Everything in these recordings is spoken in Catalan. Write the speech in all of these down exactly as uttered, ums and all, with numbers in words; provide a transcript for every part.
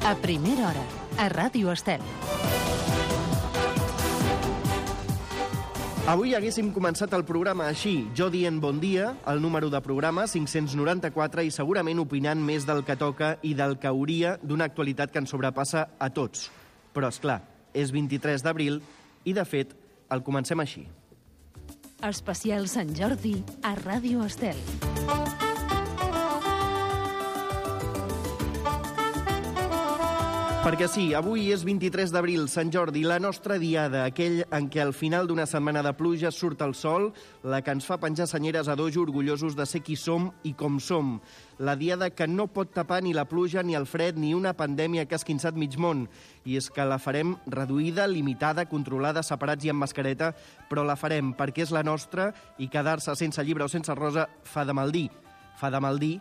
A primera hora, a Ràdio Estel. Avui haguéssim començat el programa així, jo dient bon dia, el número de programa cinc-cents noranta-quatre i segurament opinant més del que toca i del que hauria d'una actualitat que ens sobrepassa a tots. Però, és clar, és vint-i-tres d'abril i, de fet, el comencem així. Especial Sant Jordi a Ràdio Estel. Perquè sí, avui és vint-i-tres d'abril, Sant Jordi, la nostra diada, aquell en què al final d'una setmana de pluja surt el sol, la que ens fa penjar senyeres a dojo orgullosos de ser qui som i com som. La diada que no pot tapar ni la pluja, ni el fred, ni una pandèmia que ha esquinçat mig món. I és que la farem reduïda, limitada, controlada, separats i amb mascareta, però la farem perquè és la nostra i quedar-se sense llibre o sense rosa fa de mal dir. Fa de mal dir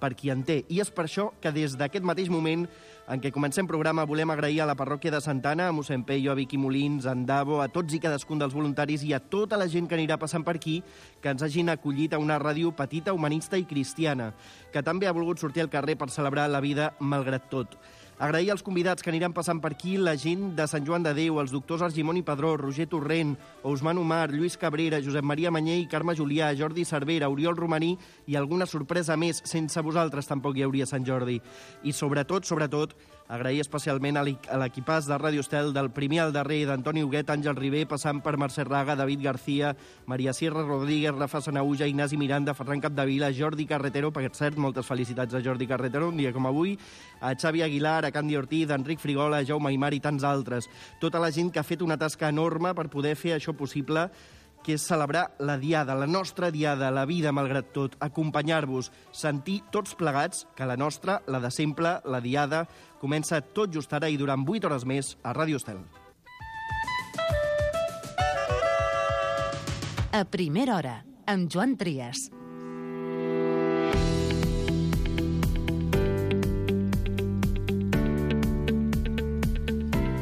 per qui en té. I és per això que des d'aquest mateix moment en què comencem programa volem agrair a la parròquia de Santa Anna, a mossèn Peyo, a Vicky Molins, a en Davo, a tots i cadascun dels voluntaris i a tota la gent que anirà passant per aquí, que ens hagin acollit a una ràdio petita, humanista i cristiana, que també ha volgut sortir al carrer per celebrar la vida malgrat tot. Agrair als convidats que aniran passant per aquí, la gent de Sant Joan de Déu, els doctors Argimon i Padró, Roger Torrent, Ousmane Omar, Lluís Cabrera, Josep Maria Manyell, Carme Julià, Jordi Cervera, Oriol Romaní i alguna sorpresa més. Sense vosaltres tampoc hi hauria Sant Jordi. I sobretot, sobretot, agrair especialment a l'equipàs de Ràdio Estel, del primer al darrer, d'Antoni Huguet, Àngel Ribé, passant per Mercè Raga, David García, Maria Sierra Rodríguez, Rafa Sanauja, Ignasi Miranda, Ferran Capdevila, Jordi Carretero, per cert, moltes felicitats a Jordi Carretero, un dia com avui, a Xavi Aguilar, a Candy Ortiz, a Enric Frigola, a Jaume Aymar i tants altres. Tota la gent que ha fet una tasca enorme per poder fer això possible, que és celebrar la diada, la nostra diada, la vida malgrat tot, acompanyar-vos, sentir tots plegats que la nostra, la de sempre, la diada, comença tot just ara i durant vuit hores més a Ràdio Estel. A primera hora, amb Joan Trias.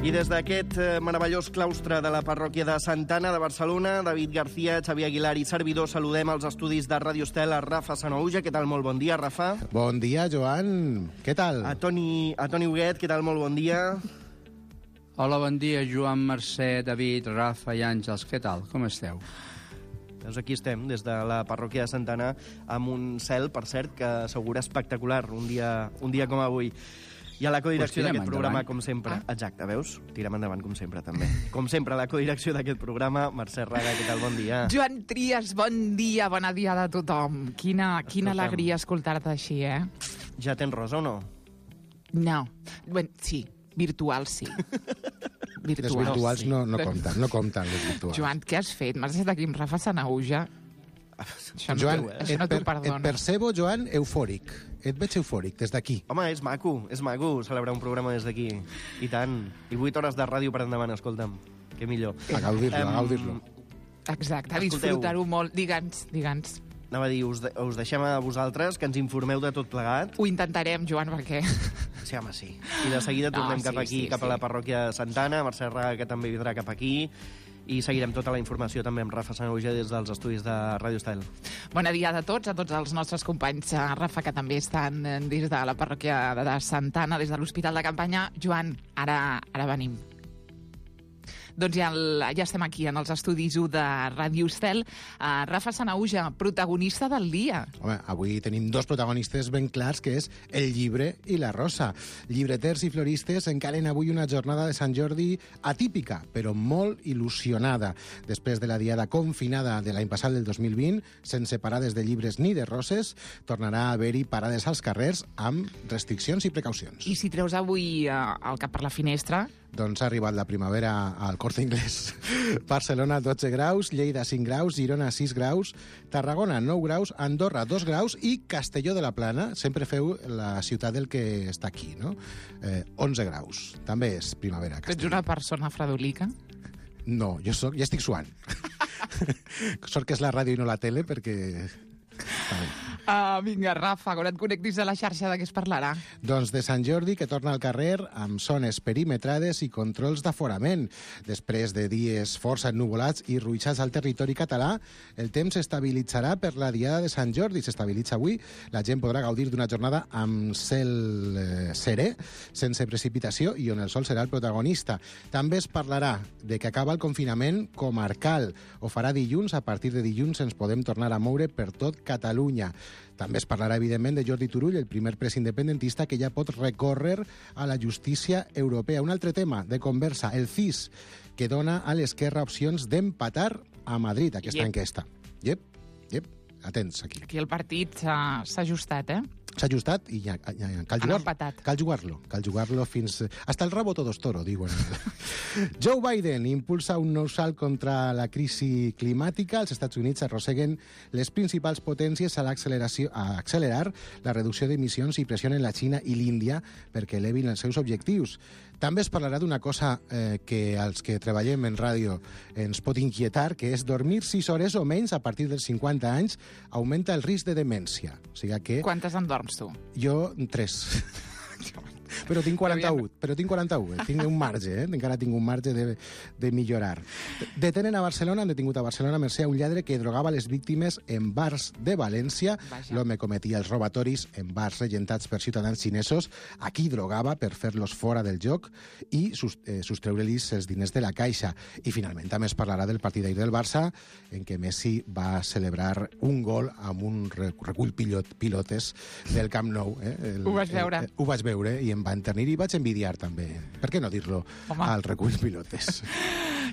I des d'aquest meravellós claustre de la parròquia de Santa Anna de Barcelona, David García, Xavi Aguilar i servidor, saludem als estudis de Ràdio Estel a Rafa Sanauja. Què tal? Molt bon dia, Rafa. Bon dia, Joan. Què tal? A Toni, a Toni Huguet, què tal? Molt bon dia. Hola, bon dia, Joan, Mercè, David, Rafa i Àngels. Què tal? Com esteu? Doncs aquí estem, des de la parròquia de Santa Anna, amb un cel, per cert, que assegura espectacular, un dia, un dia com avui. I a la codirecció pues d'aquest programa, endavant. com sempre... Ah. Exacte, veus? Tirem endavant, com sempre, també. Com sempre, a la codirecció d'aquest programa, Mercè Raga, què tal? Bon dia. Joan Trias, bon dia, bona diada a tothom. Quina, quina alegria escoltar-te així, eh? Ja tens rosa o no? No. Bé, sí, virtual sí. Les virtuals sí. no, no compten, no compten les virtuals. Joan, què has fet? M'has estat aquí amb Rafa Sanauja. Això no, Joan, això no et, per, t'ho perdono. et percebo, Joan, eufòric. Et veig eufòric, des d'aquí. Home, és maco, és maco celebrar un programa des d'aquí. I tant. I vuit hores de ràdio per endavant, escolta'm. Què millor. A gaudir-lo, Em, a gaudir-lo. Exacte, a Escolteu. disfrutar-ho molt. Digue'ns, digue'ns. Anava a dir, us, de, us deixem a vosaltres que ens informeu de tot plegat. Ho intentarem, Joan, perquè... Sí, home, sí. I de seguida tornem No, cap sí, aquí, sí, cap sí. a la parròquia de Santa Anna, Mercè Raga, que també vindrà cap aquí, i seguirem tota la informació també amb Rafa Sanauja des dels estudis de Ràdio Estel. Bona diada a tots, a tots els nostres companys. A Rafa, que també estan des de la parròquia de Santa Anna, des de l'Hospital de Campanya. Joan, ara, ara venim. Doncs ja, el, ja estem aquí, en els estudis u de Ràdio Estel. Uh, Rafa Sanauja, protagonista del dia. Home, avui tenim dos protagonistes ben clars, que és el llibre i la rosa. Llibreters i floristes encaren avui una jornada de Sant Jordi atípica, però molt il·lusionada. Després de la diada confinada de l'any passat, del dos mil vint, sense parades de llibres ni de roses, tornarà a haver-hi parades als carrers amb restriccions i precaucions. I si treus avui uh, el cap per la finestra... Doncs ha arribat la primavera al Corte Inglés. Barcelona, dotze graus, Lleida, cinc graus, Girona, sis graus, Tarragona, nou graus, Andorra, dos graus i Castelló de la Plana, sempre feu la ciutat del que està aquí, no? Eh, onze graus. També és primavera. Tu ets una persona fredolica? No, jo, soc, ja estic suant. Sort que és la ràdio i no la tele, perquè... Uh, vinga, Rafa, quan et connectis a la xarxa de què es parlarà? Doncs de Sant Jordi, que torna al carrer amb zones perimetrades i controls d'aforament. Després de dies força ennuvolats i ruixats al territori català, el temps s'estabilitzarà per la diada de Sant Jordi. S'estabilitza avui. La gent podrà gaudir d'una jornada amb cel eh, serè, sense precipitació, i on el sol serà el protagonista. També es parlarà de que acaba el confinament comarcal. Ho farà dilluns. A partir de dilluns ens podem tornar a moure per tot Catalunya. També es parlarà, evidentment, de Jordi Turull, el primer pres independentista que ja pot recórrer a la justícia europea. Un altre tema de conversa, el C I S, que dona a l'esquerra opcions d'empatar a Madrid, aquesta Yep. enquesta. Yep, yep, atents aquí. Aquí el partit s'ha s'ha ajustat, eh? S'ha ajustat i ja, ja, ja cal Han jugar. empatat. Cal jugar-lo, cal jugar-lo fins... Hasta el rabo todos toro, diuen. Joe Biden impulsa un nou salt contra la crisi climàtica. Els Estats Units arrosseguen les principals potències a, l'acceleració, a accelerar la reducció d'emissions i pressionen la Xina i l'Índia perquè elevin els seus objectius. També es parlarà d'una cosa eh, que als que treballem en ràdio ens pot inquietar, que és dormir sis hores o menys a partir dels cinquanta anys augmenta el risc de demència. O sigui que... Quantes en dorms, tu? Jo, tres. Però tinc quaranta-u, però tinc quaranta-u, eh? Tinc un marge, eh? Encara tinc un marge de, de millorar. Detenen a Barcelona, han detingut a Barcelona mercè a un lladre que drogava les víctimes en bars de València. Vaja. L'home cometia els robatoris en bars regentats per ciutadans xinesos. Aquí drogava per fer-los fora del joc i sus, eh, sostreure-los els diners de la caixa. I finalment també es parlarà del partit d'ahir del Barça, en què Messi va celebrar un gol amb un recull pilot, pilotes del Camp Nou. Eh? El, Ho vas veure? El, el, ho vaig veure i em va enternir i vaig envidiar també. Per què no dir-lo Home. al recull pilotes?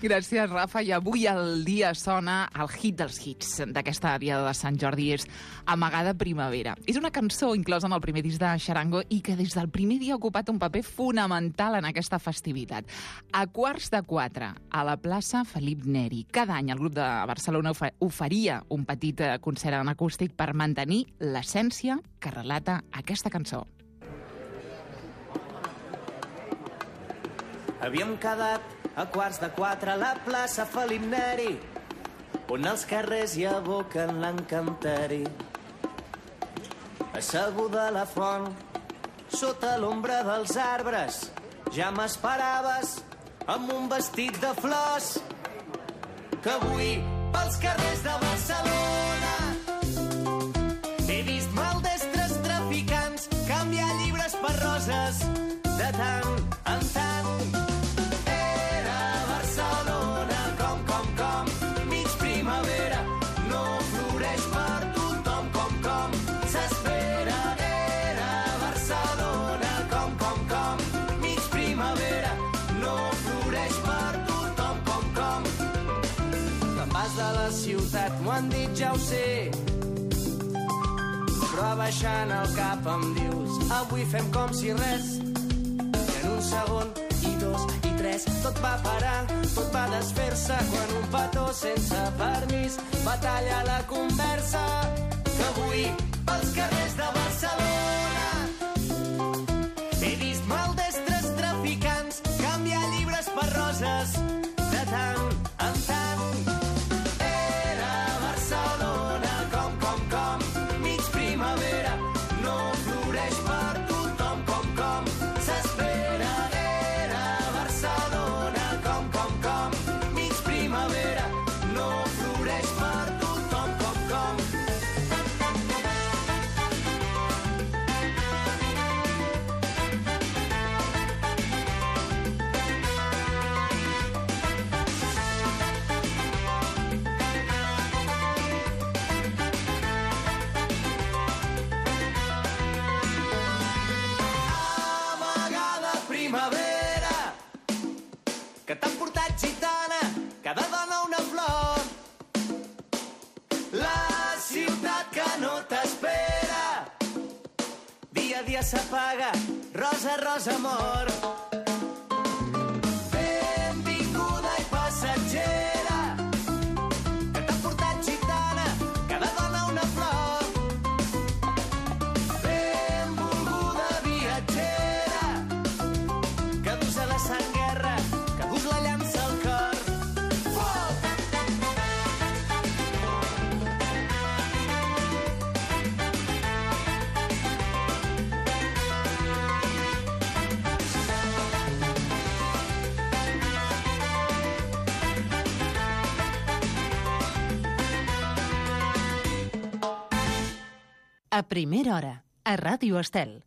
Gràcies, Rafa. I avui el dia sona el hit dels hits d'aquesta diada de Sant Jordi, és Amagada Primavera. És una cançó inclosa en el primer disc de Xarango i que des del primer dia ha ocupat un paper fonamental en aquesta festivitat. A quarts de quatre, a la plaça Felip Neri. Cada any el grup de Barcelona oferia un petit concert en acústic per mantenir l'essència que relata aquesta cançó. Havíem quedat a quarts de quatre a la plaça Felip Neri, on els carrers hi aboquen l'encanteri. Asseguda a la font, sota l'ombra dels arbres, ja m'esperaves amb un vestit de flors, que avui pels carrers de Barcelona he vist maldestres traficants canviar llibres per roses de tant en tant. Ciutat, m'ho han dit, ja ho sé, però abaixant el cap em dius avui fem com si res, i en un segon i dos i tres tot va parar, tot va desfer-se quan un petó sense permís va tallar la conversa, que avui pels carrers de Barcelona he vist maldestres traficants canviar llibres per roses de tant en tant. Que t'han portat gitana, cada dona una flor. La ciutat que no t'espera, dia a dia s'apaga, rosa, rosa, amor. Benvinguda i passatgera, que t'han portat gitana, cada dona una flor. Benvolguda viatgera, que dus a la sang guerra, la llança al cor. Foc! A primera hora, a Ràdio Estel.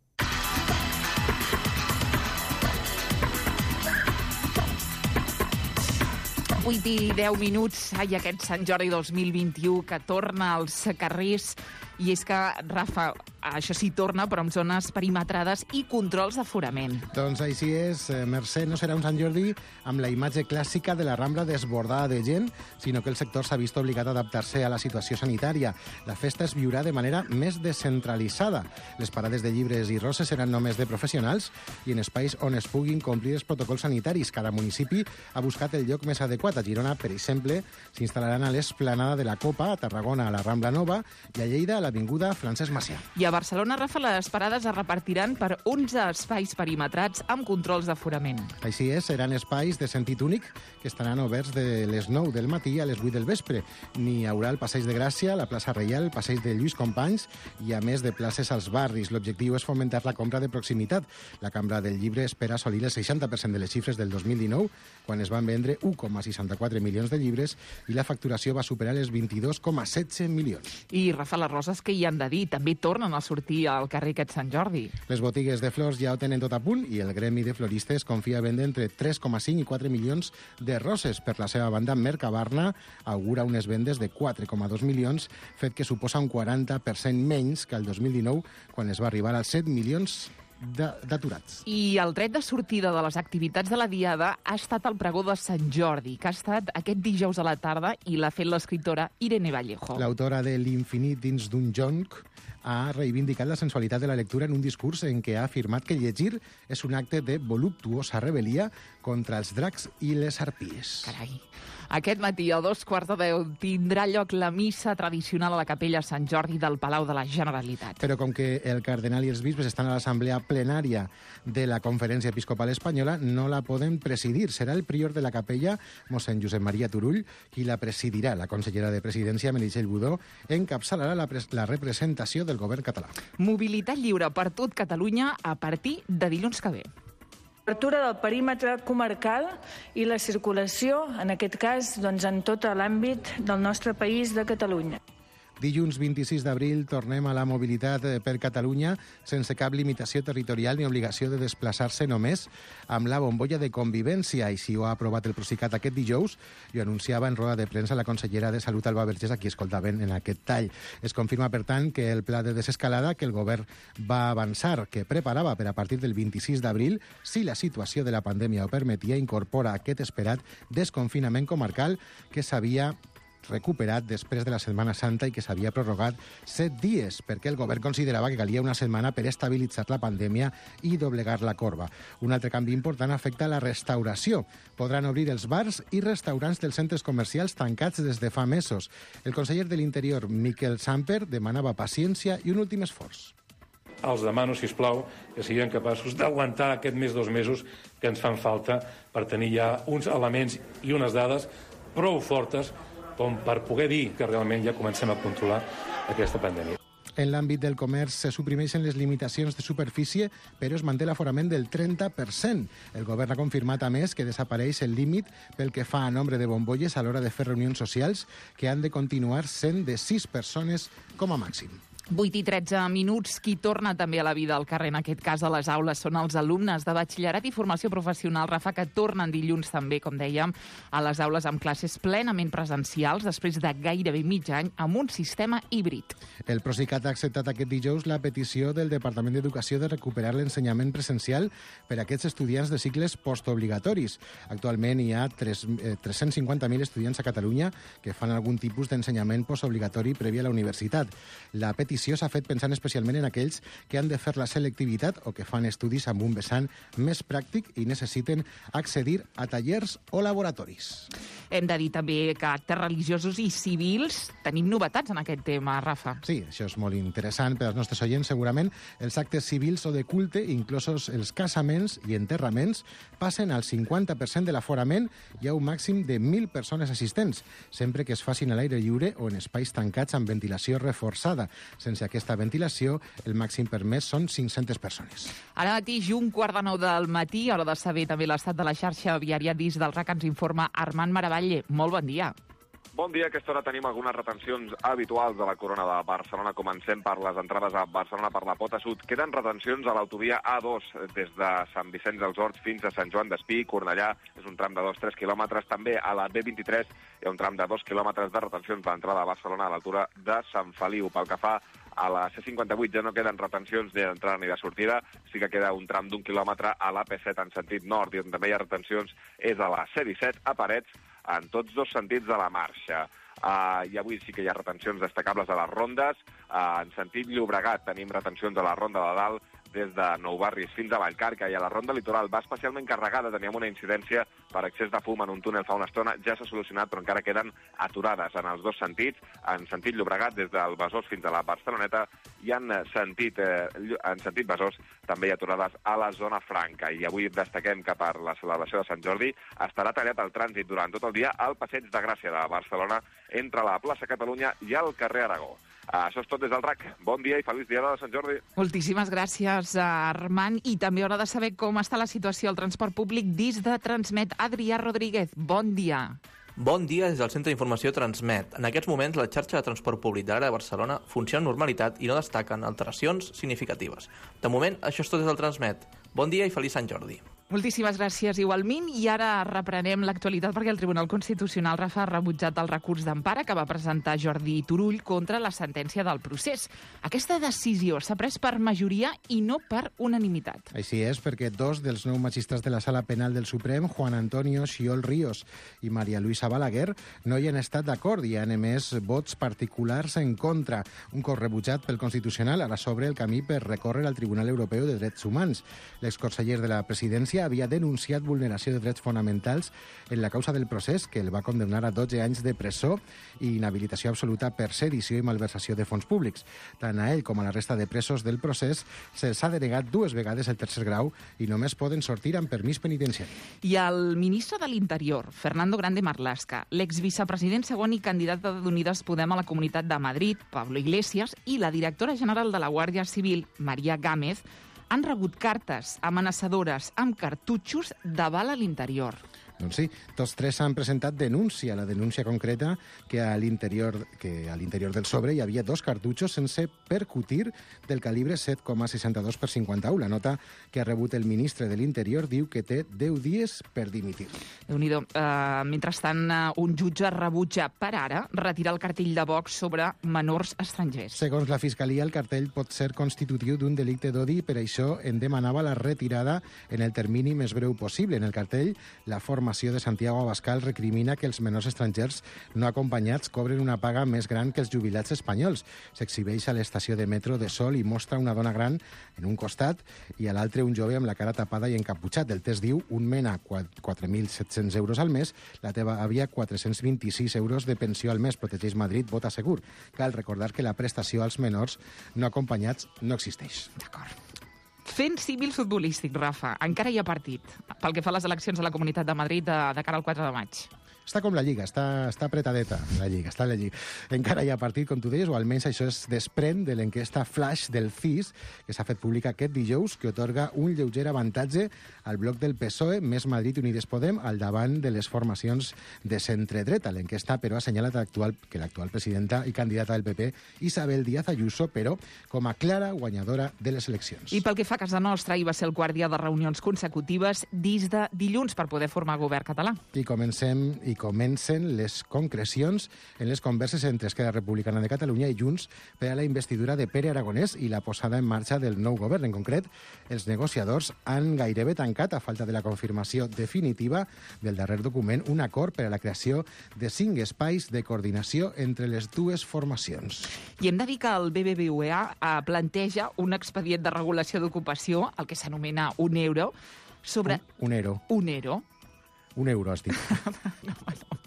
vuit i deu minuts, ai, aquest Sant Jordi dos mil vint-i-u que torna als carrers. I és que, Rafa, això sí torna, però amb zones perimetrades i controls d'aforament. Doncs així és, Mercè, no serà un Sant Jordi amb la imatge clàssica de la Rambla desbordada de gent, sinó que el sector s'ha vist obligat a adaptar-se a la situació sanitària. La festa es viurà de manera més descentralitzada. Les parades de llibres i roses seran només de professionals i en espais on es puguin complir els protocols sanitaris. Cada municipi ha buscat el lloc més adequat. A Girona, per exemple, s'instal·laran a l'Esplanada de la Copa, a Tarragona, a la Rambla Nova, i a Lleida, a l'Avinguda Francesc Macià. I a Barcelona, Rafa, les parades es repartiran per onze espais perimetrats amb controls d'aforament. Així és, seran espais de sentit únic que estaran oberts de les nou del matí a les vuit del vespre. N'hi haurà el Passeig de Gràcia, la plaça Reial, el Passeig de Lluís Companys i, a més, de places als barris. L'objectiu és fomentar la compra de proximitat. La Cambra del Llibre espera assolir el seixanta per cent de les xifres del dos mil dinou, quan es van vendre u coma seixanta-quatre milions de llibres i la facturació va superar els vint-i-dos coma setze milions. I, Rafa, les roses que hi han de dir també tornen a sortir al carrer aquest Sant Jordi. Les botigues de flors ja ho tenen tot a punt i el gremi de floristes confia a vendre entre tres coma cinc i quatre milions de roses. Per la seva banda, Mercabarna augura unes vendes de quatre coma dos milions, fet que suposa un quaranta per cent menys que el dos mil dinou, quan es va arribar als set milions d'aturats. I el tret de sortida de les activitats de la Diada ha estat el pregó de Sant Jordi, que ha estat aquest dijous a la tarda i l'ha fet l'escriptora Irene Vallejo. L'autora de L'infinit dins d'un jonc ha reivindicat la sensualitat de la lectura en un discurs en què ha afirmat que llegir és un acte de voluptuosa rebel·lia contra els dracs i les harpies. Carai. Aquest matí, a dos quarts de deu, tindrà lloc la missa tradicional a la capella Sant Jordi del Palau de la Generalitat. Però com que el cardenal i els bisbes estan a l'assemblea plenària de la Conferència Episcopal Espanyola, no la poden presidir. Serà el prior de la capella, mossèn Josep Maria Turull, qui la presidirà. La consellera de Presidència, Meritxell Budó, encapçalarà la, la representació del govern català. Mobilitat lliure per tot Catalunya a partir de dilluns que ve. Obertura del perímetre comarcal i la circulació, en aquest cas, doncs, en tot l'àmbit del nostre país de Catalunya. Dilluns vint-i-sis d'abril tornem a la mobilitat per Catalunya sense cap limitació territorial ni obligació de desplaçar-se només amb la bombolla de convivència. Així ho ha aprovat el Procicat aquest dijous i ho anunciava en roda de premsa la consellera de Salut, Alba Vergés, a qui escoltaven en aquest tall. Es confirma, per tant, que el pla de desescalada que el govern va avançar, que preparava per a partir del vint-i-sis d'abril, si la situació de la pandèmia ho permetia, incorpora aquest esperat desconfinament comarcal que s'havia recuperat després de la Setmana Santa i que s'havia prorrogat set dies, perquè el govern considerava que calia una setmana per estabilitzar la pandèmia i doblegar la corba. Un altre canvi important afecta la restauració. Podran obrir els bars i restaurants dels centres comercials tancats des de fa mesos. El conseller de l'Interior, Miquel Samper, demanava paciència i un últim esforç. Els demano, sisplau, que siguem capaços d'aguantar aquest mes, dos mesos, que ens fan falta per tenir ja uns elements i unes dades prou fortes com per poder dir que realment ja comencem a controlar aquesta pandèmia. En l'àmbit del comerç se suprimeixen les limitacions de superfície, però es manté l'aforament del trenta per cent. El govern ha confirmat, a més, que desapareix el límit pel que fa a nombre de bombolles a l'hora de fer reunions socials, que han de continuar sent de sis persones com a màxim. vuit i tretze minuts. Qui torna també a la vida al carrer, en aquest cas a les aules, són els alumnes de batxillerat i formació professional, Rafa, que tornen dilluns també, com dèiem, a les aules amb classes plenament presencials després de gairebé mig any amb un sistema híbrid. El Procicat ha acceptat aquest dijous la petició del Departament d'Educació de recuperar l'ensenyament presencial per a aquests estudiants de cicles postobligatoris. Actualment hi ha tres-cents cinquanta mil estudiants a Catalunya que fan algun tipus d'ensenyament postobligatori previ a la universitat. La petició s'ha fet pensant especialment en aquells que han de fer la selectivitat o que fan estudis amb un vessant més pràctic i necessiten accedir a tallers o laboratoris. Hem de dir també que actes religiosos i civils tenim novetats en aquest tema, Rafa. Sí, això és molt interessant per als nostres oients, segurament. Els actes civils o de culte, inclosos els casaments i enterraments, passen al cinquanta per cent de l'aforament i a un màxim de mil persones assistents, sempre que es facin a l'aire lliure o en espais tancats amb ventilació reforçada. Sense aquesta ventilació, el màxim permès són cinc-centes persones. Ara mateix, un quart de nou del matí, hora de saber també l'estat de la xarxa viària dins del R A C, ens informa Armand Maravalle. Molt bon dia. Bon dia, a aquesta hora tenim algunes retencions habituals a la Corona de Barcelona. Comencem per les entrades a Barcelona per la Pota Sud. Queden retencions a l'autovia A dos des de Sant Vicenç dels Horts fins a Sant Joan d'Espí. Cornellà és un tram de dos a tres quilòmetres. També a la B vint-i-tres hi ha un tram de dos quilòmetres de retencions a l'entrada a Barcelona a l'altura de Sant Feliu. Pel que fa a la C cinquanta-vuit ja no queden retencions ni d'entrada ni de sortida. Sí que queda un tram d'un quilòmetre a l'A P set en sentit nord, i on també hi ha retencions és a la C disset a Parets, en tots dos sentits de la marxa. Uh, I avui sí que hi ha retencions destacables a les rondes. Uh, en sentit Llobregat tenim retencions a la Ronda de Dalt des de Nou Barris fins a Vallcarca, i a la Ronda Litoral va especialment carregada. Teníem una incidència per excés de fum en un túnel fa una estona. Ja s'ha solucionat, però encara queden aturades en els dos sentits. En sentit Llobregat, des del Besòs fins a la Barceloneta, i en sentit, eh, en sentit Besòs també hi ha aturades a la zona franca. I avui destaquem que per la celebració de Sant Jordi estarà tallat el trànsit durant tot el dia al Passeig de Gràcia de Barcelona, entre la plaça Catalunya i el carrer Aragó. Uh, això és tot des del R A C. Bon dia i feliç dia de Sant Jordi. Moltíssimes gràcies, Armand. I també haurà de saber com està la situació al transport públic dins de Transmet. Adrià Rodríguez, bon dia. Bon dia des del Centre d'Informació Transmet. En aquests moments, la xarxa de transport públic de l'àrea de Barcelona funciona amb normalitat i no destaquen alteracions significatives. De moment, això és tot des del Transmet. Bon dia i feliç Sant Jordi. Moltíssimes gràcies, igualment. I ara reprenem l'actualitat perquè el Tribunal Constitucional, Rafa, ha rebutjat el recurs d'empara que va presentar Jordi Turull contra la sentència del procés. Aquesta decisió s'ha pres per majoria i no per unanimitat. Així és, perquè dos dels nou magistrats de la Sala Penal del Suprem, Juan Antonio Xiol Ríos i Maria Luisa Balaguer, no hi han estat d'acord i han emès vots particulars en contra. Un cop rebutjat pel Constitucional, ara s'obre el camí per recórrer al Tribunal Europeu de Drets Humans. L'exconseller de la Presidència havia denunciat vulneració de drets fonamentals en la causa del procés, que el va condemnar a dotze anys de presó i inhabilitació absoluta per sedició i malversació de fons públics. Tant a ell com a la resta de presos del procés se'ls ha denegat dues vegades el tercer grau i només poden sortir amb permís penitenciari. I el ministre de l'Interior, Fernando Grande Marlaska, l'exvicepresident segon i candidat d'Unides Podem a la Comunitat de Madrid, Pablo Iglesias, i la directora general de la Guàrdia Civil, María Gámez, han rebut cartes amenaçadores amb cartutxos de bala a l'interior. Doncs sí, tots tres han presentat denúncia. La denúncia concreta que a l'interior que a l'interior del sobre hi havia dos cartutxos sense percutir del calibre set coma seixanta-dos per cinquanta-u. La nota que ha rebut el ministre de l'Interior diu que té deu dies per dimitir. Déu-n'hi-do. Uh, mentrestant, uh, un jutge rebutja per ara retirar el cartell de Vox sobre menors estrangers. Segons la Fiscalia, el cartell pot ser constitutiu d'un delicte d'odi, per això en demanava la retirada en el termini més breu possible. En el cartell, la formació de Santiago Abascal recrimina que els menors estrangers no acompanyats cobren una paga més gran que els jubilats espanyols. S'exhibeix a l'estació de metro de Sol i mostra una dona gran en un costat i a l'altre un jove amb la cara tapada i encaputxat. El test diu un mena quatre mil set-cents euros al mes, la teva àvia quatre-cents vint-i-sis euros de pensió al mes. Protegeix Madrid, vota segur. Cal recordar que la prestació als menors no acompanyats no existeix. D'acord. Fent símil futbolístic, Rafa, encara hi ha partit pel que fa a les eleccions a la Comunitat de Madrid de, de cara al quatre de maig. Està com la Lliga, està, està apretadeta la Lliga, està la Lliga. Encara hi ha partit, com tu deies, o almenys això es desprèn de l'enquesta Flash del C I S, que s'ha fet pública aquest dijous, que otorga un lleuger avantatge al bloc del P S O E, Més Madrid i Unides Podem, al davant de les formacions de centre-dreta. L'enquesta, però, ha assenyalat actual, que l'actual presidenta i candidata del P P, Isabel Díaz Ayuso, però com a clara guanyadora de les eleccions. I pel que fa a casa nostra, hi va ser el quart dia de reunions consecutives des de dilluns per poder formar govern català. I comencem... I comencen les concrecions en les converses entre Esquerra Republicana de Catalunya i Junts per a la investidura de Pere Aragonès i la posada en marxa del nou govern. En concret, els negociadors han gairebé tancat, a falta de la confirmació definitiva del darrer document, un acord per a la creació de cinc espais de coordinació entre les dues formacions. I hem de dir que el B B V A planteja un expedient de regulació d'ocupació, el que s'anomena un euro, sobre... Un, un euro. Un euro. Un euro, has dit. no, no.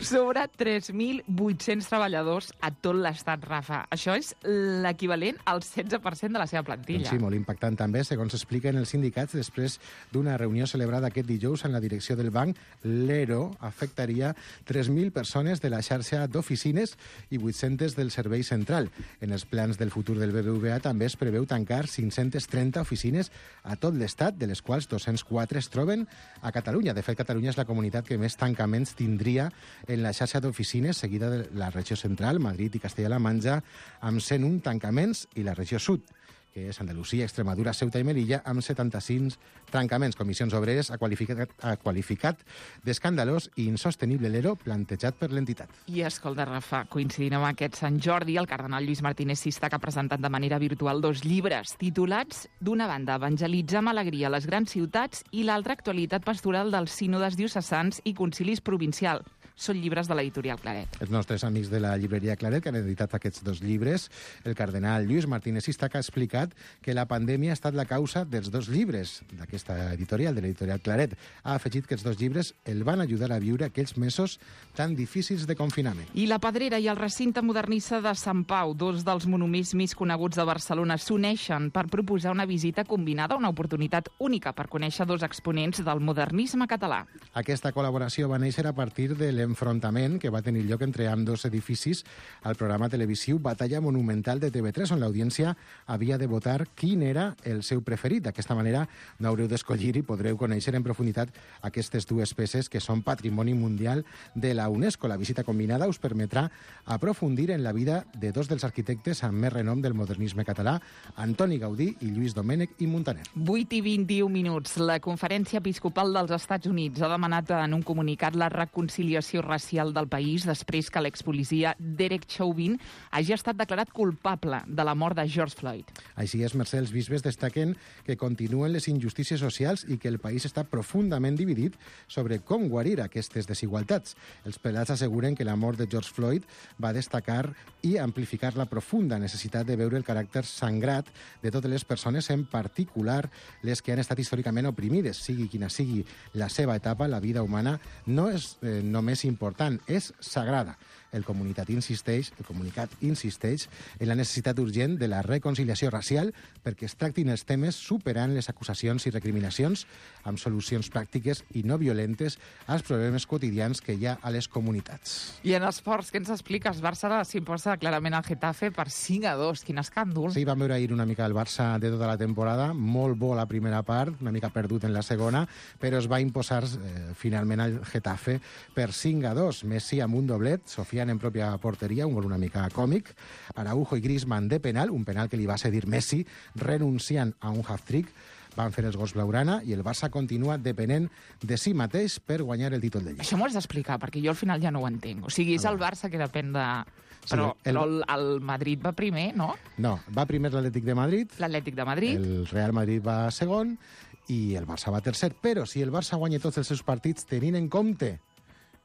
Sobre tres mil vuit-cents treballadors a tot l'estat, Rafa. Això és l'equivalent al setze per cent de la seva plantilla. Doncs sí, molt impactant també, segons expliquen els sindicats, després d'una reunió celebrada aquest dijous en la direcció del banc. L'ERO afectaria tres mil persones de la xarxa d'oficines i vuit-centes del servei central. En els plans del futur del B B V A també es preveu tancar cinc-centes trenta oficines a tot l'estat, de les quals dos-cents quatre es troben a Catalunya. De fet, Catalunya és la comunitat que més tanca tancaments tindria en la xarxa d'oficines, seguida de la regió central, Madrid i Castella-La Manxa, amb cent un tancaments, i la regió sud, que és Andalusia, Extremadura, Ceuta i Melilla, amb setanta-cinc tancaments. Comissions Obreres ha qualificat, ha qualificat d'escandalós i insostenible l'ero plantejat per l'entitat. I escolta, Rafa, coincidint amb aquest Sant Jordi, el cardenal Lluís Martínez Sista, que ha presentat de manera virtual dos llibres titulats, d'una banda, Evangelitzar amb alegria a les grans ciutats, i l'altra, Actualitat pastoral dels sínodes diocesans i concilis provincial. Són llibres de l'editorial Claret. Els nostres amics de la llibreria Claret, que han editat aquests dos llibres, el cardenal Lluís Martínez Sista, que ha explicat que la pandèmia ha estat la causa dels dos llibres d'aquesta editorial, de l'editorial Claret. Ha afegit que els dos llibres el van ajudar a viure aquells mesos tan difícils de confinament. I la Pedrera i el recinte modernista de Sant Pau, dos dels monuments més coneguts de Barcelona, s'uneixen per proposar una visita combinada, una oportunitat única per conèixer dos exponents del modernisme català. Aquesta col·laboració va néixer a partir de l'enfrontament que va tenir lloc entre ambdós edificis al programa televisiu Batalla Monumental de T V tres, on l'audiència havia de votar quin era el seu preferit. D'aquesta manera no haureu d'escollir i podreu conèixer en profunditat aquestes dues peces que són patrimoni mundial de la UNESCO. La visita combinada us permetrà aprofundir en la vida de dos dels arquitectes amb més renom del modernisme català, Antoni Gaudí i Lluís Domènech i Muntaner. vuit i vint-i-un minuts. La Conferència Episcopal dels Estats Units ha demanat en un comunicat la reconciliació racial del país després que l'expolicia Derek Chauvin hagi estat declarat culpable de la mort de George Floyd. Així és, Mercè, els bisbes destaquen que continuen les injustícies socials i que el país està profundament dividit sobre com guarir aquestes desigualtats. Els prelats asseguren que la mort de George Floyd va destacar i amplificar la profunda necessitat de veure el caràcter sangrat de totes les persones, en particular les que han estat històricament oprimides. Sigui quina sigui la seva etapa, la vida humana no és eh, només important, és sagrada. El comunicat insisteix, el comunicat insisteix en la necessitat urgent de la reconciliació racial perquè es tractin els temes superant les acusacions i recriminacions amb solucions pràctiques i no violentes als problemes quotidians que hi ha a les comunitats. I en esports, què ens expliques? Barça s'imposa clarament al Getafe per cinc a dos. Quin escàndol. Sí, vam veure ahir una mica el Barça de tota la temporada, molt bo la primera part, una mica perdut en la segona, però es va imposar eh, finalment al Getafe per cinc a dos. Messi amb un doblet, Sofia en pròpia porteria, un gol una mica còmic, Araujo i Griezmann de penal, un penal que li va cedir Messi, renunciant a un half-trick, van fer els gols blaugrana i el Barça continua depenent de si mateix per guanyar el títol de Lliga. Això m'ho has d'explicar, perquè jo al final ja no ho entenc. O sigui, és el Barça que depèn de... Però, sí, el... però el, el Madrid va primer, no? No, va primer l'Atlètic de Madrid. L'Atlètic de Madrid. El Real Madrid va segon i el Barça va tercer. Però si el Barça guanya tots els seus partits tenint en compte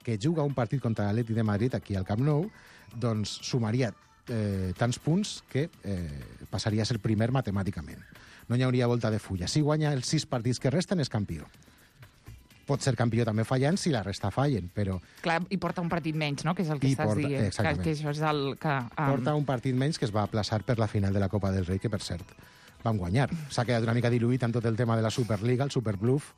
que juga un partit contra l'Atlètic de Madrid aquí al Camp Nou, doncs sumaria eh, tants punts que eh, passaria a ser primer matemàticament. No hi hauria volta de fulla. Si guanya els sis partits que resten, és campió. Pot ser campió també fallant si la resta fallen, però... Clar, i porta un partit menys, no?, que és el que I estàs porta, dient. exactament. Que, que això és el que... Um... Porta un partit menys que es va aplaçar per la final de la Copa del Rei, que, per cert, van guanyar. S'ha quedat una mica diluït amb tot el tema de la Superliga, el Superbluff,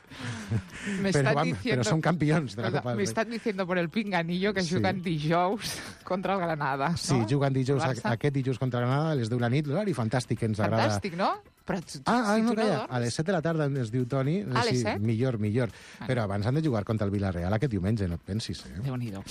però, vam, diciendo, però són campions de la Copa del Rei. Me están diciendo por el pinganillo que sí. Juguen dijous contra el Granada, no? Sí, juguen dijous, aquest dijous contra el Granada, a les deu de la nit, l'horari fantàstic, ens agrada. Fantàstic, no? Però tu, ah, si no, tu no calla, dorms... a les set de la tarda ens diu Toni. A les sí, set? Millor, millor. Bueno. Però abans han de jugar contra el Villarreal aquest diumenge, no et pensis. Eh? Déu-n'hi-do.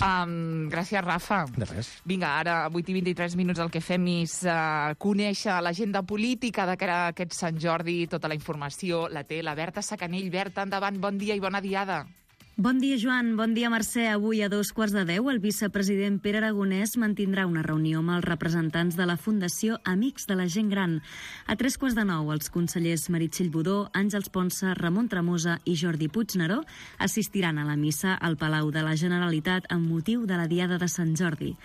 Um, gràcies, Rafa. De res. Vinga, ara, a vuit i vint-i-tres minuts, el que fem és uh, conèixer l'agenda política de cara a aquest Sant Jordi. Tota la informació la té la Berta Sacanell. Berta, endavant, bon dia i bona diada. Bon dia, Joan. Bon dia, Mercè. Avui a dos quarts de deu el vicepresident Pere Aragonès mantindrà una reunió amb els representants de la Fundació Amics de la Gent Gran. A tres quarts de nou, els consellers Meritxell Budó, Àngels Ponsa, Ramon Tremosa i Jordi Puigneró assistiran a la missa al Palau de la Generalitat amb motiu de la Diada de Sant Jordi.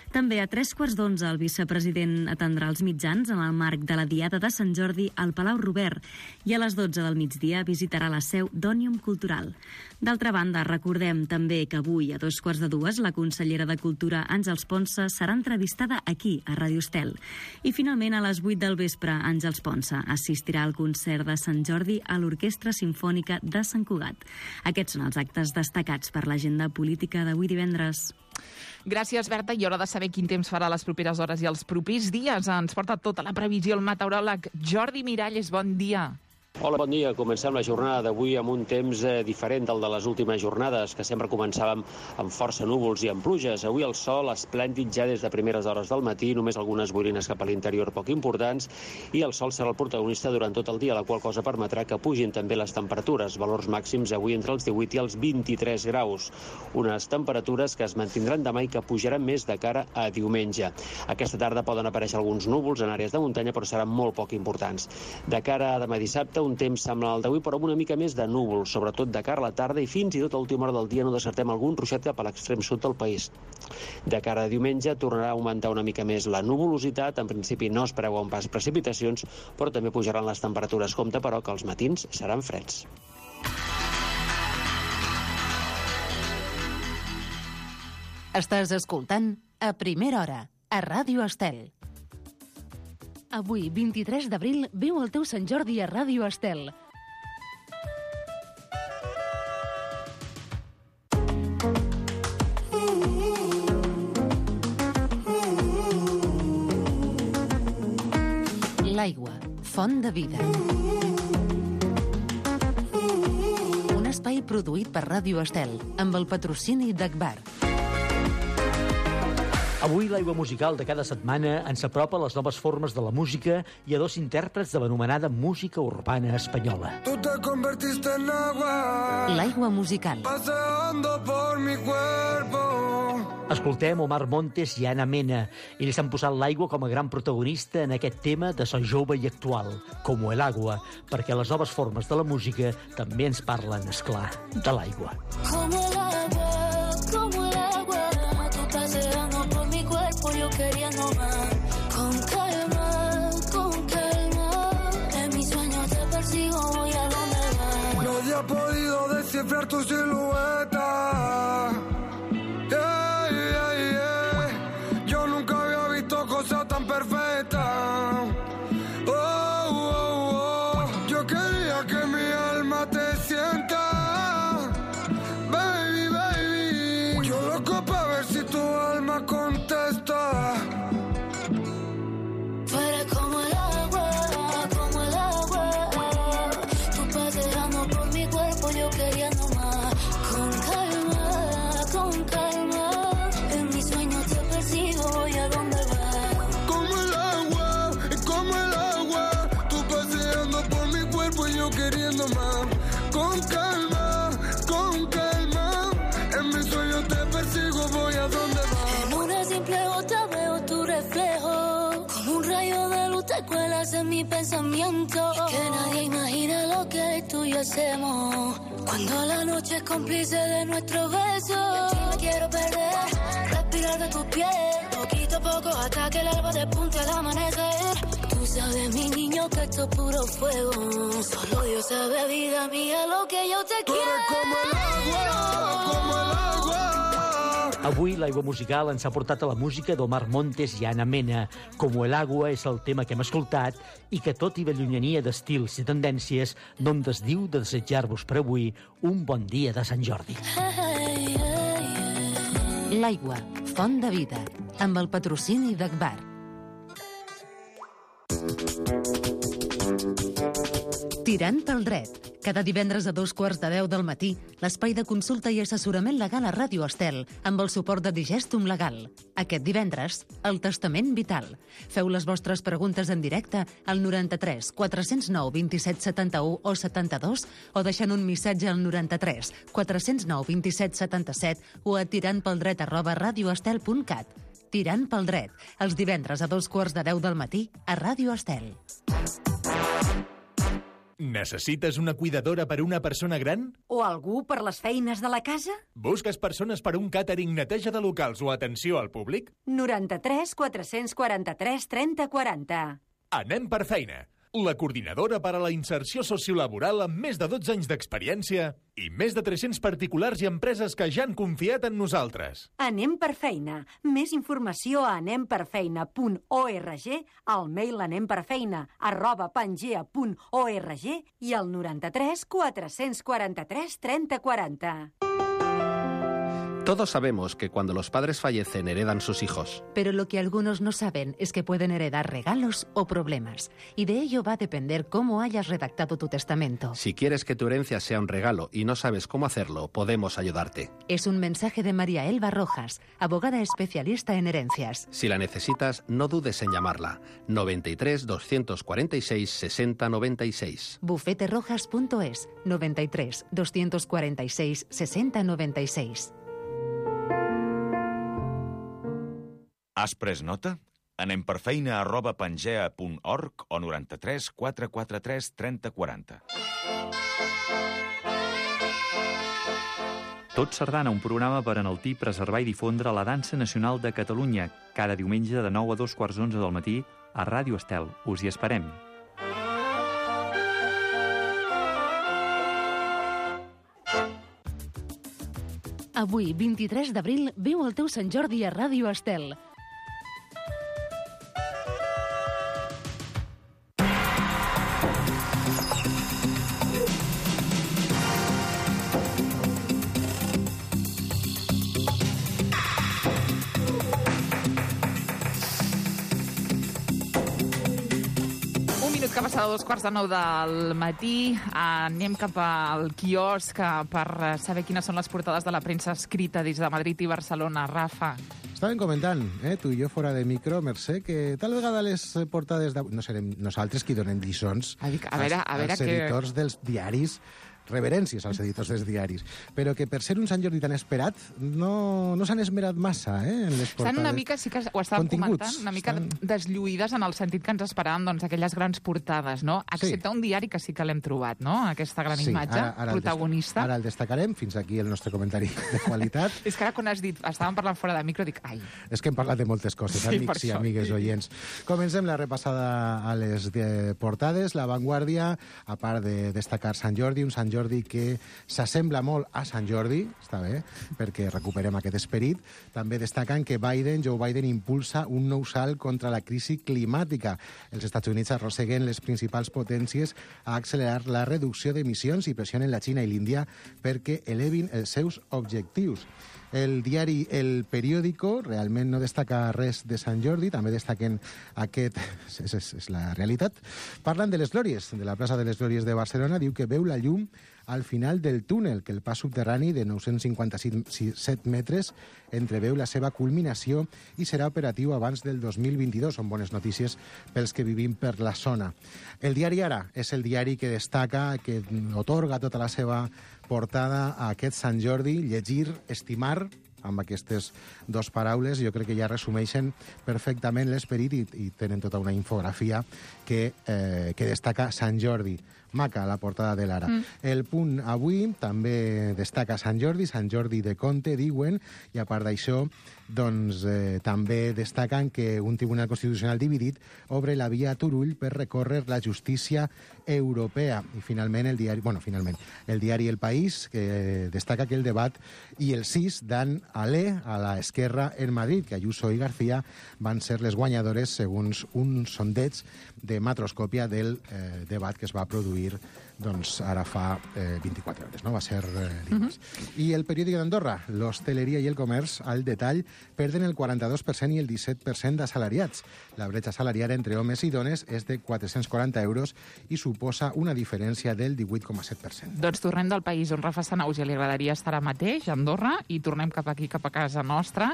També a tres quarts d'onze el vicepresident atendrà els mitjans en el marc de la Diada de Sant Jordi al Palau Robert i a les dotze del migdia visitarà la seu d'Òmnium Cultural. D'altra banda, recordem també que avui a dos quarts de dues la consellera de Cultura Àngels Ponsa serà entrevistada aquí, a Ràdio Estel. I finalment a les vuit del vespre Àngels Ponsa assistirà al concert de Sant Jordi a l'Orquestra Simfònica de Sant Cugat. Aquests són els actes destacats per l'agenda política d'avui divendres. Gràcies, Berta. I hora de saber quin temps farà les properes hores i els propers dies. Ens porta tota la previsió el meteoròleg Jordi Miralles. Bon dia. Hola, bon dia. Comencem la jornada d'avui amb un temps eh, diferent del de les últimes jornades, que sempre començàvem amb força núvols i amb pluges. Avui el sol esplèndid ja des de primeres hores del matí, només algunes boirines cap a l'interior poc importants, i el sol serà el protagonista durant tot el dia, la qual cosa permetrà que pugin també les temperatures, valors màxims avui entre els divuit i els vint-i-tres graus. Unes temperatures que es mantindran demà i que pujaran més de cara a diumenge. Aquesta tarda poden aparèixer alguns núvols en àrees de muntanya, però seran molt poc importants. De cara a demà dissabte, un temps sembla el d'avui, però amb una mica més de núvols, sobretot de cara a la tarda, i fins i tot a última hora del dia no descartem algun ruixat cap a l'extrem sud del país. De cara a diumenge tornarà a augmentar una mica més la nuvolositat. En principi no es preveuen pas precipitacions, però també pujaran les temperatures. Compte, però, que els matins seran freds. Estàs escoltant A Primera Hora, a Ràdio Estel. Avui, vint-i-tres d'abril, viu el teu Sant Jordi a Ràdio Estel. L'aigua, font de vida. Un espai produït per Ràdio Estel, amb el patrocini d'Agbar. Avui l'aigua musical de cada setmana ens apropa a les noves formes de la música i a dos intèrprets de l'anomenada música urbana espanyola. Tú te convertiste en agua. L'aigua musical. Paseando por mi cuerpo. Escoltem Omar Montes i Ana Mena. Ells han posat l'aigua com a gran protagonista en aquest tema de so jove i actual, com el agua, perquè les noves formes de la música també ens parlen, esclar, de l'aigua. Com el agua, com el agua, tu paseando por mi cuerpo, yo queriendo más. Con calma, con calma, en mis sueños te persigo, voy a donde vas. Nadie ha podido descifrar tu silueta. Yeah, yeah, yeah. Yo nunca había visto cosas tan perfectas. Oh, oh, oh. Yo quería que mi alma te sienta. Baby, baby. Yo loco pa' ver si tu alma contesta. Tú eres como el agua, como el agua. Tú paseando por mi cuerpo, yo queriendo más. Con calma, con calma. En mis sueños te persigo, voy a donde vas. Como el agua, como el agua. Tú paseando por mi cuerpo y yo queriendo más. Con calma, con calma. En mis sueños te persigo, voy a donde vas. En una simple gota veo tu reflejo. Como un rayo de luz te cuelas en mi pensamiento. Y que nadie imagina lo que tú y yo hacemos. Cuando la noche es cómplice de nuestros besos. Me quiero perder, respirar de tu piel. Poquito a poco hasta que el alba despunte al amanecer. Tú sabes, mi niño, que esto es puro fuego. Solo Dios sabe, vida mía, lo que yo te Tú quiero. eres como el agua, como el agua. Avui l'aigua musical ens ha portat a la música d'Omar Montes i Ana Mena. Como el agua és el tema que hem escoltat i que, tot i la llunyania d'estils i tendències, no em desdiu de desitjar-vos per avui un bon dia de Sant Jordi. L'aigua, font de vida, amb el patrocini d'Agbar. Tirant pel dret. Cada divendres a dos quarts de deu del matí, l'espai de consulta i assessorament legal a Ràdio Estel, amb el suport de Digestum Legal. Aquest divendres, el testament vital. Feu les vostres preguntes en directe al noranta-tres quatre zero nou vint set setanta-u o setanta-dos o deixant un missatge al noranta-tres quatre zero nou vint set setanta-set o a tirantpeldret arroba radioestel punt cat. Tirant pel dret, els divendres a dos quarts de deu del matí a Ràdio Estel. Necessites una cuidadora per a una persona gran? O algú per les feines de la casa? Busques persones per a un càtering, neteja de locals o atenció al públic? noranta-tres quatre-cents quaranta-tres trenta quaranta. Anem per feina. La coordinadora per a la inserció sociolaboral amb més de dotze anys d'experiència i més de tres-cents particulars i empreses que ja han confiat en nosaltres. Anem per feina. Més informació a anem per feina punt org, al mail anemperfeina arroba pangea punt org i al noranta-tres quatre-cents quaranta-tres trenta quaranta. Todos sabemos que cuando los padres fallecen heredan sus hijos. Pero lo que algunos no saben es que pueden heredar regalos o problemas. Y de ello va a depender cómo hayas redactado tu testamento. Si quieres que tu herencia sea un regalo y no sabes cómo hacerlo, podemos ayudarte. Es un mensaje de María Elba Rojas, abogada especialista en herencias. Si la necesitas, no dudes en llamarla. noventa y tres, doscientos cuarenta y seis, sesenta noventa y seis. bufete rojas punto es, noventa y tres, doscientos cuarenta y seis, sesenta noventa y seis. Has pres nota? Anem per feina arroba pangea punt org o noranta-tres quatre quaranta-tres trenta quaranta. Tot Sardana, un programa per enaltir, preservar i difondre la dansa nacional de Catalunya, cada diumenge de nou a dos quarts d'onze del matí a Ràdio Estel. Us hi esperem. Avui, vint-i-tres d'abril, viu el teu Sant Jordi a Ràdio Estel. Que passa a dos quarts de nou del matí. Anem cap al quiosc per saber quines són les portades de la premsa escrita des de Madrid i Barcelona. Rafa. Estàvem comentant, eh, tu i jo fora de micro, Mercè, que tal vegada les portades d'avui no serem nosaltres qui donem lliçons a veure, a veure als editors que... dels diaris, reverències als editors dels diaris, però que per ser un Sant Jordi tan esperat no, no s'han esmerat massa eh, en les portades. Estan una mica, sí que ho estàvem comentant, una mica estan... deslluïdes en el sentit que ens esperàvem doncs, aquelles grans portades, no? Excepte sí. Un diari que sí que l'hem trobat, no? Aquesta gran sí, imatge ara, ara protagonista. El ara el destacarem, fins aquí el nostre comentari de qualitat. És que ara quan has dit, estàvem parlant fora de micro, dic, ai... És que hem parlat de moltes coses, sí, amics i amigues oients. Comencem la repassada a les de portades. La Vanguardia, a part de destacar Sant Jordi, un Sant Jordi que s'assembla molt a Sant Jordi, està bé, perquè recuperem aquest esperit. També destaquen que Biden, Joe Biden, impulsa un nou salt contra la crisi climàtica. Els Estats Units arrosseguen les principals potències a accelerar la reducció d'emissions i pressionen la Xina i l'Índia perquè elevin els seus objectius. El diari El Periódico realment no destaca res de Sant Jordi, també destaquen aquest... És, és, és la realitat. Parlen de les Glòries, de la plaça de les Glòries de Barcelona. Diu que veu la llum al final del túnel, que el pas subterrani de nou-cents cinquanta-set metres entreveu la seva culminació i serà operatiu abans del dos mil vint-i-dos. Són bones notícies pels que vivim per la zona. El diari Ara és el diari que destaca, que otorga tota la seva portada a aquest Sant Jordi, llegir, estimar, amb aquestes dues paraules, jo crec que ja resumeixen perfectament l'esperit i, i tenen tota una infografia que, eh, que destaca Sant Jordi. Maca, la portada de l'Ara. Mm. El Punt avui també destaca Sant Jordi, Sant Jordi de Conte, diuen, i a part d'això, doncs eh, també destaquen que un tribunal constitucional dividit obre la via a Turull per recórrer la justícia europea. I finalment el diari, bueno, finalment, el diari El País, que destaca que el debat i el sis dan alè a la esquerra en Madrid, que Ayuso i García van ser les guanyadores segons un sondeig de Matroscòpia del eh, debat que es va produir doncs ara fa eh, vint-i-quatre hores, no? Va ser eh, dimarts. Uh-huh. I el periòdic d'Andorra, l'hostaleria i el comerç al detall perden el quaranta-dos per cent i el disset per cent d'assalariats. La bretxa salarial entre homes i dones és de quatre-cents quaranta euros i suposa una diferència del divuit coma set per cent. Doncs tornem del país on Rafa Sanauja li agradaria estar ara mateix, a Andorra, i tornem cap aquí, cap a casa nostra,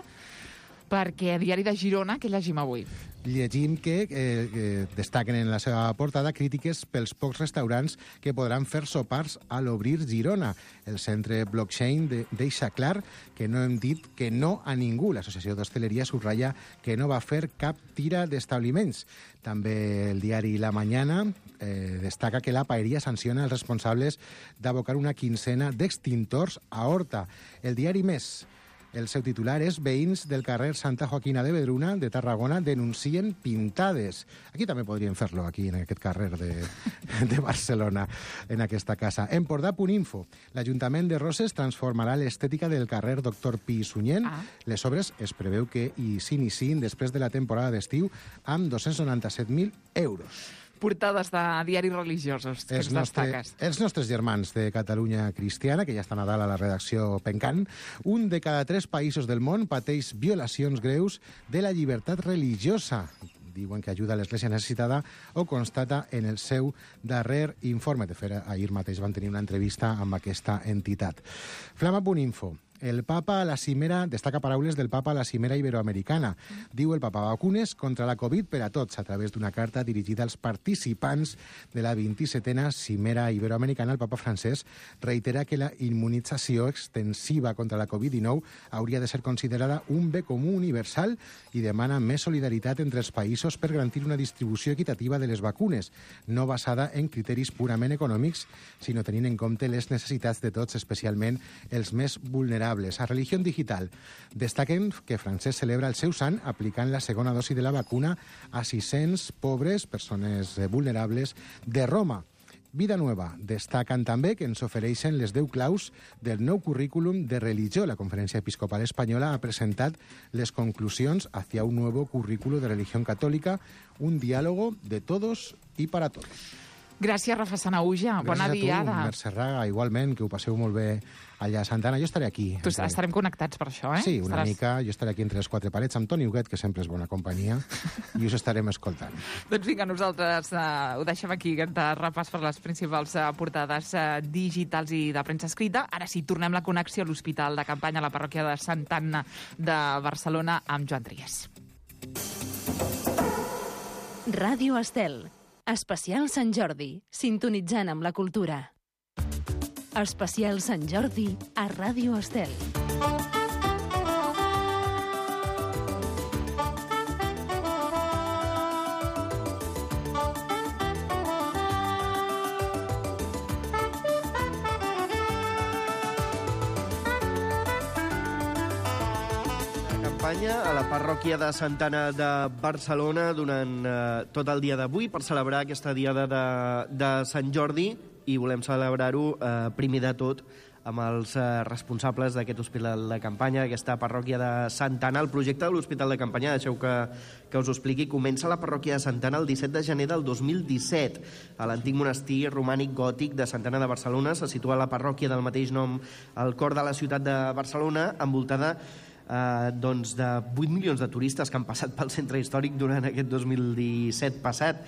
perquè a Diari de Girona, què llegim avui? Llegim que eh, eh, destaquen en la seva portada crítiques pels pocs restaurants que podran fer sopars a l'Obrir Girona. El centre Blockchain de, deixa clar que no hem dit que no a ningú. L'Associació d'Hostaleria subratlla que no va fer cap tira d'establiments. També el diari La Mañana eh, destaca que la Paeria sanciona els responsables d'abocar una quincena d'extintors a Horta. El diari Més, el seu titular és veïns del carrer Santa Joaquina de Vedruna de Tarragona denuncien pintades. Aquí també podríem fer-lo, aquí en aquest carrer de, de Barcelona, en aquesta casa. Empordà.info. L'Ajuntament de Roses transformarà l'estètica del carrer Doctor Pi i Sunyent. Ah. Les obres es preveu que hi s'iniciïn després de la temporada d'estiu amb dos-cents noranta-set mil euros. portades de diaris religiosos que els, ens nostre, destaques. els nostres germans de Catalunya Cristiana, que ja estan a dalt a la redacció pencant, un de cada tres països del món pateix violacions greus de la llibertat religiosa. Diuen que ajuda a l'Església necessitada o constata en el seu darrer informe. De fet, ahir mateix van tenir una entrevista amb aquesta entitat. Flama punt info. El papa a la cimera, destaca paraules del papa a la cimera iberoamericana. Diu el papa: vacunes contra la Covid per a tots, a través d'una carta dirigida als participants de la vint-i-setena cimera iberoamericana. El papa francès reitera que la immunització extensiva contra la Covid dinou hauria de ser considerada un bé comú universal i demana més solidaritat entre els països per garantir una distribució equitativa de les vacunes, no basada en criteris purament econòmics, sinó tenint en compte les necessitats de tots, especialment els més vulnerables. A Religión Digital destaquen que Francesc celebra el seu sant aplicant la segona dosi de la vacuna a sis-cents pobres, persones vulnerables, de Roma. Vida Nueva destaquen també que ens ofereixen les deu claus del nou currículum de religió. La Conferència Episcopal Espanyola ha presentat les conclusions hacia un nuevo currículo de religión católica, un diálogo de todos y para todos. Gràcies, Rafa Sanahuja. Bona diada. Gràcies a tu, Mercè Raga, igualment, que ho passeu molt bé allà a Santa Anna. Jo estaré aquí. Tu entre... estarem connectats per això, eh? Sí, una Estaràs... mica. Jo estaré aquí entre les quatre parets amb Toni Huguet, que sempre és bona companyia, i us estarem escoltant. Doncs vinga, nosaltres uh, ho deixem aquí, de repàs per les principals uh, portades uh, digitals i de premsa escrita. Ara sí, tornem la connexió a l'Hospital de Campanya, a la parròquia de Santa Anna de Barcelona, amb Joan Trias. Ràdio Estel. Especial Sant Jordi, sintonitzant amb la cultura. Especial Sant Jordi a Ràdio Estel. A la parròquia de Santa Anna de Barcelona durant eh, tot el dia d'avui per celebrar aquesta diada de, de Sant Jordi, i volem celebrar-ho eh, primer de tot amb els eh, responsables d'aquest hospital de campanya, aquesta parròquia de Santa Anna. El projecte de l'Hospital de Campanya, deixeu que, que us ho expliqui, comença a la parròquia de Santa Anna el disset de gener del dos mil disset. A l'antic monestir romànic gòtic de Santa Anna de Barcelona se situa la parròquia del mateix nom al cor de la ciutat de Barcelona, envoltada Uh, doncs de vuit milions de turistes que han passat pel centre històric durant aquest dos mil disset passat.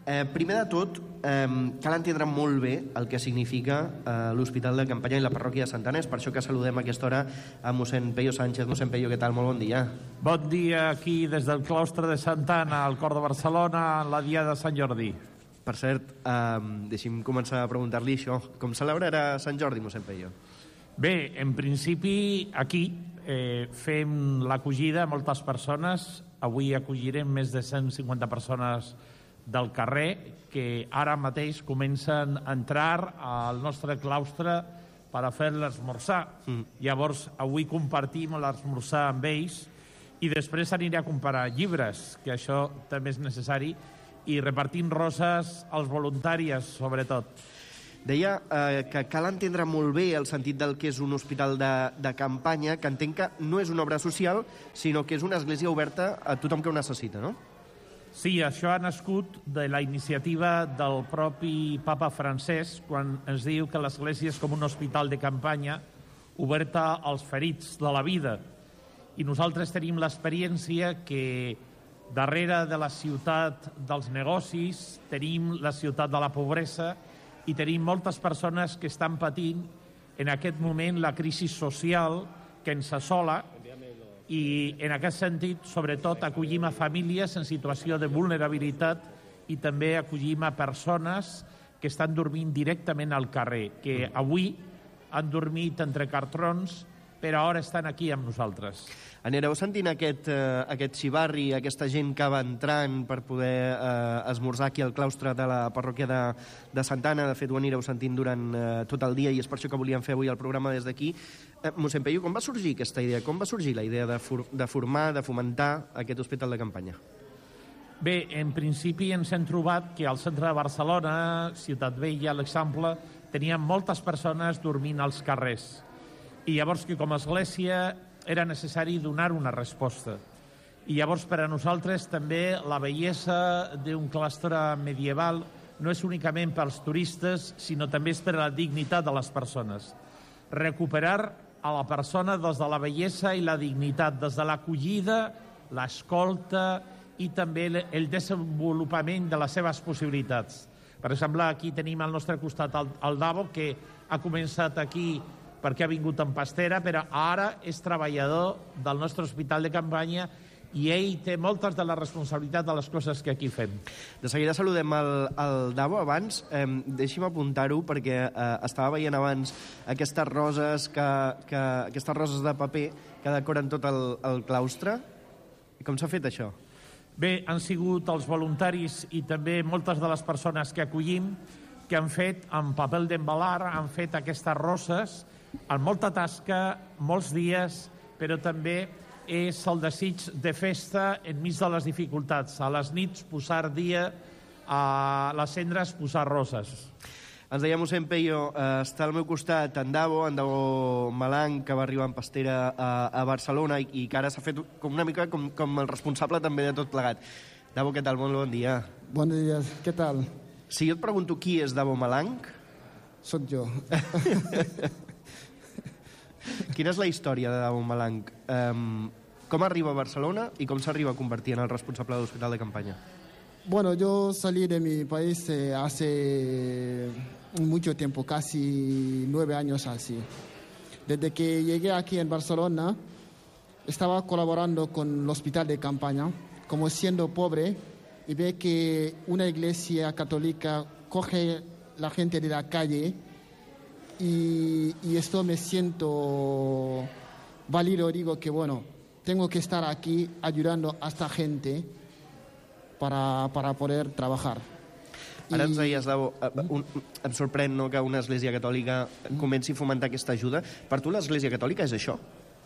Uh, primer de tot, um, cal entendre molt bé el que significa uh, l'Hospital de Campanya i la parròquia de Santa Anna. És per això que saludem a aquesta hora a mossèn Peyo Sánchez. Mossèn Peyo, què tal? Molt bon dia. Bon dia aquí des del claustre de Santa Anna, al cor de Barcelona, en la diada de Sant Jordi. Per cert, um, deixi'm començar a preguntar-li això. Com celebrarà Sant Jordi, mossèn Peyo? Bé, en principi, aquí eh, fem l'acollida a moltes persones. Avui acollirem més de cent cinquanta persones del carrer que ara mateix comencen a entrar al nostre claustre per a fer l'esmorzar. Mm. Llavors, avui compartim l'esmorzar amb ells i després aniré a comprar llibres, que això també és necessari, i repartim roses als voluntàries, sobretot. Deia eh, que cal entendre molt bé el sentit del que és un hospital de, de campanya, que entenc que no és una obra social, sinó que és una església oberta a tothom que ho necessita, no? Sí, això ha nascut de la iniciativa del propi papa Francesc, quan ens diu que l'església és com un hospital de campanya oberta als ferits de la vida. I nosaltres tenim l'experiència que darrere de la ciutat dels negocis tenim la ciutat de la pobresa, i tenim moltes persones que estan patint en aquest moment la crisi social que ens assola, i en aquest sentit, sobretot, acollim a famílies en situació de vulnerabilitat i també acollim a persones que estan dormint directament al carrer, que avui han dormit entre cartrons, però ara estan aquí amb nosaltres. Anireu sentint aquest, eh, aquest xivarri, aquesta gent que va entrant per poder eh, esmorzar aquí al claustre de la parròquia de, de Santa Anna. De fet, ho anireu sentint durant eh, tot el dia, i és per això que volíem fer avui el programa des d'aquí. Eh, mossèn Peyo, com va sorgir aquesta idea? Com va sorgir la idea de, for de formar, de fomentar aquest hospital de campanya? Bé, en principi ens hem trobat que al centre de Barcelona, Ciutat Vella, l'Eixample, teníem moltes persones dormint als carrers. I llavors que com a església era necessari donar una resposta. I llavors, per a nosaltres, també la bellesa d'un claustre medieval no és únicament pels turistes, sinó també és per a la dignitat de les persones. Recuperar a la persona des de la bellesa i la dignitat, des de l'acollida, l'escolta i també el desenvolupament de les seves possibilitats. Per exemple, aquí tenim al nostre costat el, el Davo, que ha començat aquí perquè ha vingut en pastera, però ara és treballador del nostre hospital de campanya i ell té moltes de la responsabilitat de les coses que aquí fem. De seguida saludem el, el Davo. Abans, eh, deixi'm apuntar-ho, perquè eh, estava veient abans aquestes roses, que, que, aquestes roses de paper que decoren tot el, el claustre. Com s'ha fet això? Bé, han sigut els voluntaris i també moltes de les persones que acollim que han fet amb paper d'embalar, han fet aquestes roses amb molta tasca, molts dies, però també és el desig de festa enmig de les dificultats. A les nits posar dia, a les cendres posar roses. Ens deia mossèn Peyo, eh, està al meu costat en Davo, en Davo Malang, que va arribar en pastera a, a Barcelona i, i que ara s'ha fet com una mica com, com el responsable també de tot plegat. Davo, què tal? Molt bon dia. Bon dia, què tal? Si jo et pregunto qui és Davo Malang... Soc jo. Quina és la història de Davo Malang? Um, com arriba a Barcelona i com s'arriba a convertir en el responsable de l'hospital de campaña? Bueno, yo salí de mi país eh, hace mucho tiempo, casi nueve años así. Desde que llegué aquí en Barcelona, estaba colaborando con el hospital de campaña, como siendo pobre, y ve que una iglesia católica coge la gente de la calle y, y esto me siento válido, digo que bueno, tengo que estar aquí ayudando a esta gente para, para poder trabajar. Ara ens deies, Davo, un, em sorprèn no, que una església catòlica comenci a fomentar aquesta ajuda. Per tu l'església catòlica és això?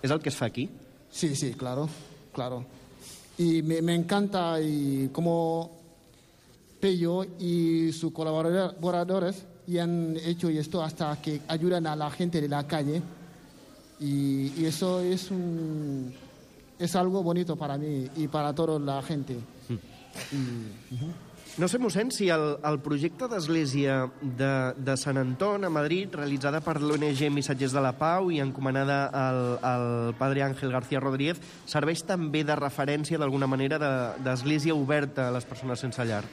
És el que es fa aquí? Sí, sí, claro, claro. Y me, me encanta y como Peyo y sus colaboradores y han hecho esto hasta que ayudan a la gente de la calle y, y eso es un es algo bonito para mí y para toda la gente. Mm. I, uh-huh. No sé, mossèn, si el, el projecte d'església de, de Sant Anton a Madrid, realitzada per l'O N G Missatgers de la Pau i encomanada al, al padre Ángel García Rodríguez, serveix també de referència, d'alguna manera, d'església oberta a les persones sense llar.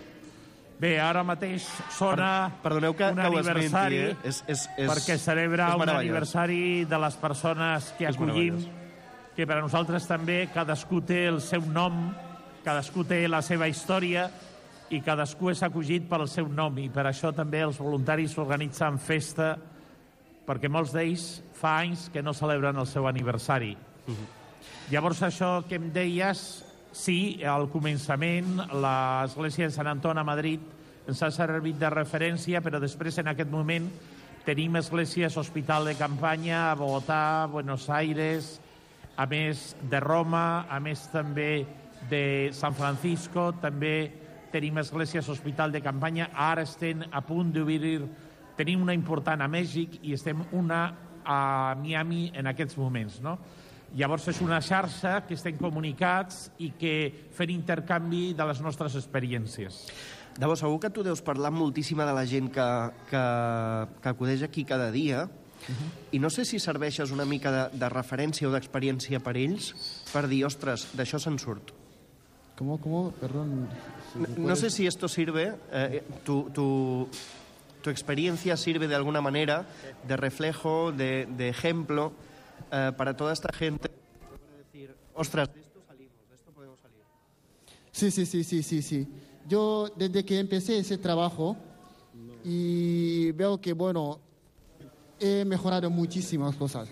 Bé, ara mateix sona per, perdoneu que, un que aniversari, esmenti, eh? és, és, és, perquè celebra és un aniversari de les persones que acollim, que per a nosaltres també cadascú té el seu nom, cadascú té la seva història, i cadascú és acollit pel seu nom, i per això també els voluntaris organitzen festa, perquè molts d'ells fa anys que no celebren el seu aniversari. Uh-huh. Llavors, això que em deies, sí, al començament, l'església de Sant Anton a Madrid ens ha servit de referència, però després, en aquest moment, tenim esglésies hospital de campanya a Bogotà, Buenos Aires, a més de Roma, a més també de San Francisco, també tenim esglésies hospital de campanya, ara estem a punt d'obrir, tenim una important a Mèxic i estem una a Miami en aquests moments, no? Llavors és una xarxa que estem comunicats i que fem intercanvi de les nostres experiències. Davo, segur que tu deus parlar moltíssima de la gent que, que, que acudeix aquí cada dia, uh-huh. i no sé si serveixes una mica de, de referència o d'experiència per ells per dir, ostres, d'això se'n surt. ¿Cómo, cómo? Perdón. Si no, no sé si esto sirve, eh, tu, tu, tu experiencia sirve de alguna manera de reflejo, de, de ejemplo eh, para toda esta gente para decir, ostras, de esto salimos, de esto podemos salir. Sí, sí, sí, sí, sí, sí. Yo desde que empecé ese trabajo y veo que, bueno, he mejorado muchísimas cosas,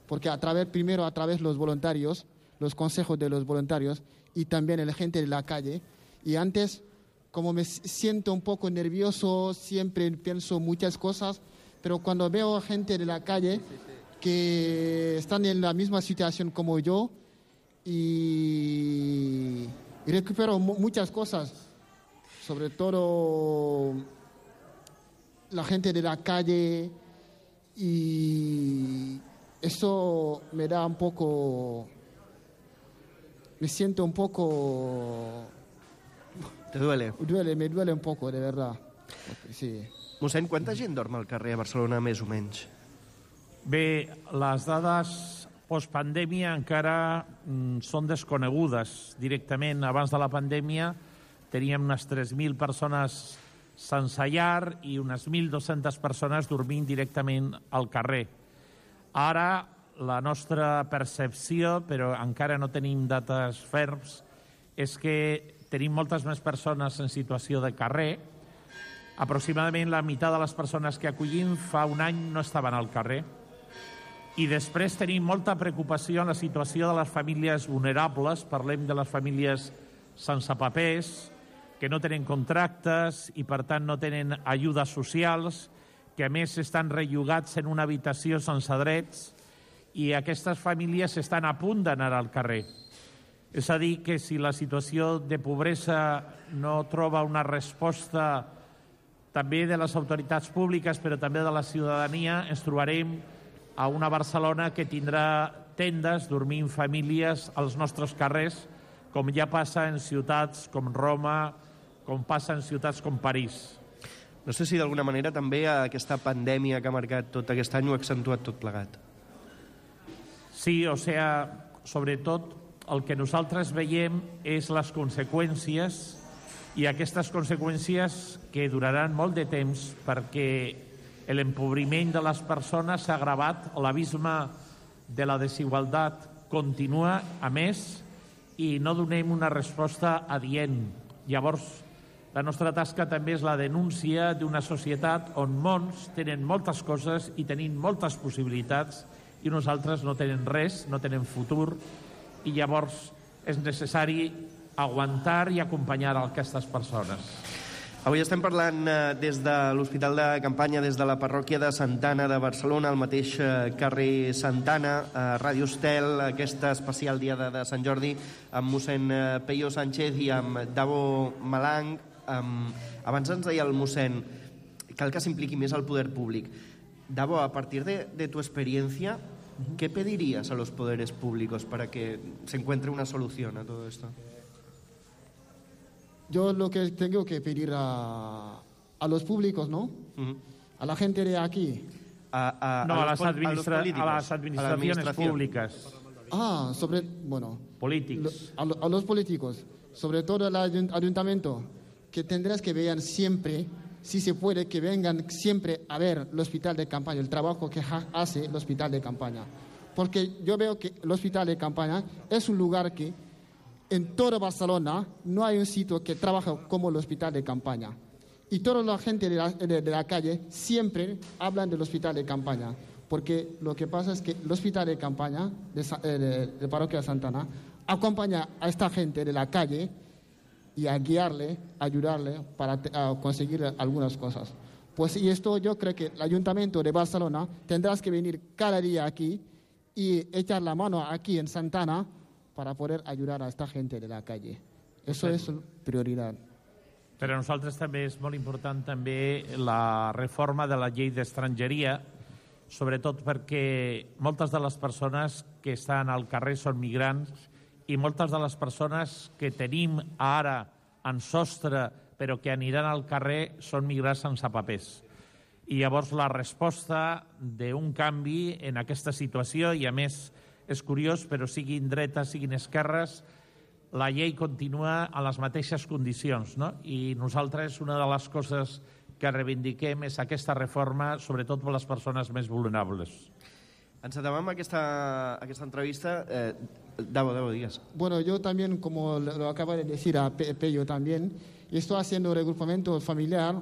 porque a través, primero a través de los voluntarios, los consejos de los voluntarios y también la gente de la calle. Y antes, como me siento un poco nervioso, siempre pienso muchas cosas, pero cuando veo a gente de la calle que están en la misma situación como yo y, y recupero muchas cosas, sobre todo la gente de la calle, y eso me da un poco me siento un poco... ¿Te duele? Duele, me duele un poco, de verdad. Sí. Mossèn, quanta gent dorm al carrer a Barcelona, més o menys? Bé, les dades postpandèmia encara mm, són desconegudes directament. Abans de la pandèmia teníem unes tres mil persones sense llar i unes mil dues-centes persones dormint directament al carrer. Ara, la nostra percepció, però encara no tenim dates ferms, és que tenim moltes més persones en situació de carrer. Aproximadament la meitat de les persones que acollim fa un any no estaven al carrer. I després tenim molta preocupació en la situació de les famílies vulnerables. Parlem de les famílies sense papers, que no tenen contractes i, per tant, no tenen ajudes socials, que, a més, estan rellogats en una habitació sense drets, i aquestes famílies estan a punt d'anar al carrer. És a dir, que si la situació de pobresa no troba una resposta també de les autoritats públiques, però també de la ciutadania, ens trobarem a una Barcelona que tindrà tendes dormint famílies als nostres carrers, com ja passa en ciutats com Roma, com passa en ciutats com París. No sé si d'alguna manera també aquesta pandèmia que ha marcat tot aquest any ho ha accentuat tot plegat. Sí, o sea, sobretot el que nosaltres veiem és les conseqüències, i aquestes conseqüències que duraran molt de temps perquè l'empobriment de les persones s'ha agravat, l'abisme de la desigualtat continua, a més, i no donem una resposta adient. Llavors, la nostra tasca també és la denúncia d'una societat on molts tenen moltes coses i tenim moltes possibilitats i nosaltres no tenen res, no tenen futur, i llavors és necessari aguantar i acompanyar aquestes persones. Avui estem parlant eh, des de l'Hospital de Campanya, des de la parròquia de Santa Anna de Barcelona, al mateix eh, carrer Santa Anna, a Ràdio Estel, aquesta especial diada de Sant Jordi, amb mossèn eh, Peyo Sánchez i amb Davo Malang. Um, abans ens deia el mossèn, cal que s'impliqui més el poder públic. Davo, a partir de, de tu experiencia, ¿qué pedirías a los poderes públicos para que se encuentre una solución a todo esto? Yo lo que tengo que pedir a, a los públicos, ¿no? Uh-huh. A la gente de aquí. A, a, no, a, a, las, administra a, a las administraciones públicas. Ah, sobre, bueno. Políticos. Lo, a, a los políticos, sobre todo al ayuntamiento, que tendrás que vean siempre, si se puede, que vengan siempre a ver el hospital de campaña, el trabajo que hace el hospital de campaña. Porque yo veo que el hospital de campaña es un lugar que en toda Barcelona no hay un sitio que trabaje como el hospital de campaña. Y toda la gente de la, de, de la calle siempre hablan del hospital de campaña. Porque lo que pasa es que el hospital de campaña de, de, de Parroquia de Santa Anna acompaña a esta gente de la calle y a guiarle, a ayudarle para a conseguir algunas cosas. Pues y esto yo creo que el Ayuntamiento de Barcelona tendrás que venir cada día aquí y echar la mano aquí en Santa Anna para poder ayudar a esta gente de la calle. Eso sí. És prioridad. Per a nosaltres també és molt important també la reforma de la llei d'estrangeria, sobretot perquè moltes de les persones que estan al carrer són migrants i moltes de les persones que tenim ara en sostre però que aniran al carrer són migrants sense papers. I llavors la resposta d'un canvi en aquesta situació, i a més és curiós, però siguin dretes, siguin esquerres, la llei continua a les mateixes condicions, no? I nosaltres una de les coses que reivindiquem és aquesta reforma, sobretot per les persones més vulnerables. Encetem amb aquesta, aquesta entrevista. Eh, Davo, Davo, digas. Bueno, yo también, como lo acaba de decir a Pe Peyo también, estoy haciendo regrupamiento familiar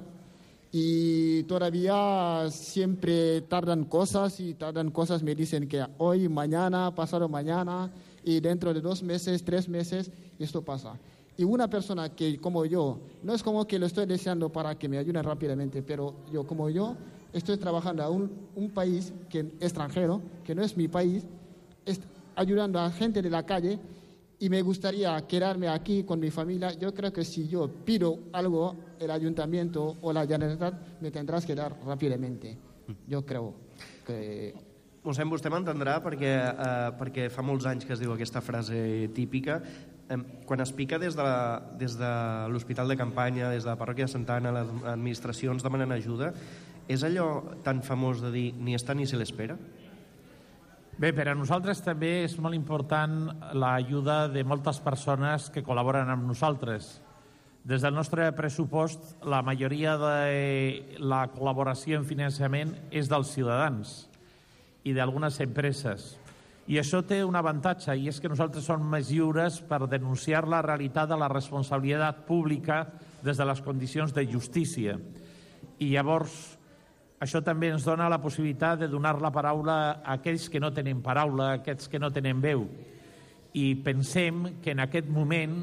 y todavía siempre tardan cosas y tardan cosas, me dicen que hoy, mañana, pasado mañana y dentro de dos meses, tres meses, esto pasa. Y una persona que como yo, no es como que lo estoy deseando para que me ayuden rápidamente, pero yo como yo estoy trabajando a un, un país que, extranjero, que no es mi país, es, ayudando a gente de la calle, y me gustaría quedarme aquí con mi familia. Yo creo que si yo pido algo, el ayuntamiento o la Generalitat me tendrás que dar rápidamente. Yo creo que... Mossèn, vostè m'entendrà perquè, eh, perquè fa molts anys que es diu aquesta frase típica. Eh, quan es pica des de, la, des de l'hospital de campanya, des de la parròquia de Santa Anna, les administracions demanen ajuda, és allò tan famós de dir ni està ni se l'espera? Bé, per a nosaltres també és molt important l'ajuda de moltes persones que col·laboren amb nosaltres. Des del nostre pressupost, la majoria de la col·laboració en finançament és dels ciutadans i d'algunes empreses. I això té un avantatge, i és que nosaltres som més lliures per denunciar la realitat de la responsabilitat pública des de les condicions de justícia. I llavors, això també ens dona la possibilitat de donar la paraula a aquells que no tenen paraula, a aquells que no tenen veu. I pensem que en aquest moment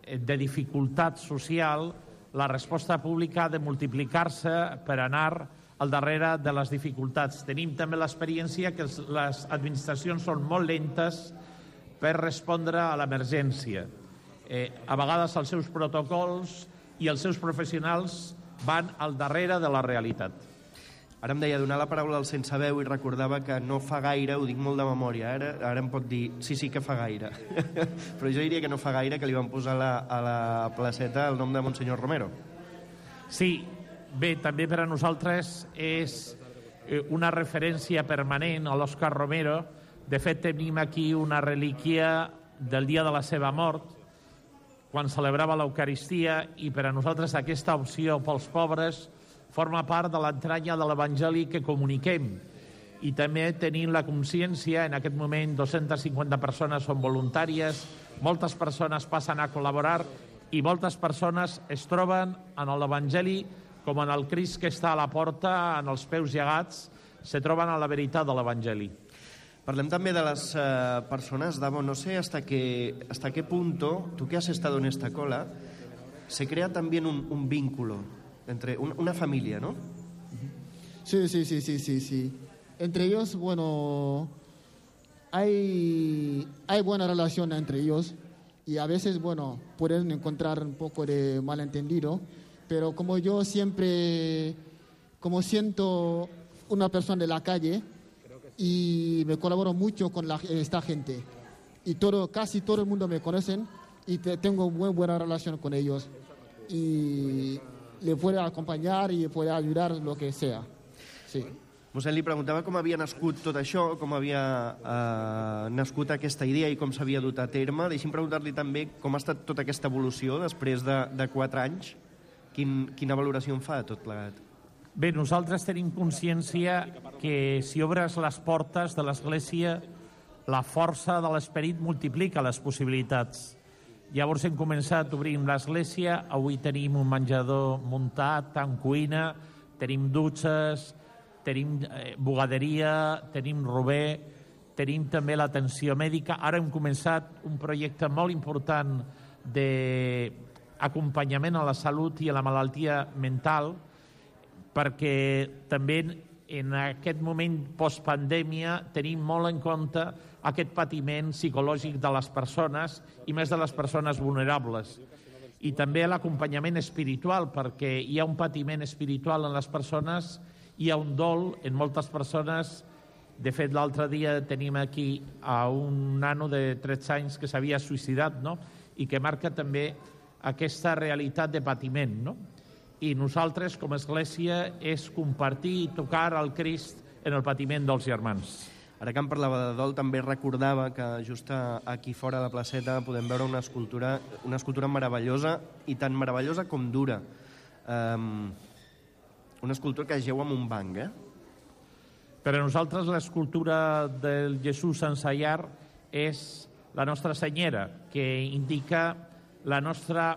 de dificultat social, la resposta pública ha de multiplicar-se per anar al darrere de les dificultats. Tenim també l'experiència que les administracions són molt lentes per respondre a l'emergència. Eh, a vegades els seus protocols i els seus professionals van al darrere de la realitat. Ara em deia donar la paraula al sense veu i recordava que no fa gaire, ho dic molt de memòria, ara, ara em pot dir sí, sí que fa gaire. Però jo diria que no fa gaire que li van posar la, a la placeta el nom de Monsenyor Romero. Sí, bé, també per a nosaltres és una referència permanent a l'Òscar Romero. De fet, tenim aquí una relíquia del dia de la seva mort, quan celebrava l'Eucaristia, i per a nosaltres aquesta opció pels pobres forma part de l'entranya de l'Evangeli que comuniquem. I també tenim la consciència, en aquest moment dues-centes cinquanta persones són voluntàries, moltes persones passen a col·laborar i moltes persones es troben en l'Evangeli com en el Crist que està a la porta, en els peus llegats, se troben a la veritat de l'Evangeli. Parlem també de las uh, personas, Davo, no sé hasta qué, hasta qué punto, tú que has estado en esta cola, se crea también un, un vínculo entre un, una familia, ¿no? Sí, sí, sí, sí, sí, sí. Entre ellos, bueno, hay, hay buena relación entre ellos y a veces, bueno, pueden encontrar un poco de malentendido, pero como yo siempre, como siento una persona de la calle y me colaboro mucho con la, esta gente y todo, casi todo el mundo me conocen y te, tengo muy buena relación con ellos y le puedo acompanyar i puedo ayudar lo que sea. Sí. Mossèn, li preguntava com havia nascut tot això, com havia eh, nascut aquesta idea i com s'havia dut a terme. Deixi'm preguntar-li també com ha estat tota aquesta evolució després de, de quatre anys. Quin, quina valoració en fa de tot plegat? Bé, nosaltres tenim consciència que si obres les portes de l'Església, la força de l'esperit multiplica les possibilitats. Llavors hem començat obrint l'església, avui tenim un menjador muntat, amb cuina, tenim dutxes, tenim eh, bugaderia, tenim rober, tenim també l'atenció mèdica. Ara hem començat un projecte molt important d'acompanyament a la salut i a la malaltia mental, perquè també en aquest moment postpandèmia tenim molt en compte aquest patiment psicològic de les persones i més de les persones vulnerables. I també l'acompanyament espiritual, perquè hi ha un patiment espiritual en les persones, hi ha un dol en moltes persones. De fet, l'altre dia tenim aquí a un nano de tretze anys que s'havia suïcidat, no? I que marca també aquesta realitat de patiment, no? I nosaltres, com a Església, és compartir i tocar el Crist en el patiment dels germans. Ara que em parlava de dol, també recordava que just aquí fora de la placeta podem veure una escultura, una escultura meravellosa, i tan meravellosa com dura. Um, una escultura que es geu en un banc, eh? Per a nosaltres l'escultura del Jesús sense llar és la Nostra Senyera, que indica la nostra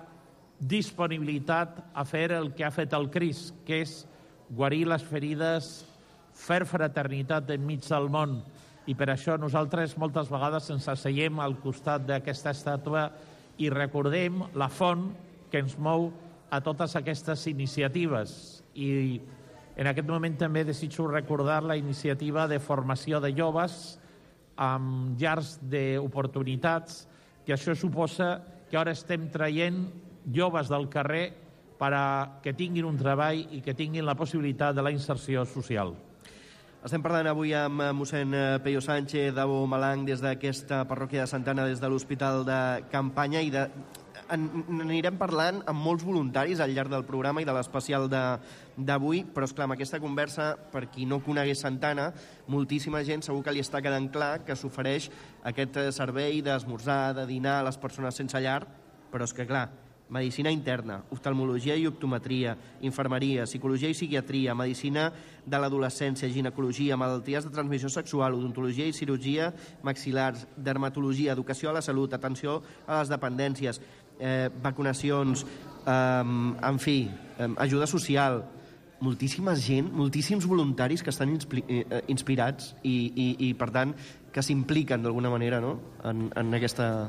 disponibilitat a fer el que ha fet el Crist, que és guarir les ferides, fer fraternitat enmig del món. I per això nosaltres moltes vegades ens asseiem al costat d'aquesta estàtua i recordem la font que ens mou a totes aquestes iniciatives. I en aquest moment també desitjo recordar la iniciativa de formació de joves amb llars d'oportunitats, que això suposa que ara estem traient joves del carrer per a que tinguin un treball i que tinguin la possibilitat de la inserció social. Estem parlant avui amb mossèn Peyo Sánchez, Davo Malang, des d'aquesta parròquia de Santa Anna, des de l'Hospital de Campanya, i de... en, anirem parlant amb molts voluntaris al llarg del programa i de l'especial d'avui, però esclar, amb aquesta conversa, per qui no conegués Santa Anna, moltíssima gent segur que li està quedant clar que s'ofereix aquest servei d'esmorzar, de dinar a les persones sense llar, però és que clar, medicina interna, oftalmologia i optometria, infermeria, psicologia i psiquiatria, medicina de l'adolescència, ginecologia, malalties de transmissió sexual, odontologia i cirurgia maxil·lars, dermatologia, educació a la salut, atenció a les dependències, eh, vacunacions, eh, en fi, eh, ajuda social, moltíssima gent, moltíssims voluntaris que estan inspirats i, i, i per tant, que s'impliquen d'alguna manera, no?, en, en aquesta...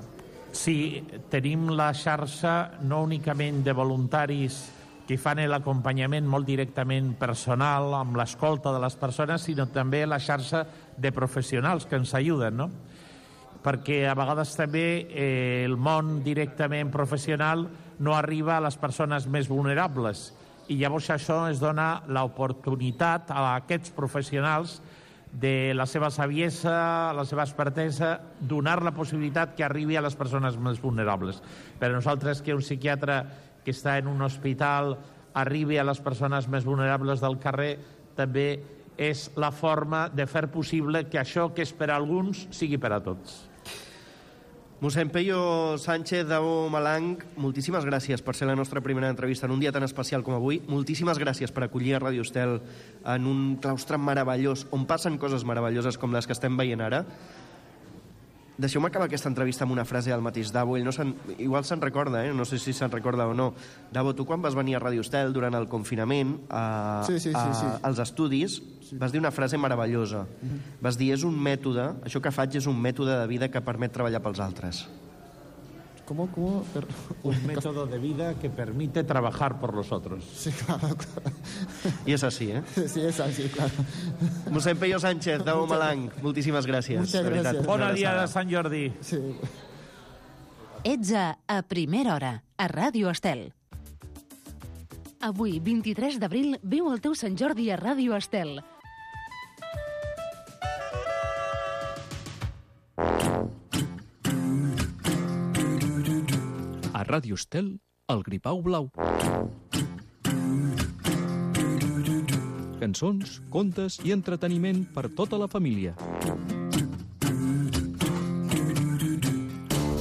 Sí, tenim la xarxa no únicament de voluntaris que fan l'acompanyament molt directament personal amb l'escolta de les persones, sinó també la xarxa de professionals que ens ajuden, no? Perquè a vegades també eh, el món directament professional no arriba a les persones més vulnerables i llavors això es dona l'oportunitat a aquests professionals de la seva saviesa, la seva expertesa, donar la possibilitat que arribi a les persones més vulnerables. Per a nosaltres que un psiquiatre que està en un hospital arribi a les persones més vulnerables del carrer també és la forma de fer possible que això que és per a alguns sigui per a tots. Mossèn Peyo Sánchez, Davo Malang, moltíssimes gràcies per ser la nostra primera entrevista en un dia tan especial com avui. Moltíssimes gràcies per acollir a Ràdio Estel en un claustre meravellós, on passen coses meravelloses com les que estem veient ara. Deixeu-me acabar aquesta entrevista amb una frase del mateix Davo. Ell no se'n... igual se'n recorda, eh? No sé si se'n recorda o no. Davo, tu quan vas venir a Ràdio Estel durant el confinament a, sí, sí, sí, a, sí. als estudis, sí. Vas dir una frase meravellosa. Mm-hmm. Vas dir, és un mètode, això que faig és un mètode de vida que permet treballar pels altres. ¿Cómo? ¿Cómo? Per... Un método de vida que permite trabajar por los otros. Sí, claro, claro. I és així, eh? Sí, és així, claro. Mossèn Peyo Sánchez, Davo Malang, moltíssimes gràcies. Muchas gràcies. Bona dia de Sant Jordi. Sí. Ets a A Primera Hora, a Ràdio Estel. Avui, vint-i-tres d'abril, viu el teu Sant Jordi a Ràdio Estel. A Ràdio Estel, el Gripau Blau. Cançons, contes i entreteniment per tota la família.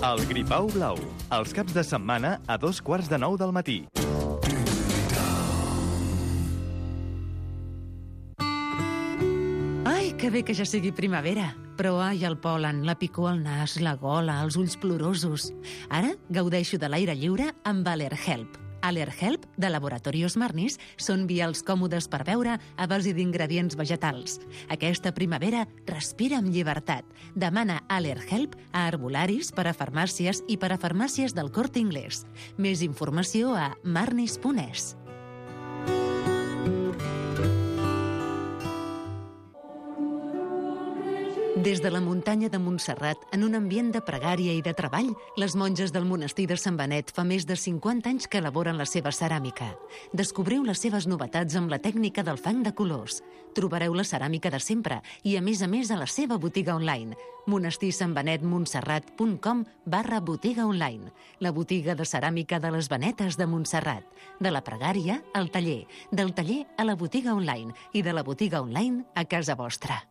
El Gripau Blau, els caps de setmana a dos quarts de nou del matí. Ai, que bé que ja sigui primavera. Però ai, el pol·len, la picor al nas, la gola, els ulls plorosos. Ara gaudeixo de l'aire lliure amb Allerhelp. Allerhelp, de Laboratorios Marnis, són vials còmodes per beure a base d'ingredients vegetals. Aquesta primavera respira amb llibertat. Demana Allerhelp a herbolaris, per a farmàcies i per a farmàcies del Corte Inglés. Més informació a marnis punt es. Des de la muntanya de Montserrat, en un ambient de pregària i de treball, les monges del monestir de Sant Benet fa més de cinquanta anys que elaboren la seva ceràmica. Descobriu les seves novetats amb la tècnica del fang de colors. Trobareu la ceràmica de sempre i, a més a més, a la seva botiga online, monastirsantbenetmontserrat.com barra botiga online, la botiga de ceràmica de les Benetes de Montserrat. De la pregària al taller, del taller a la botiga online i de la botiga online a casa vostra.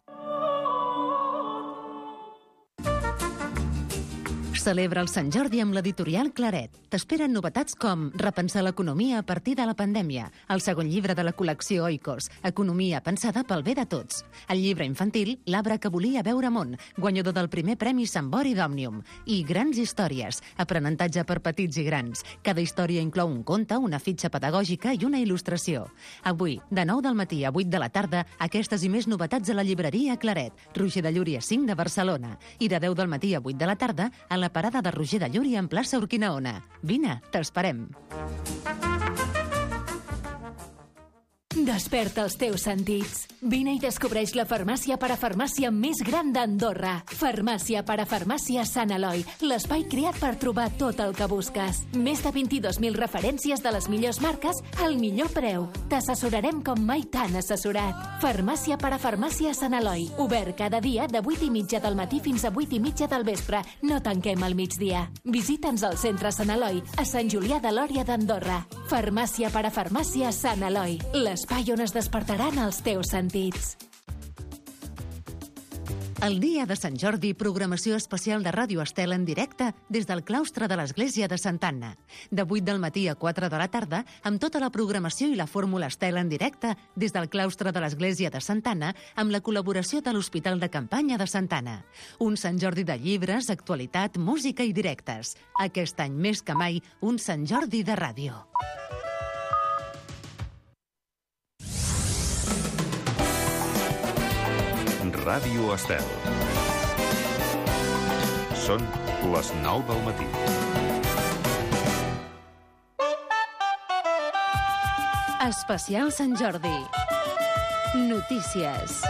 Celebra el Sant Jordi amb l'editorial Claret. T'esperen novetats com Repensar l'economia a partir de la pandèmia, el segon llibre de la col·lecció Oikos, Economia pensada pel bé de tots, el llibre infantil L'arbre que volia veure món, guanyador del primer premi Sant Bori d'Òmnium, i Grans històries, aprenentatge per petits i grans. Cada història inclou un conte, una fitxa pedagògica i una il·lustració. Avui, de nou del matí a vuit de la tarda, aquestes i més novetats a la llibreria Claret, Roger de Llúria cinc de Barcelona, i de deu del matí a vuit de la tarda a la parada de Roger de Llúria en plaça Urquinaona. Vine, t'esperem. Desperta els teus sentits. Vine i descobreix la farmàcia parafarmàcia més gran d'Andorra. Farmàcia parafarmàcia Sant Eloi, l'espai creat per trobar tot el que busques. Més de vint-i-dos mil referències de les millors marques al millor preu. T'assessorarem com mai t'han assessorat. Farmàcia parafarmàcia Sant Eloi, obert cada dia de vuit i mitja del matí fins a vuit i mitja del vespre. No tanquem al migdia. Visita'ns al centre Sant Eloi, a Sant Julià de Lòria d'Andorra. Farmàcia parafarmàcia Sant Eloi, l'espai on es despertaran els teus sentits. El dia de Sant Jordi, programació especial de Ràdio Estel en directe des del claustre de l'Església de Santa Anna. De vuit del matí a quatre de la tarda, amb tota la programació i la fórmula Estel en directe des del claustre de l'Església de Santa Anna, amb la col·laboració de l'Hospital de Campanya de Santa Anna. Un Sant Jordi de llibres, actualitat, música i directes. Aquest any més que mai, un Sant Jordi de ràdio. Ràdio Estel. Són les nou del matí. Especial Sant Jordi. Notícies.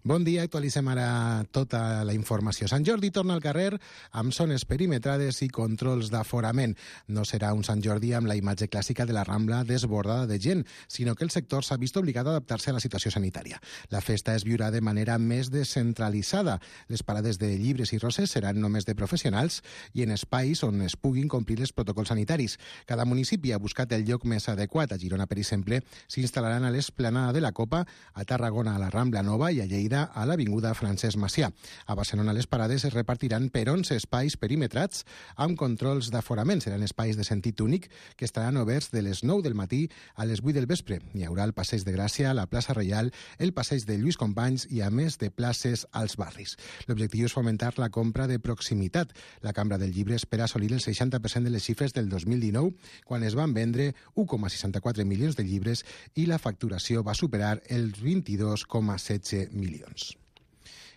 Bon dia, actualitzem ara tota la informació. Sant Jordi torna al carrer amb zones perimetrades i controls d'aforament. No serà un Sant Jordi amb la imatge clàssica de la Rambla desbordada de gent, sinó que el sector s'ha vist obligat a adaptar-se a la situació sanitària. La festa es viurà de manera més descentralitzada. Les parades de llibres i roses seran només de professionals i en espais on es puguin complir els protocols sanitaris. Cada municipi ha buscat el lloc més adequat. A Girona, per exemple, s'instal·laran a l'Esplanada de la Copa, a Tarragona a la Rambla Nova i a Lleida a l'Avinguda Francesc Macià. A Barcelona les parades es repartiran per onze espais perimetrats amb controls d'aforament. Seran espais de sentit únic que estaran oberts de les nou del matí a les vuit del vespre. Hi haurà el Passeig de Gràcia, la plaça Reial, el Passeig de Lluís Companys i a més de places als barris. L'objectiu és fomentar la compra de proximitat. La Cambra del Llibre espera assolir el seixanta per cent de les xifres del dos mil dinou, quan es van vendre u coma seixanta-quatre milions de llibres i la facturació va superar els vint-i-dos coma setze milions.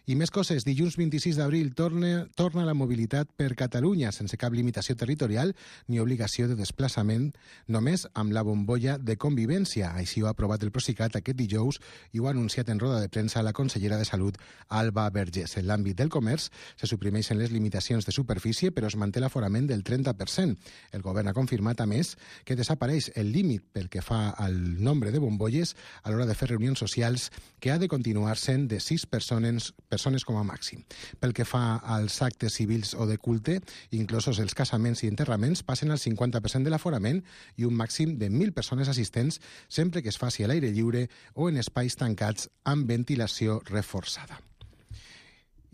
I més coses. Dilluns vint-i-sis d'abril torna, torna la mobilitat per Catalunya, sense cap limitació territorial ni obligació de desplaçament, només amb la bombolla de convivència. Així ho ha aprovat el Procicat aquest dijous i ho ha anunciat en roda de premsa la consellera de Salut, Alba Vergés. En l'àmbit del comerç se suprimeixen les limitacions de superfície, però es manté l'aforament del trenta per cent. El govern ha confirmat, a més, que desapareix el límit pel que fa al nombre de bombolles a l'hora de fer reunions socials, que ha de continuar sent de sis persones persones com a màxim. Pel que fa als actes civils o de culte, inclosos els casaments i enterraments, passen al cinquanta per cent de l'aforament i un màxim de mil persones assistents sempre que es faci a l'aire lliure o en espais tancats amb ventilació reforçada.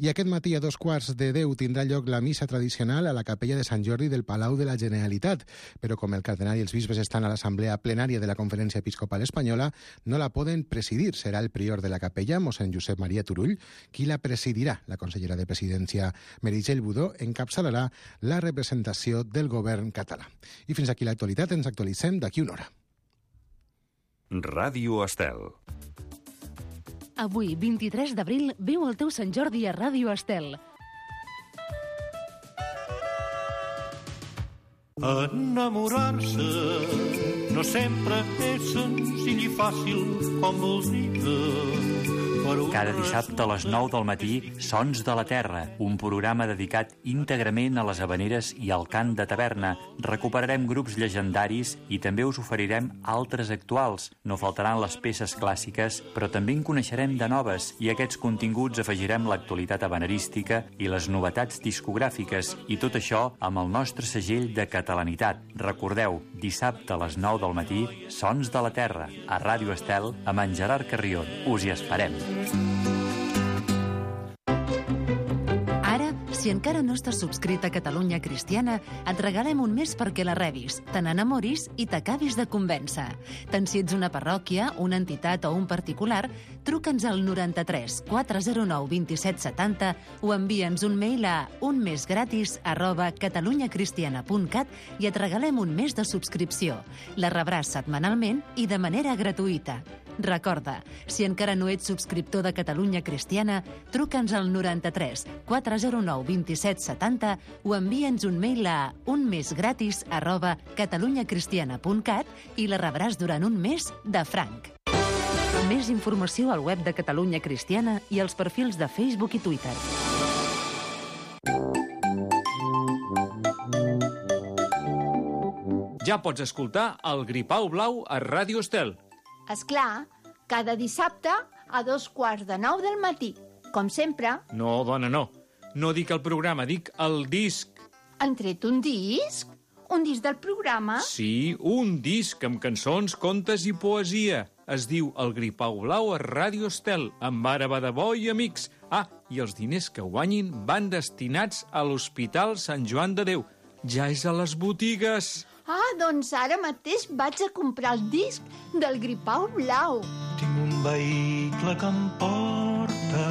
I aquest matí a dos quarts de deu tindrà lloc la missa tradicional a la capella de Sant Jordi del Palau de la Generalitat, però com el cardenal i els bisbes estan a l'assemblea plenària de la Conferència Episcopal Espanyola, no la poden presidir. Serà el prior de la capella, mossèn Josep Maria Turull, qui la presidirà. La consellera de Presidència, Meritxell Budó, encapçalarà la representació del govern català. I fins aquí l'actualitat. Ens actualitzem d'aquí una hora. Ràdio Estel. Avui, vint-i-tres d'abril, viu el teu Sant Jordi a Ràdio Estel. Enamorar-se no sempre és senzill i fàcil com voldria. Cada dissabte a les nou del matí, Sons de la Terra, un programa dedicat íntegrament a les havaneres i al cant de taverna. Recuperarem grups llegendaris i també us oferirem altres actuals. No faltaran les peces clàssiques, però també en coneixerem de noves i a aquests continguts afegirem l'actualitat havanerística i les novetats discogràfiques i tot això amb el nostre segell de catalanitat. Recordeu, dissabte a les nou del matí, Sons de la Terra, a Ràdio Estel, amb en Gerard Carrion. Us hi esperem. Ara, si encara no estàs subscrit a Catalunya Cristiana, et regalem un mes perquè la rebis, te n'enamoris i t'acabis de convèncer. Tant si ets una parròquia, una entitat o un particular, truca'ns al noranta-tres quatre zero nou vint set setanta o envia'ns un mail a unmesgratis arroba catalunyacristiana punt cat i et regalem un mes de subscripció. La rebràs setmanalment i de manera gratuïta. Recorda, si encara no ets subscriptor de Catalunya Cristiana, truca'ns al noranta-tres quatre zero nou dos set set zero o envia'ns un mail a unmesgratis arroba catalunyacristiana punt cat i la rebràs durant un mes de franc. Més informació al web de Catalunya Cristiana i als perfils de Facebook i Twitter. Ja pots escoltar el Gripau Blau a Ràdio Estel. Esclar, cada dissabte a dos quarts de nou del matí. Com sempre... No, dona, no. No dic el programa, dic el disc. Han tret un disc? Un disc del programa? Sí, un disc amb cançons, contes i poesia. Es diu El Gripau Blau a Ràdio Estel, amb Ara Badabó i amics. Ah, i els diners que guanyin van destinats a l'Hospital Sant Joan de Déu. Ja és a les botigues. Ah, doncs ara mateix vaig a comprar el disc del Gripau Blau. Tinc un vehicle que em porta...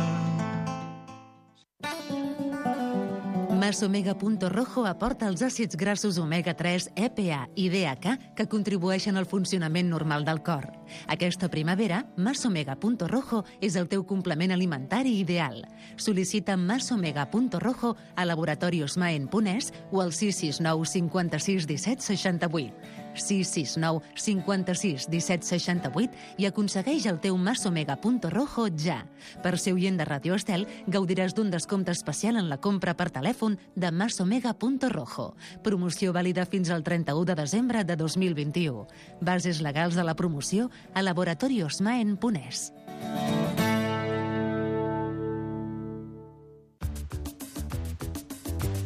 Masomega Punto Rojo aporta els àcids grassos omega tres, E P A i D H A que contribueixen al funcionament normal del cor. Aquesta primavera, Masomega Punto Rojo és el teu complement alimentari ideal. Sol·licita Masomega Punto Rojo a Laboratorios Maen Punès o al sis sis nou cinquanta-sis disset seixanta-vuit. sis sis nou cinquanta-sis disset seixanta-vuit i aconsegueix el teu Masomega Punto Rojo ja. Per ser oient de Ràdio Estel, gaudiràs d'un descompte especial en la compra per telèfon de Masomega Punto Rojo. Promoció vàlida fins al trenta-u de desembre de dos mil vint-i-u. Bases legals de la promoció a Laboratorios Maen Punès.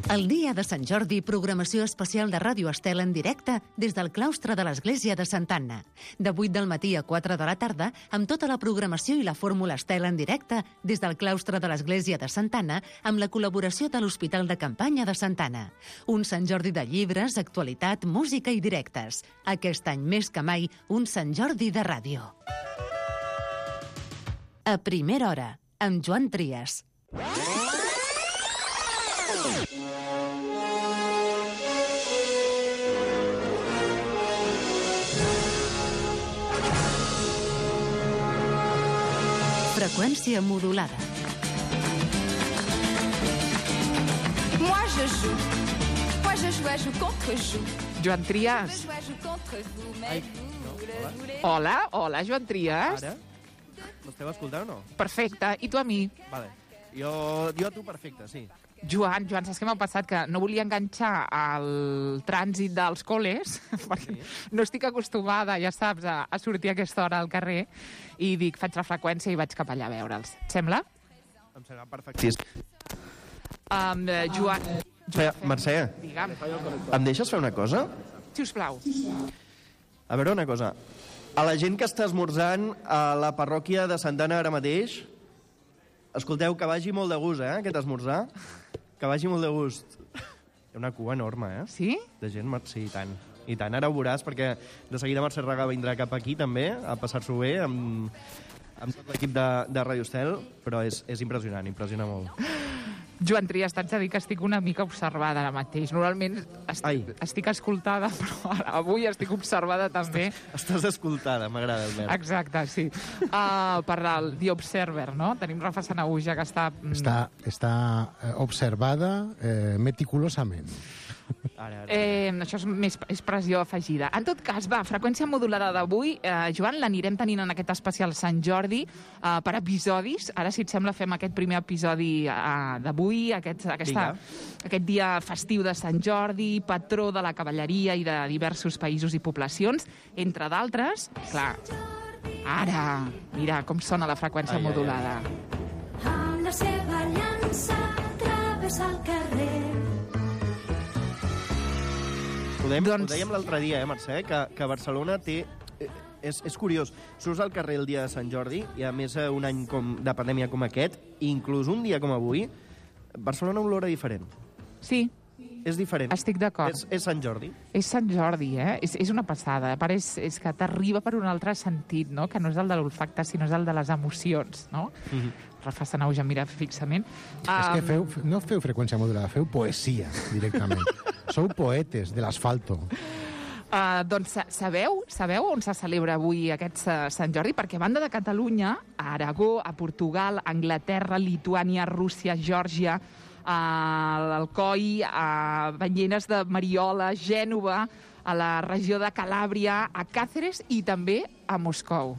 El dia de Sant Jordi, programació especial de Ràdio Estel en directe des del claustre de l'Església de Santa Anna. De vuit del matí a quatre de la tarda, amb tota la programació i la fórmula Estel en directe des del claustre de l'Església de Santa Anna, amb la col·laboració de l'Hospital de Campanya de Santa Anna. Un Sant Jordi de llibres, actualitat, música i directes. Aquest any més que mai, un Sant Jordi de ràdio. A primera hora, amb Joan Trias. Freqüència modulada. Moi je joue. Moi je joue, je joue contre joue. Joan Trias. Je joue, je joue contre vous, mais vous, no, voulez... Hola, hola, Joan Trias. Ara? M'esteu escoltant o no? Perfecte. I tu a mi? Vale. Jo, jo a tu perfecte, sí. Joan, Joan, saps què m'ha passat? Que no volia enganxar el trànsit dels col·les, perquè sí. No estic acostumada, ja saps, a, a sortir a aquesta hora al carrer, i dic, faig la freqüència i vaig cap allà a veure'ls. Et sembla? Em sembla perfectíssim. Um, uh, Joan... Joan Mercè, digue'm. em deixes fer una cosa? Sisplau. A veure una cosa. A la gent que està esmorzant a la parròquia de Santa Anna ara mateix, escolteu, que vagi molt de gust, eh, aquest esmorzar. Que vagi molt de gust. Hi ha una cua enorme, eh? Sí? De gent, sí, i tant. I tant, ara ho veuràs, perquè de seguida Mercè Raga vindrà cap aquí, també, a passar-s'ho bé, amb, amb tot l'equip de, de Ràdio Estel, però és, és impressionant, impressiona molt. Joan Trias, t'haig de dir que estic una mica observada ara mateix. Normalment estic, estic escoltada, però ara, avui estic observada també. Estàs, estàs escoltada, m'agrada el verb. Exacte, sí. Uh, per el The Observer, no? Tenim Rafa Sanahuja, que està... Està, està observada eh, meticulosament. Ara, ara. Eh, això és més expressió afegida. En tot cas, va, freqüència modulada d'avui. Eh, Joan, l'anirem tenint en aquest especial Sant Jordi eh, per episodis. Ara, si et sembla, fem aquest primer episodi eh, d'avui, aquest, aquesta, aquest dia festiu de Sant Jordi, patró de la cavalleria i de diversos països i poblacions, entre d'altres. Clar, ara, mira com sona la freqüència ai, modulada. Ai, ai. Amb la seva llança travessa el carrer. Ho dèiem, doncs... ho dèiem l'altre dia, eh, Mercè, que, que Barcelona té... Eh, és, és curiós. Surts al carrer el dia de Sant Jordi, i a més un any com, de pandèmia com aquest, i inclús un dia com avui, Barcelona olora diferent. Sí. És diferent. Estic d'acord. És, és Sant Jordi. És Sant Jordi, eh? És, és una passada. A part, és, és que t'arriba per un altre sentit, no? Que no és el de l'olfacte, sinó és el de les emocions, no? Mm-hmm. Rafa Sanahuja em mira fixament. Um... És que feu, no feu freqüència modulada, feu poesia, directament. Sou poetes de l'asfalto. Uh, doncs sabeu, sabeu on se celebra avui aquest uh, Sant Jordi? Perquè a banda de Catalunya, a Aragó, a Portugal, a Anglaterra, Lituània, Rússia, Geòrgia, a l'Alcoi, a Banyeres de Mariola, Gènova, a la regió de Calàbria, a Càceres i també a Moscou.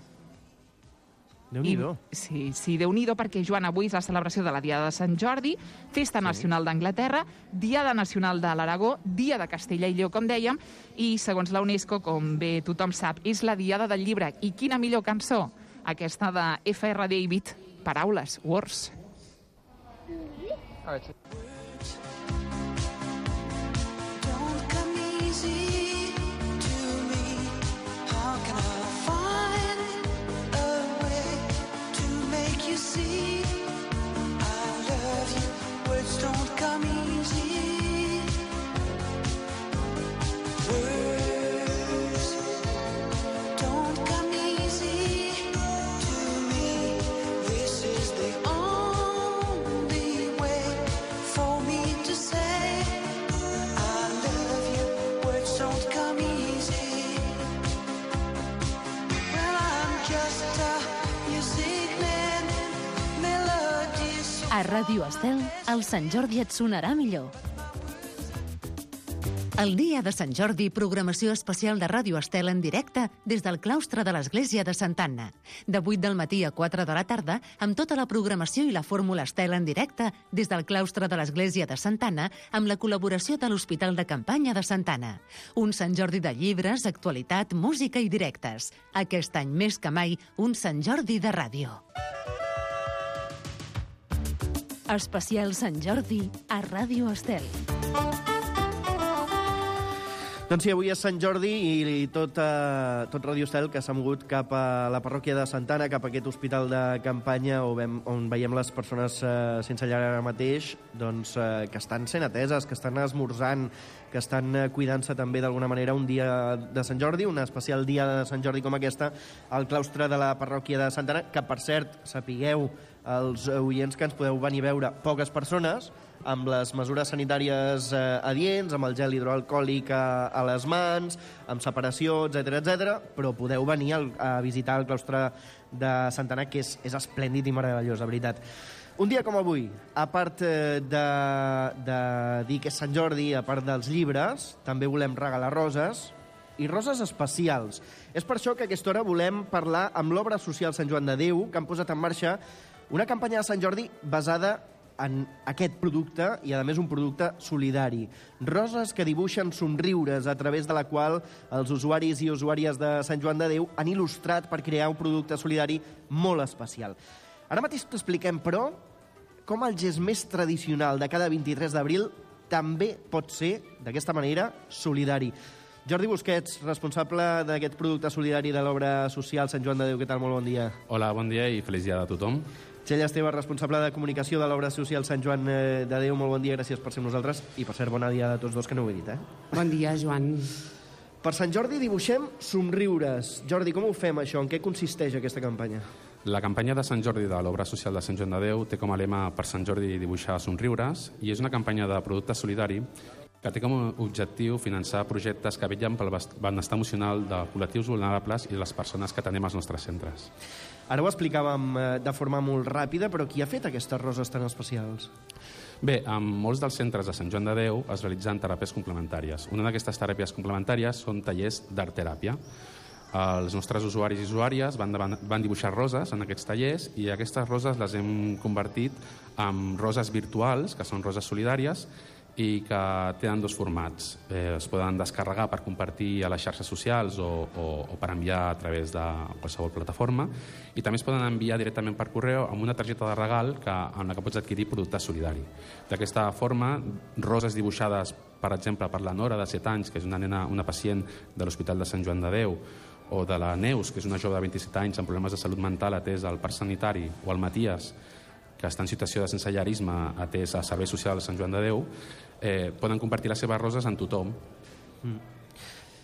Déu-n'hi-do. Sí, sí, Déu-n'hi-do, perquè, Joan, avui és la celebració de la Diada de Sant Jordi, Festa Nacional d'Anglaterra, Diada Nacional de l'Aragó, Dia de Castella i Lleó, com dèiem, i, segons la UNESCO, com bé tothom sap, és la Diada del Llibre. I quina millor cançó? Aquesta de F R David, Paraules, Words. A Ràdio Estel, el Sant Jordi et sonarà millor. El dia de Sant Jordi, programació especial de Ràdio Estel en directe des del claustre de l'Església de Santa Anna. De vuit del matí a quatre de la tarda, amb tota la programació i la fórmula Estel en directe des del claustre de l'Església de Santa Anna, amb la col·laboració de l'Hospital de Campanya de Santa Anna. Un Sant Jordi de llibres, actualitat, música i directes. Aquest any més que mai, un Sant Jordi de ràdio. Especial Sant Jordi a Ràdio Estel. Doncs sí, avui és Sant Jordi i tot, eh, tot Ràdio Estel que s'ha mogut cap a la parròquia de Santa Anna, cap a aquest hospital de campanya on, on veiem les persones eh, sense llar ara mateix, doncs, eh, que estan sent ateses, que estan esmorzant, que estan eh, cuidant-se també d'alguna manera un dia de Sant Jordi, un especial dia de Sant Jordi com aquesta, al claustre de la parròquia de Santa Anna, que per cert, sapigueu, els oients que ens podeu venir a veure, poques persones, amb les mesures sanitàries eh, adients, amb el gel hidroalcohòlic a, a les mans, amb separació, etcètera, etcètera, però podeu venir al, a visitar el claustre de Santa Anna, que és, és esplèndid i meravellós, de veritat. Un dia com avui, a part eh, de, de dir que és Sant Jordi, a part dels llibres, també volem regalar roses, i roses especials. És per això que a aquesta hora volem parlar amb l'Obra Social Sant Joan de Déu, que han posat en marxa una campanya de Sant Jordi basada en aquest producte i, a més, un producte solidari. Roses que dibuixen somriures, a través de la qual els usuaris i usuàries de Sant Joan de Déu han il·lustrat per crear un producte solidari molt especial. Ara mateix t'expliquem, però, com el gest més tradicional de cada vint-i-tres d'abril també pot ser, d'aquesta manera, solidari. Jordi Busquets, responsable d'aquest producte solidari de l'Obra Social Sant Joan de Déu. Què tal? Molt bon dia. Hola, bon dia i feliç dia a tothom. Txell Esteve, responsable de comunicació de l'Obra Social Sant Joan de Déu. Molt bon dia, gràcies per ser amb nosaltres. I, per cert, bona dia a tots dos, que no ho he dit, eh? Bon dia, Joan. Per Sant Jordi dibuixem somriures. Jordi, com ho fem, això? En què consisteix aquesta campanya? La campanya de Sant Jordi de l'Obra Social de Sant Joan de Déu té com a lema per Sant Jordi dibuixar somriures i és una campanya de producte solidari que té com a objectiu finançar projectes que vetllen pel benestar emocional de col·lectius vulnerables i de les persones que tenim als nostres centres. Ara ho explicàvem de forma molt ràpida, però qui ha fet aquestes roses tan especials? Bé, en molts dels centres de Sant Joan de Déu es realitzen teràpies complementàries. Una d'aquestes teràpies complementàries són tallers d'art-teràpia. Els nostres usuaris i usuàries van, van dibuixar roses en aquests tallers i aquestes roses les hem convertit en roses virtuals, que són roses solidàries, i que tenen dos formats. Eh, es poden descarregar per compartir a les xarxes socials o, o, o per enviar a través de qualsevol plataforma i també es poden enviar directament per correu amb una targeta de regal que, amb la que pots adquirir producte solidari. D'aquesta forma, roses dibuixades, per exemple, per la Nora, de set anys, que és una nena, una pacient de l'Hospital de Sant Joan de Déu, o de la Neus, que és una jove de vint-i-set anys amb problemes de salut mental atès al parc sanitari, o el Matías, que està en situació de sensellarisme atès a Servei Social de Sant Joan de Déu, eh, poden compartir les seves roses amb tothom. Mm.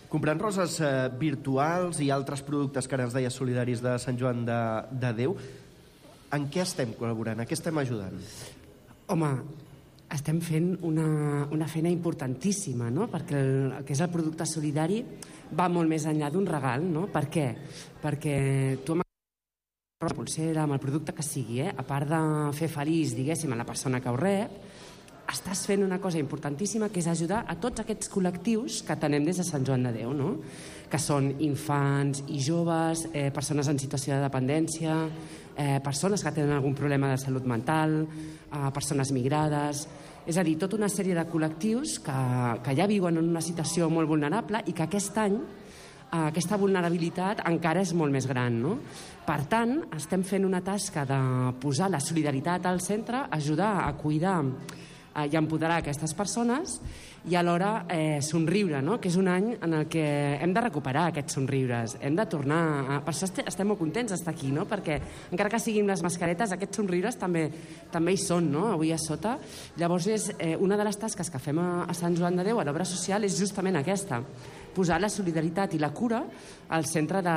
Comprant roses eh, virtuals i altres productes que ara ens deies solidaris de Sant Joan de, de Déu, en què estem col·laborant? A què estem ajudant? Home, estem fent una, una feina importantíssima, no? Perquè el, el que és el producte solidari va molt més enllà d'un regal, no? Per què? Perquè tu amb la pulsera, amb el producte que sigui, eh? A part de fer feliç, diguéssim, a la persona que ho rep, estàs fent una cosa importantíssima, que és ajudar a tots aquests col·lectius que tenem des de Sant Joan de Déu, no? Que són infants i joves, eh, persones en situació de dependència, eh, persones que tenen algun problema de salut mental, eh, persones migrades... És a dir, tota una sèrie de col·lectius que, que ja viuen en una situació molt vulnerable i que aquest any eh, aquesta vulnerabilitat encara és molt més gran, no? Per tant, estem fent una tasca de posar la solidaritat al centre, ajudar a cuidar i empoderar aquestes persones i alhora eh, somriure, no? Que és un any en el que hem de recuperar aquests somriures, hem de tornar a... Per això estem molt contents d'estar aquí, no? Perquè encara que siguin les mascaretes, aquests somriures també, també hi són, no? Avui a sota. Llavors, és, eh, una de les tasques que fem a, a Sant Joan de Déu, a l'obra social, és justament aquesta, posar la solidaritat i la cura al centre de,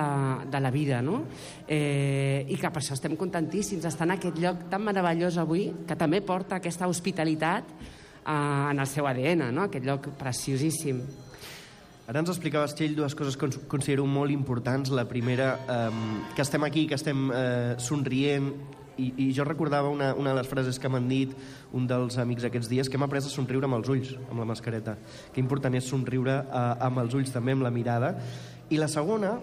de la vida, no? Eh, I que per això estem contentíssims d'estar en aquest lloc tan meravellós avui, que també porta aquesta hospitalitat eh, en el seu A D N, no? Aquest lloc preciosíssim. Ara ens explicaves, Txell, dues coses que considero molt importants. La primera, eh, que estem aquí, que estem eh, somrient, i, i jo recordava una, una de les frases que m'han dit un dels amics aquests dies, que hem après a somriure amb els ulls, amb la mascareta. Que important és somriure eh, amb els ulls, també amb la mirada. I la segona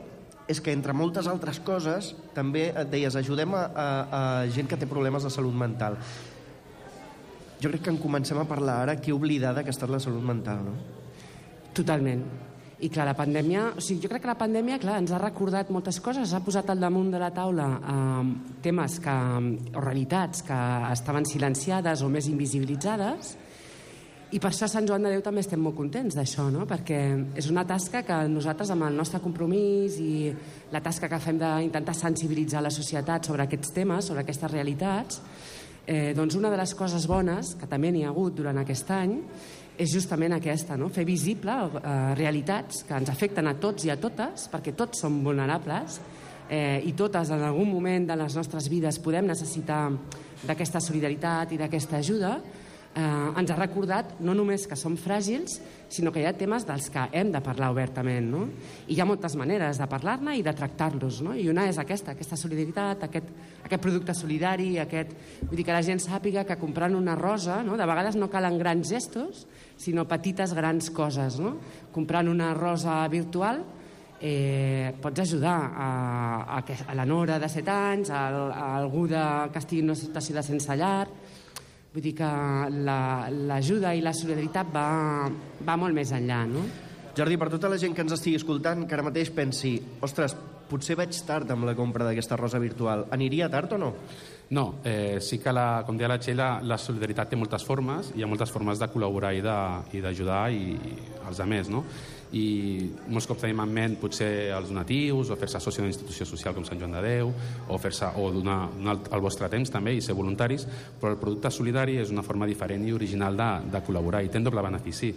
és que, entre moltes altres coses, també et deies, ajudem a, a, a gent que té problemes de salut mental. Jo crec que en comencem a parlar ara, que oblidada que ha estat la salut mental, no? Totalment. I clar, la pandèmia, o sigui, jo crec que la pandèmia, clar, ens ha recordat moltes coses, ha posat al damunt de la taula eh, temes que, o realitats que estaven silenciades o més invisibilitzades, i per això a Sant Joan de Déu també estem molt contents d'això, no? Perquè és una tasca que nosaltres, amb el nostre compromís i la tasca que fem d'intentar sensibilitzar la societat sobre aquests temes, sobre aquestes realitats, eh, doncs una de les coses bones que també n'hi ha hagut durant aquest any és justament aquesta, no? Fer visible eh, realitats que ens afecten a tots i a totes, perquè tots som vulnerables eh, i totes en algun moment de les nostres vides podem necessitar d'aquesta solidaritat i d'aquesta ajuda. Eh, ens ha recordat no només que som fràgils, sinó que hi ha temes dels que hem de parlar obertament, no? I hi ha moltes maneres de parlar-ne i de tractar-los, no? I una és aquesta, aquesta solidaritat, aquest, aquest producte solidari, aquest... Vull dir, que la gent sàpiga que comprant una rosa, no? De vegades no calen grans gestos, sinó petites grans coses, no? Comprant una rosa virtual eh, pots ajudar a, a, a la Nora de set anys, a, a algú de, que estigui en una situació de sense llar. Vull dir que l'ajuda la, i la solidaritat va, va molt més enllà, no? Jordi, per tota la gent que ens estigui escoltant, que ara mateix pensi, ostres, potser vaig tard amb la compra d'aquesta rosa virtual. Aniria tard o no? No, eh, sí que, la, com deia la Txell, la, la solidaritat té moltes formes, hi ha moltes formes de col·laborar i d'ajudar i, i els altres, no? I molts cops tenim en ment potser els donatius o fer-se soci d'una institució social com Sant Joan de Déu o fer-se o donar, donar el vostre temps també i ser voluntaris, però el producte solidari és una forma diferent i original de, de col·laborar i té un doble benefici.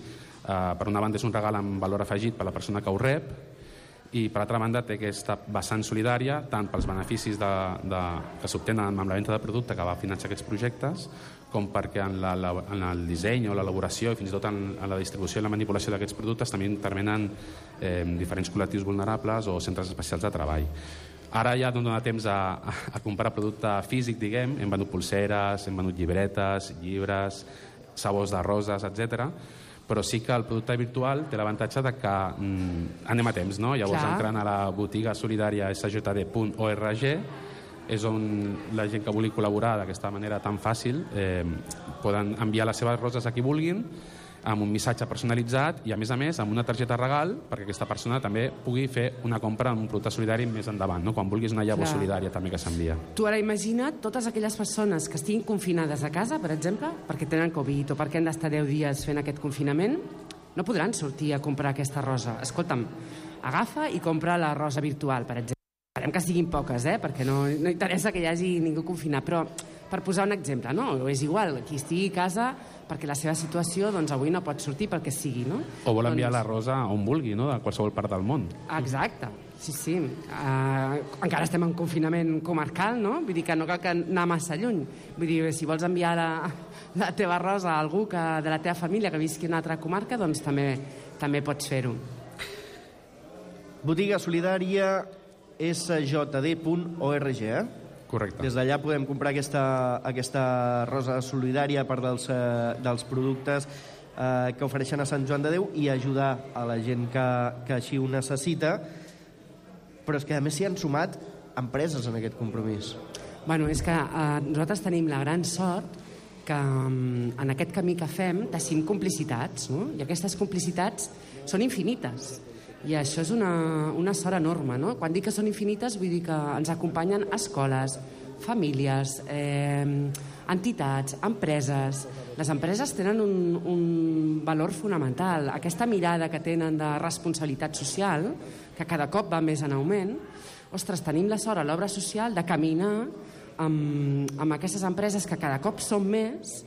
Uh, per una banda és un regal amb valor afegit per a la persona que ho rep i per altra banda té aquesta vessant solidària tant pels beneficis de, de, que s'obtenen amb la venda de producte que va finançar aquests projectes com perquè en, la, la, en el disseny o l'elaboració i fins i tot en, en la distribució i la manipulació d'aquests productes també intervenen eh, diferents col·lectius vulnerables o centres especials de treball. Ara ja no dona temps a, a, a comprar producte físic, diguem, hem venut pulseres, hem venut llibretes, llibres, sabors de roses, etcètera, però sí que el producte virtual té l'avantatge de que mm, anem a temps, no? Llavors, clar, entrant a la botiga solidària s j d punt org és on la gent que vulgui col·laborar d'aquesta manera tan fàcil eh, poden enviar les seves roses a qui vulguin amb un missatge personalitzat i, a més a més, amb una targeta regal perquè aquesta persona també pugui fer una compra amb un producte solidari més endavant, no? Quan vulguis una llavor solidària també que s'envia. Tu ara imagina't totes aquelles persones que estiguin confinades a casa, per exemple, perquè tenen Covid o perquè han d'estar deu dies fent aquest confinament, no podran sortir a comprar aquesta rosa. Escolta'm, agafa i compra la rosa virtual, per exemple. Esperem que siguin poques, eh? Perquè no, no interessa que hi hagi ningú confinat, però per posar un exemple, no? És igual, qui estigui a casa perquè la seva situació doncs, avui no pot sortir pel que sigui, no? O vol enviar doncs... la rosa on vulgui, no? De qualsevol part del món. Exacte. Sí, sí. Uh, encara estem en confinament comarcal, no? Vull dir que no cal que anar massa lluny. Vull dir, si vols enviar la, la teva rosa a algú que, de la teva família que visqui en una altra comarca, doncs també, també pots fer-ho. Botiga solidària s j d punt org, eh? Correcte. Des d'allà podem comprar aquesta, aquesta rosa solidària a part dels, eh, dels productes eh, que ofereixen a Sant Joan de Déu i ajudar a la gent que, que així ho necessita. Però és que a més s'hi han sumat empreses en aquest compromís. Bueno, és que eh, nosaltres tenim la gran sort que um, en aquest camí que fem teixim complicitats, no? I aquestes complicitats són infinites. I això és una, una sort enorme, no? Quan dic que són infinites vull dir que ens acompanyen escoles, famílies, eh, entitats, empreses. Les empreses tenen un, un valor fonamental. Aquesta mirada que tenen de responsabilitat social, que cada cop va més en augment, ostres, tenim la sort a l'obra social de caminar amb, amb aquestes empreses que cada cop són més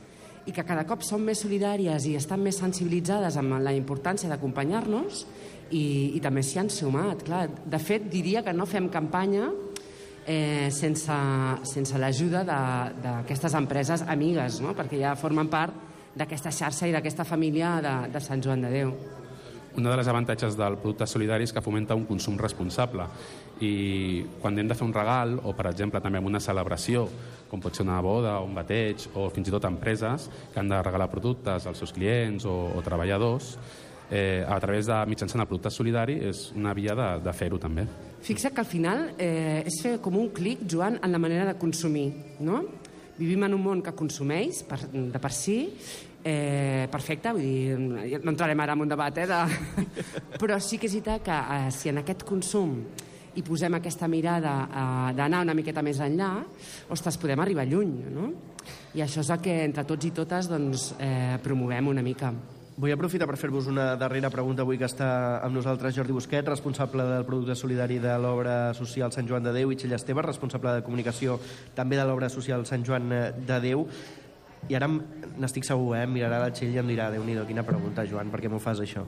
i que cada cop són més solidàries i estan més sensibilitzades amb la importància d'acompanyar-nos i, i també s'hi han sumat. Clar, de fet, diria que no fem campanya eh, sense, sense l'ajuda d'aquestes empreses amigues, no? Perquè ja formen part d'aquesta xarxa i d'aquesta família de, de Sant Joan de Déu. Un dels avantatges del producte solidari és que fomenta un consum responsable i quan hem de fer un regal o, per exemple, també en una celebració, com pot ser una boda o un bateig o fins i tot empreses que han de regalar productes als seus clients o, o treballadors, eh, a través de mitjançant el producte solidari és una via de, de fer-ho també. Fixa't que al final eh, és fer com un clic, Joan, en la manera de consumir, no? Vivim en un món que consumeix per, de per si, eh, perfecte, vull dir, no entrarem ara en un debat, eh, de... però sí que és veritat que eh, si en aquest consum hi posem aquesta mirada eh, d'anar una miqueta més enllà, ostres, podem arribar lluny, no? I això és el que entre tots i totes doncs, eh, promovem una mica. Vull aprofitar per fer-vos una darrera pregunta avui que està amb nosaltres Jordi Busquet, responsable del producte solidari de l'obra social Sant Joan de Déu, i Txell Esteve, responsable de comunicació també de l'obra social Sant Joan de Déu. I ara n'estic segur, eh? Em mirarà la Txell i em dirà, Déu-n'hi-do, quina pregunta, Joan, per què m'ho fas això?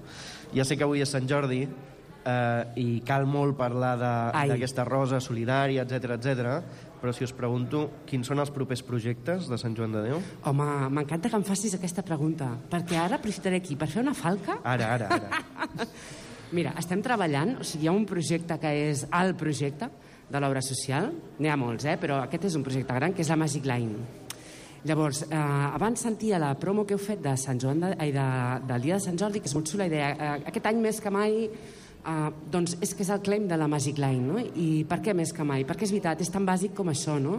Ja sé que avui és Sant Jordi eh, i cal molt parlar d'aquesta rosa solidària, etcètera, etcètera, però si us pregunto quins són els propers projectes de Sant Joan de Déu? Home, m'encanta que em facis aquesta pregunta, perquè ara aprofitaré aquí per fer una falca. Ara, ara, ara. Mira, estem treballant, o sigui, hi ha un projecte que és el projecte de l'obra social, n'hi ha molts, eh? Però aquest és un projecte gran, que és la Magic Line. Llavors, eh, abans sentia la promo que heu fet de Sant Joan de, ai, de, del Dia de Sant Jordi, que és molt xula idea. Eh, aquest any més que mai Uh, doncs és que és el claim de la Magic Line, no? I per què més que mai? Perquè és veritat, és tan bàsic com això, no?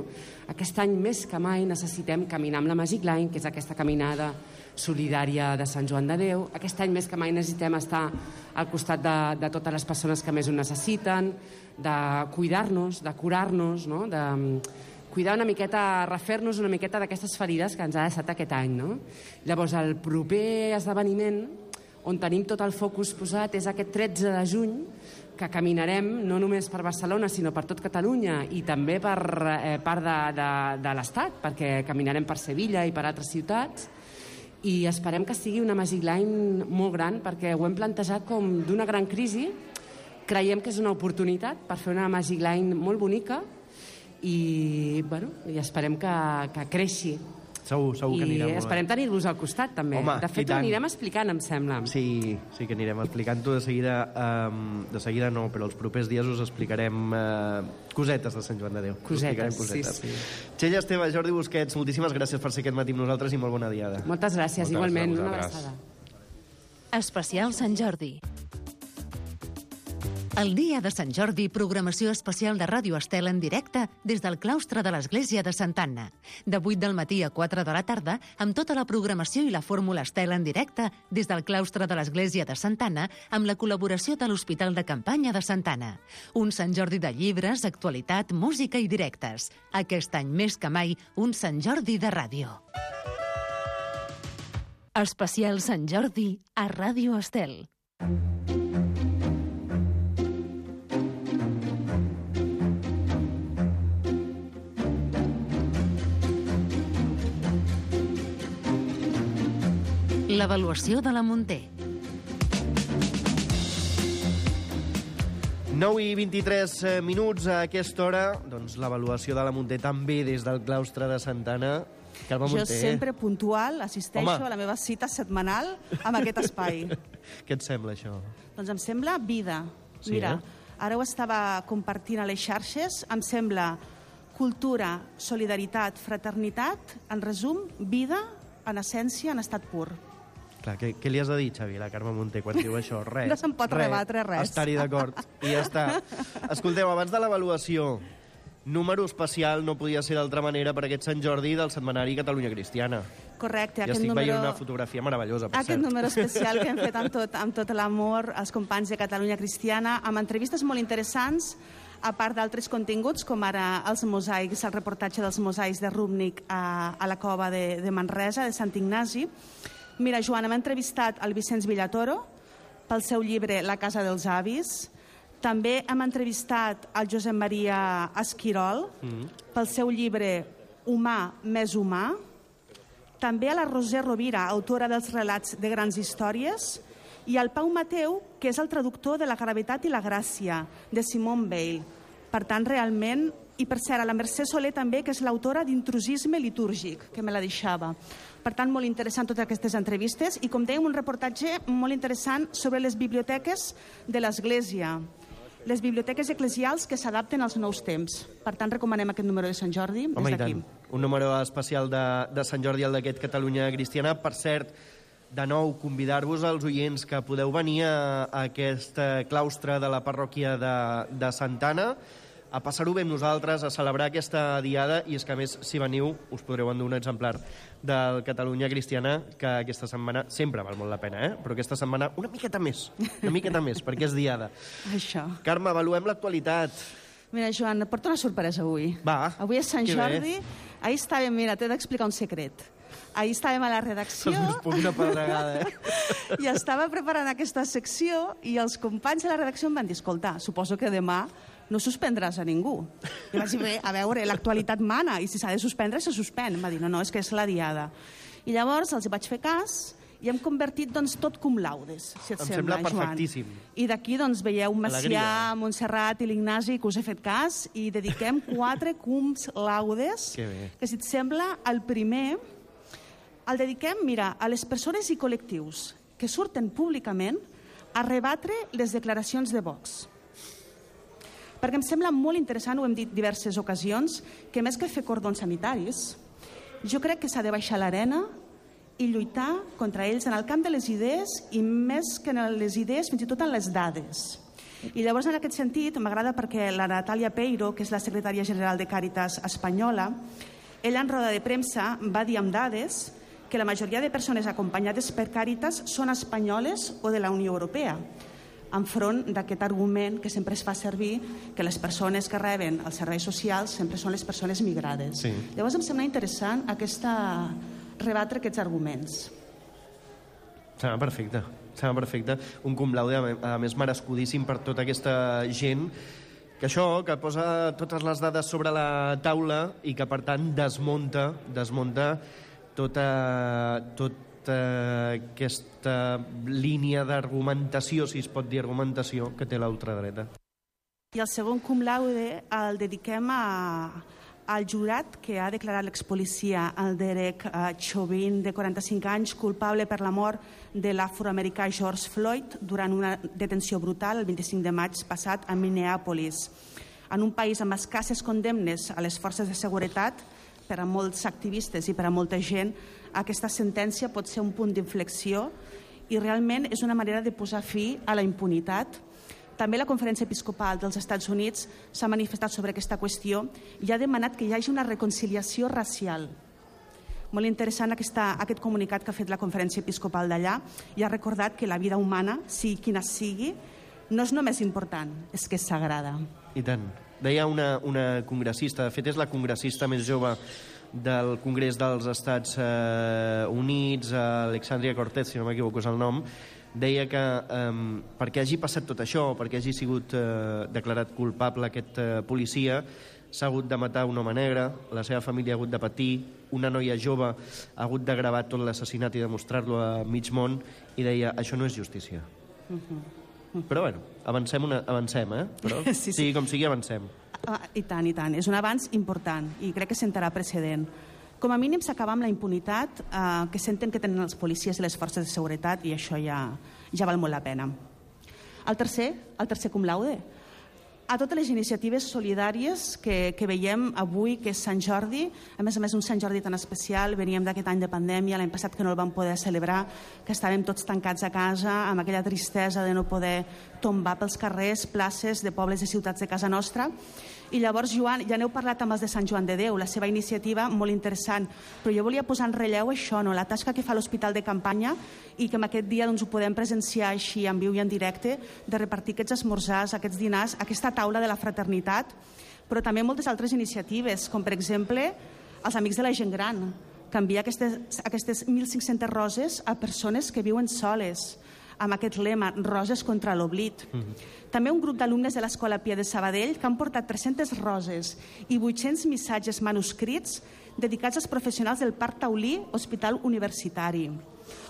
Aquest any més que mai necessitem caminar amb la Magic Line, que és aquesta caminada solidària de Sant Joan de Déu. Aquest any més que mai necessitem estar al costat de, de totes les persones que més ho necessiten, de cuidar-nos, de curar-nos, no? De cuidar una miqueta, refer-nos una miqueta d'aquestes ferides que ens ha deixat aquest any, no? Llavors, el proper esdeveniment on tenim tot el focus posat és aquest tretze de juny, que caminarem no només per Barcelona, sinó per tot Catalunya i també per eh, part de, de, de l'Estat, perquè caminarem per Sevilla i per altres ciutats, i esperem que sigui una Magic Line molt gran, perquè ho hem plantejat com d'una gran crisi. Creiem que és una oportunitat per fer una Magic Line molt bonica i, bueno, i esperem que, que creixi. Segur, segur que anirà molt bé. I esperem tenir-vos al costat, també. Home, de fet, ho anirem explicant, em sembla. Sí, sí que anirem explicant-ho de seguida. Um, de seguida no, però els propers dies us explicarem uh, cosetes de Sant Joan de Déu. Cosetes, cosetes. sí, sí. Txell Esteve, Jordi Busquets, moltíssimes gràcies per ser aquest matí amb nosaltres i molt bona diada. Moltes gràcies, Moltes igualment. gràcies Una abraçada. Especial Sant Jordi. El dia de Sant Jordi, programació especial de Ràdio Estel en directe des del claustre de l'Església de Santa Anna. De vuit del matí a quatre de la tarda, amb tota la programació i la fórmula Estel en directe des del claustre de l'Església de Santa Anna, amb la col·laboració de l'Hospital de Campanya de Santa Anna. Un Sant Jordi de llibres, actualitat, música i directes. Aquest any més que mai, un Sant Jordi de ràdio. Especial Sant Jordi a Ràdio Estel. L'avaluació de la Munté. nou i vint-i-tres minuts a aquesta hora, doncs l'avaluació de la Munté també des del claustre de Santana. Carme Jo Munté. sempre puntual assisteixo Home. a la meva cita setmanal amb aquest espai. Què et sembla, això? Doncs em sembla vida. Sí, Mira, eh? ara ho estava compartint a les xarxes, em sembla cultura, solidaritat, fraternitat, en resum, vida, en essència, en estat pur. Clar, què, què li has de dir, Xavi, a la Carme Munté, quan diu això? Res. No se'n pot rebatre res. Estar-hi d'acord. I ja està. Escolteu, abans de l'avaluació, número especial no podia ser d'altra manera per aquest Sant Jordi del setmanari Catalunya Cristiana. Correcte. Ja aquest estic número... veient una fotografia meravellosa, per Aquest cert. número especial que hem fet amb tot, amb tot l'amor als companys de Catalunya Cristiana, amb entrevistes molt interessants, a part d'altres continguts, com ara els mosaics, el reportatge dels mosaics de Rúbnic a, a la cova de, de Manresa, de Sant Ignasi. Mira, Joan, hem entrevistat el Vicenç Villatoro pel seu llibre La casa dels avis. També hem entrevistat el Josep Maria Esquirol Mm. pel seu llibre Humà més humà. També a la Roser Rovira, autora dels relats de grans històries, i al Pau Mateu, que és el traductor de La gravetat i la gràcia, de Simone Weil. Per tant, realment... I, per cert, a la Mercè Soler també, que és l'autora d'Intrusisme litúrgic, que me la deixava. Per tant, molt interessant totes aquestes entrevistes. I, com dèiem, un reportatge molt interessant sobre les biblioteques de l'Església. Les biblioteques eclesials que s'adapten als nous temps. Per tant, recomanem aquest número de Sant Jordi des Home, i d'aquí. tant. Un número especial de, de Sant Jordi, el d'aquest Catalunya Cristiana. Per cert, de nou, convidar-vos als oients que podeu venir a, a aquest claustre de la parròquia de, de Santana a passar-ho bé amb nosaltres, a celebrar aquesta diada, i és que, a més, si veniu, us podreu endur un exemplar del Catalunya Cristiana, que aquesta setmana sempre val molt la pena, eh? Però aquesta setmana una miqueta més, una miqueta més, perquè és diada. Això. Carme, avaluem l'actualitat. Mira, Joan, et porto una sorpresa avui. Va, Avui és Sant que bé. Jordi. Ahir estàvem, mira, t'he d'explicar un secret. Ahir estàvem a la redacció Se'ls pot una pedregada, eh? i estava preparant aquesta secció i els companys de la redacció em van dir, escolta, suposo que demà no suspendràs a ningú. I vaig dir, bé, a veure, l'actualitat mana, i si s'ha de suspendre, se suspèn. Em va dir, no, no, és que és la diada. I llavors els vaig fer cas i hem convertit doncs, tot cum laudes, si et Em sembla, sembla Joan. perfectíssim. I d'aquí doncs, veieu Macià, Alegria. Montserrat i l'Ignasi, que us he fet cas, i dediquem quatre cums laudes, Que bé. que si et sembla, el primer el dediquem, mira, a les persones i col·lectius que surten públicament a rebatre les declaracions de Vox. Perquè em sembla molt interessant, ho hem dit diverses ocasions, que més que fer cordons sanitaris, jo crec que s'ha de baixar a l'arena i lluitar contra ells en el camp de les idees i més que en les idees, fins i tot en les dades. I llavors, en aquest sentit, m'agrada perquè la Natàlia Peiro, que és la secretària general de Càritas espanyola, ella en roda de premsa va dir amb dades que la majoria de persones acompanyades per Càritas són espanyoles o de la Unió Europea, enfront d'aquest argument que sempre es fa servir que les persones que reben els serveis socials sempre són les persones migrades. Sí. Llavors em sembla interessant aquesta rebatre aquests arguments. Sembla perfecte, sembla perfecte. Un cum laude, a més, merescudíssim per tota aquesta gent que això, que posa totes les dades sobre la taula i que, per tant, desmunta, desmunta tota, tota aquesta línia d'argumentació, si es pot dir argumentació, que té l'ultradreta. I el segon cum laude el dediquem a, al jurat que ha declarat l'expolicia, el Derek uh, Chauvin, de quaranta-cinc anys, culpable per la mort de l'afroamericà George Floyd durant una detenció brutal el vint-i-cinc de maig passat a Minneapolis. En un país amb escasses condemnes a les forces de seguretat, per a molts activistes i per a molta gent, aquesta sentència pot ser un punt d'inflexió i realment és una manera de posar fi a la impunitat. També la Conferència Episcopal dels Estats Units s'ha manifestat sobre aquesta qüestió i ha demanat que hi hagi una reconciliació racial. Molt interessant aquesta, aquest comunicat que ha fet la Conferència Episcopal d'allà i ha recordat que la vida humana, sigui quina sigui, no és només important, és que és sagrada. I tant. Deia una, una congressista, de fet és la congressista més jove del Congrés dels Estats eh, Units, Alexandria Cortez, si no m'equivoco és el nom, deia que eh, perquè hagi passat tot això, perquè hagi sigut eh, declarat culpable aquest eh, policia, s'ha hagut de matar un home negre, la seva família ha hagut de patir, una noia jove ha hagut de gravar tot l'assassinat i demostrar-lo a mig món, i deia, això no és justícia. Uh-huh. Però, bueno, avancem, una, avancem eh? Però, sí, sí. sí, com sigui, avancem. Ah, I tant, i tant. És un avanç important i crec que sentarà precedent. Com a mínim s'acaba amb la impunitat eh, que senten que tenen els policies i les forces de seguretat, i això ja, ja val molt la pena. El tercer, el tercer cum laude. A totes les iniciatives solidàries que, que veiem avui, que és Sant Jordi, a més a més un Sant Jordi tan especial, veníem d'aquest any de pandèmia, l'any passat que no el vam poder celebrar, que estàvem tots tancats a casa, amb aquella tristesa de no poder tombar pels carrers, places de pobles i ciutats de casa nostra. I llavors, Joan, ja n'heu parlat amb els de Sant Joan de Déu, la seva iniciativa molt interessant, però jo volia posar en relleu això, no? La tasca que fa l'Hospital de Campanya i que en aquest dia doncs, ho podem presenciar així en viu i en directe, de repartir aquests esmorzars, aquests dinars, aquesta taula de la fraternitat, però també moltes altres iniciatives, com per exemple els Amics de la Gent Gran, que envia aquestes, aquestes mil cinc-centes roses a persones que viuen soles, amb aquest lema, Roses contra l'oblit. Mm-hmm. També un grup d'alumnes de l'Escola Pia de Sabadell que han portat tres-centes roses i vuit-cents missatges manuscrits dedicats als professionals del Parc Taulí, Hospital Universitari.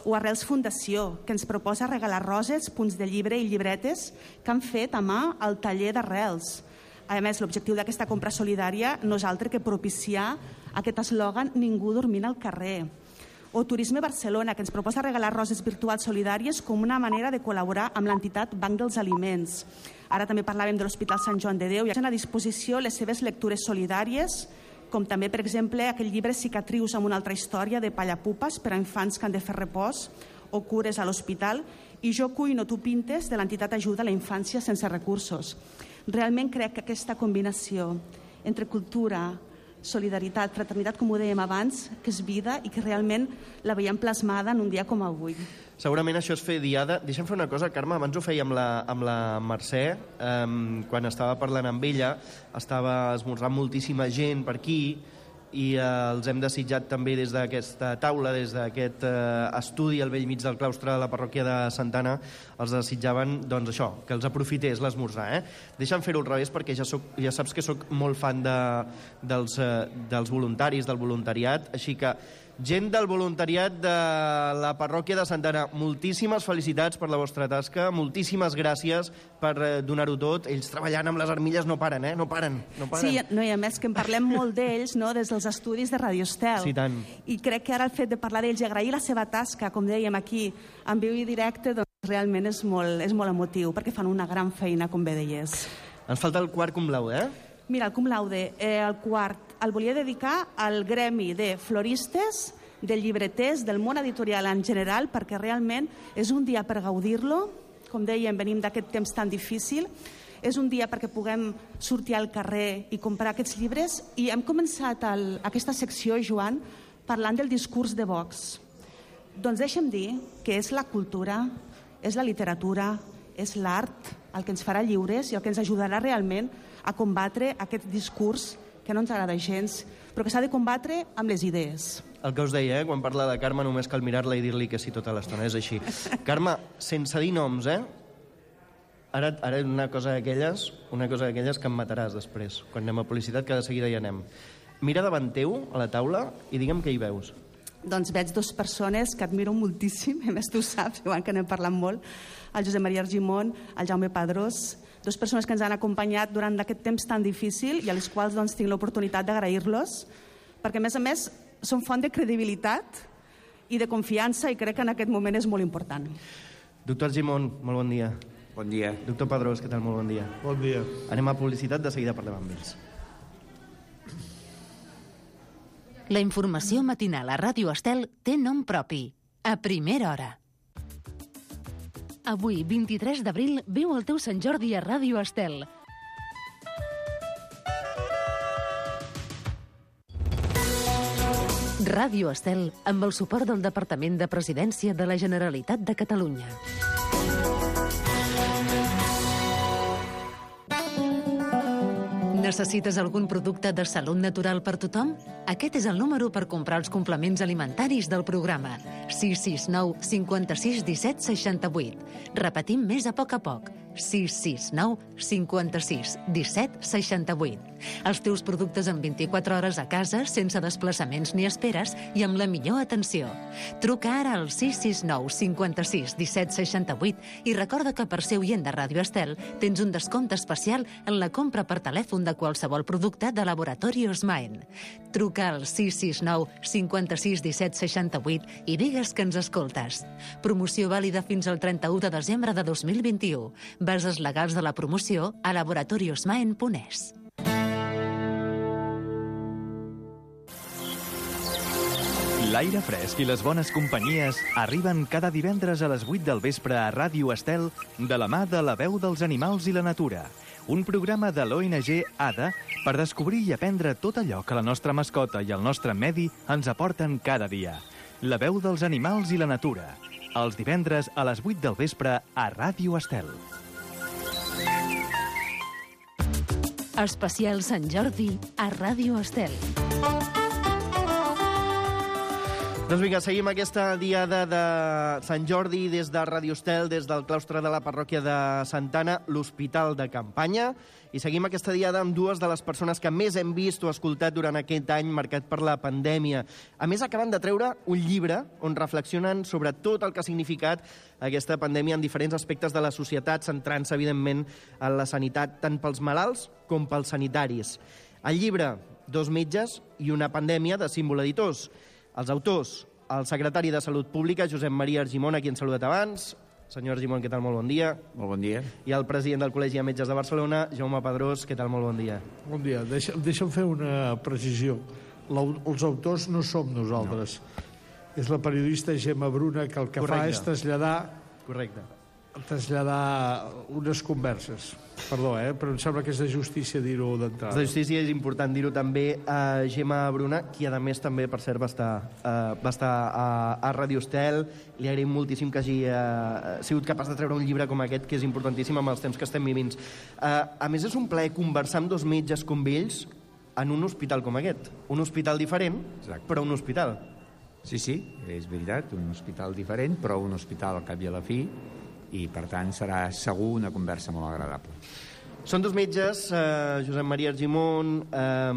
O Arrels Fundació, que ens proposa regalar roses, punts de llibre i llibretes que han fet a mà al taller d'Arrels. A més, l'objectiu d'aquesta compra solidària no és altre que propiciar aquest eslògan Ningú dormint al carrer. O Turisme Barcelona, que ens proposa regalar roses virtuals solidàries com una manera de col·laborar amb l'entitat Banc dels Aliments. Ara també parlàvem de l'Hospital Sant Joan de Déu i han a disposició les seves lectures solidàries, com també, per exemple, aquell llibre Cicatrius amb una altra història de Pallapupes per a infants que han de fer repòs o cures a l'hospital, i Jo cuino, tu pintes, de l'entitat Ajuda a la Infància sense recursos. Realment crec que aquesta combinació entre cultura, solidaritat, fraternitat, com ho dèiem abans, que és vida i que realment la veiem plasmada en un dia com avui. Segurament això és fer diada. Deixa'm fer una cosa, Carme, abans ho feia amb la, amb la Mercè, eh, quan estava parlant amb ella, estava esmorzant moltíssima gent per aquí, i eh, els hem desitjat també des d'aquesta taula, des d'aquest eh, estudi al vell mig del claustre de la parròquia de Santa Anna, els desitjaven, doncs això, que els aprofités l'esmorzar. Eh? Deixa'm fer-ho al revés, perquè ja, soc, ja saps que sóc molt fan de, dels, eh, dels voluntaris, del voluntariat, així que gent del voluntariat de la parròquia de Santa Anna, moltíssimes felicitats per la vostra tasca, moltíssimes gràcies per eh, donar-ho tot. Ells treballant amb les armilles no paren, eh? No paren, no paren. Sí, no, i a més que en parlem molt d'ells, no?, des dels estudis de Radio Estel. Sí, tant. I crec que ara el fet de parlar d'ells i agrair la seva tasca, com dèiem aquí, en viu i directe, doncs realment és molt, és molt emotiu, perquè fan una gran feina, com bé deies. Ens falta el quart cum laude, eh? Mira, el cum laude, eh, el quart, el volia dedicar al gremi de floristes, de llibreters, del món editorial en general, perquè realment és un dia per gaudir-lo. Com dèiem, venim d'aquest temps tan difícil. És un dia perquè puguem sortir al carrer i comprar aquests llibres. I hem començat el, aquesta secció, Joan, parlant del discurs de Vox. Doncs deixa'm dir que és la cultura, és la literatura, és l'art el que ens farà lliures i el que ens ajudarà realment a combatre aquest discurs que no ens agrada gens, però que s'ha de combatre amb les idees. El que us deia, eh? Quan parla de Carme només cal mirar-la i dir-li que sí tota l'estona, és així. Carme, sense dir noms, eh? Ara, ara una cosa d'aquelles, una cosa d'aquelles que em mataràs després, quan anem a publicitat, que de seguida hi anem. Mira davant teu, a la taula, i digue'm què hi veus. Doncs veig dues persones que admiro moltíssim, a més tu saps, Joan, que n'hem parlat molt, el Josep Maria Argimon, el Jaume Padrós, dues persones que ens han acompanyat durant aquest temps tan difícil i a les quals doncs, tinc l'oportunitat d'agrair-los, perquè a més a més són font de credibilitat i de confiança i crec que en aquest moment és molt important. Doctor Argimon, molt bon dia. Bon dia. Doctor Padrós, què tal? Molt bon dia. Bon dia. Anem a publicitat, de seguida parlem amb ells. La informació matinal a Ràdio Estel té nom propi. A primera hora. Avui, vint-i-tres d'abril, viu el teu Sant Jordi a Ràdio Estel. Ràdio Estel, amb el suport del Departament de Presidència de la Generalitat de Catalunya. Necessites algun producte de salut natural per tothom? Aquest és el número per comprar els complements alimentaris del programa. sis sis nou cinquanta-sis disset seixanta-vuit. Repetim més a poc a poc. sis sis nou cinquanta-sis disset seixanta-vuit. Els teus productes en vint-i-quatre hores a casa, sense desplaçaments ni esperes i amb la millor atenció. Truca ara al sis sis nou cinquanta-sis disset seixanta-vuit i recorda que per ser oient de Ràdio Estel tens un descompte especial en la compra per telèfon de qualsevol producte de Laboratori Osmaen. Truca al sis sis nou cinquanta-sis disset seixanta-vuit i digues que ens escoltes. Promoció vàlida fins al trenta-u de desembre de dos mil vint-i-u. Bases legals de la promoció a laboratori osmaen punt es. L'aire fresc i les bones companyies arriben cada divendres a les vuit del vespre a Ràdio Estel de la mà de La Veu dels Animals i la Natura, un programa de l'O N G A D A per descobrir i aprendre tot allò que la nostra mascota i el nostre medi ens aporten cada dia. La Veu dels Animals i la Natura, els divendres a les vuit del vespre a Ràdio Estel. Especial Sant Jordi a Ràdio Estel. Doncs vinga, seguim aquesta diada de Sant Jordi des de Ràdio Estel, des del claustre de la parròquia de Santa Anna, l'Hospital de Campanya, i seguim aquesta diada amb dues de les persones que més hem vist o escoltat durant aquest any marcat per la pandèmia. A més, acaben de treure un llibre on reflexionen sobre tot el que ha significat aquesta pandèmia en diferents aspectes de la societat, centrant-se, evidentment, en la sanitat tant pels malalts com pels sanitaris. El llibre, Dos metges i una pandèmia, de Símbol Editors. Els autors, el secretari de Salut Pública, Josep Maria Argimon, a qui hem saludat abans. Senyor Argimon, què tal? Molt bon dia. Molt bon dia. I el president del Col·legi de Metges de Barcelona, Jaume Pedrós, què tal? Molt bon dia. Bon dia. Deixa, deixa'm fer una precisió. La, els autors no som nosaltres. No. És la periodista Gemma Bruna que el que Correcte. fa és traslladar... Correcte. traslladar unes converses. Perdó, eh? però em sembla que és de justícia dir-ho d'entrada. És de justícia, és important dir-ho també a Gemma Bruna, qui a més també, per cert, va estar, uh, va estar a, a Ràdio Estel. Li agraïm moltíssim que hagi uh, sigut capaç de treure un llibre com aquest, que és importantíssim amb els temps que estem vivint. Uh, a més, és un plaer conversar amb dos metges com ells en un hospital com aquest. Un hospital diferent, Exacte. però un hospital. Sí, sí, és veritat, un hospital diferent, però un hospital al cap i a la fi, i per tant serà segur una conversa molt agradable. Són dos metges, eh, Josep Maria Argimon, eh,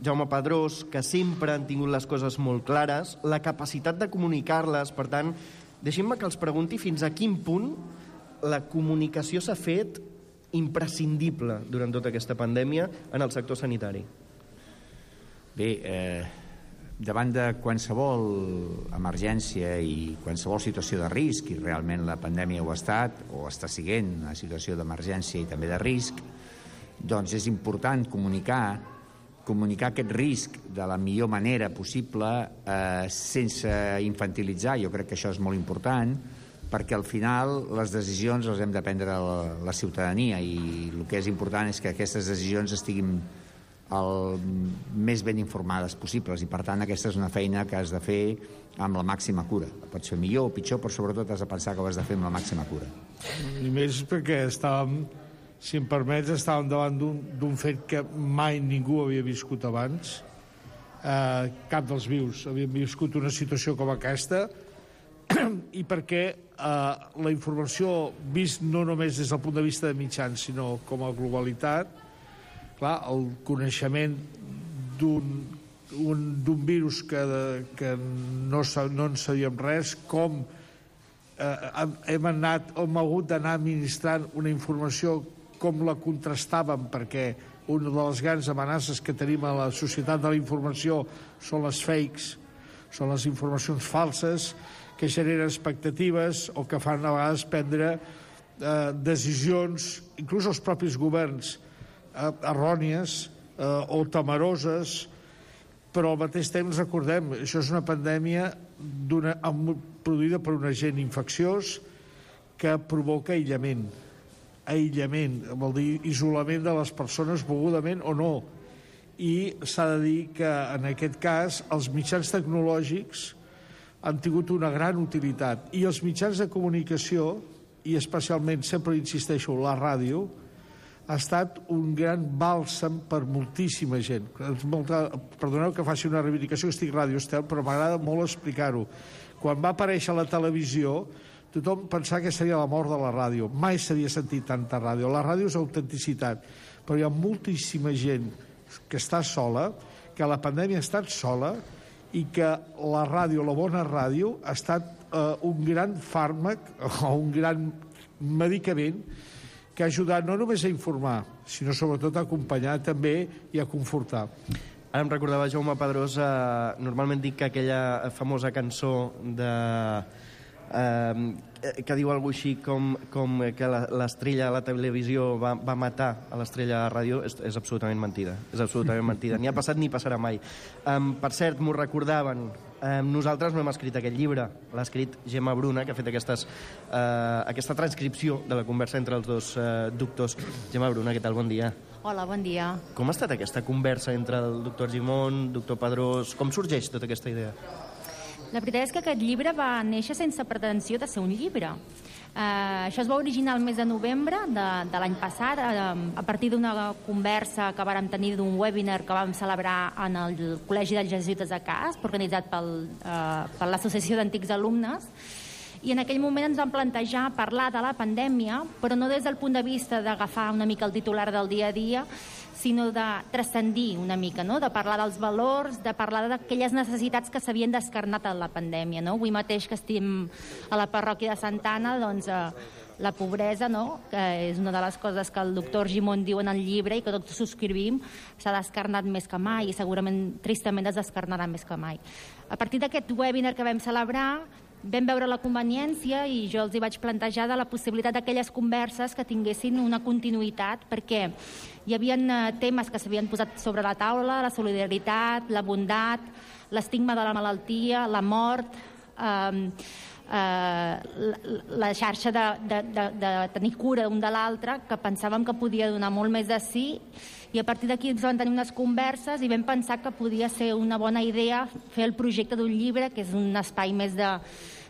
Jaume Pedrós, que sempre han tingut les coses molt clares, la capacitat de comunicar-les. Per tant, deixin-me que els pregunti fins a quin punt la comunicació s'ha fet imprescindible durant tota aquesta pandèmia en el sector sanitari. Bé, eh, davant de qualsevol emergència i qualsevol situació de risc, i realment la pandèmia ho ha estat, o està siguent una situació d'emergència i també de risc, doncs és important comunicar, comunicar aquest risc de la millor manera possible, eh, sense infantilitzar. Jo crec que això és molt important, perquè al final les decisions les hem de prendre la, la ciutadania, i el que és important és que aquestes decisions estiguin el més ben informades possibles, i per tant aquesta és una feina que has de fer amb la màxima cura. Pots fer millor o pitjor, però sobretot has de pensar que ho has de fer amb la màxima cura. I més perquè estàvem, si em permets, estàvem davant d'un fet que mai ningú havia viscut abans. Eh, cap dels vius havien viscut una situació com aquesta, i perquè eh, la informació, vist no només des del punt de vista de mitjans, sinó com a globalitat, clar, el coneixement d'un virus que, que no, no en sabíem res, com eh, hem anat, hem hagut d'anar administrant una informació, com la contrastàvem, perquè una de les grans amenaces que tenim a la societat de la informació són les fakes, són les informacions falses que generen expectatives o que fan a vegades prendre eh, decisions, inclús els propis governs, errònies eh, o temeroses, però al mateix temps recordem, això és una pandèmia produïda per un agent infecciós que provoca aïllament. Aïllament, vol dir isolament de les persones volgudament o no. I s'ha de dir que en aquest cas els mitjans tecnològics han tingut una gran utilitat, i els mitjans de comunicació, i especialment, sempre insisteixo, la ràdio, ha estat un gran bàlsam per moltíssima gent. Perdoneu que faci una reivindicació, que estic a Ràdio Estel, però m'agrada molt explicar-ho. Quan va aparèixer a la televisió, tothom pensava que seria la mort de la ràdio. Mai s'havia sentit tanta ràdio. La ràdio és autenticitat, però hi ha moltíssima gent que està sola, que la pandèmia ha estat sola i que la ràdio, la bona ràdio, ha estat eh, un gran fàrmac o un gran medicament que ha ajudat no només a informar, sinó sobretot a acompanyar també i a confortar. Ara em recordava Jaume Pedrós, eh, normalment dic que aquella famosa cançó de... Eh, que diu alguna així com, com que l'estrella a la televisió va, va matar a l'estrella a la ràdio, és, és absolutament mentida. És absolutament mentida. Ni ha passat ni passarà mai. Um, per cert, m'ho recordaven, um, nosaltres no hem escrit aquest llibre, l'ha escrit Gemma Bruna, que ha fet aquestes, uh, aquesta transcripció de la conversa entre els dos uh, doctors. Gemma Bruna, què tal? Bon dia. Hola, bon dia. Com ha estat aquesta conversa entre el doctor Gimón, doctor Pedrós? Com sorgeix tota aquesta idea? La veritat és que aquest llibre va néixer sense pretensió de ser un llibre. Uh, això es va originar el mes de novembre de, de l'any passat, uh, a partir d'una conversa que vàrem tenir d'un webinar que vam celebrar en el Col·legi dels Jesuïtes de Casp, organitzat pel, uh, per l'Associació d'Antics Alumnes, i en aquell moment ens vam plantejar parlar de la pandèmia, però no des del punt de vista d'agafar una mica el titular del dia a dia, sinó de transcendir una mica, no? De parlar dels valors, de parlar d'aquelles necessitats que s'havien descarnat en la pandèmia. No? Avui mateix que estem a la parròquia de Santa Anna, doncs, eh, la pobresa, no? Que és una de les coses que el doctor Gimón diu en el llibre i que tots subscrivim, s'ha descarnat més que mai i segurament, tristament, es descarnarà més que mai. A partir d'aquest webinar que vam celebrar, vam veure la conveniència i jo els hi vaig plantejar de la possibilitat d'aquelles converses que tinguessin una continuïtat, perquè hi havia temes que s'havien posat sobre la taula, la solidaritat, la bondat, l'estigma de la malaltia, la mort, eh, eh, la, la xarxa de, de, de, de tenir cura un de l'altre, que pensàvem que podia donar molt més de sí, i a partir d'aquí ens van tenir unes converses i vam pensar que podia ser una bona idea fer el projecte d'un llibre, que és un espai més de,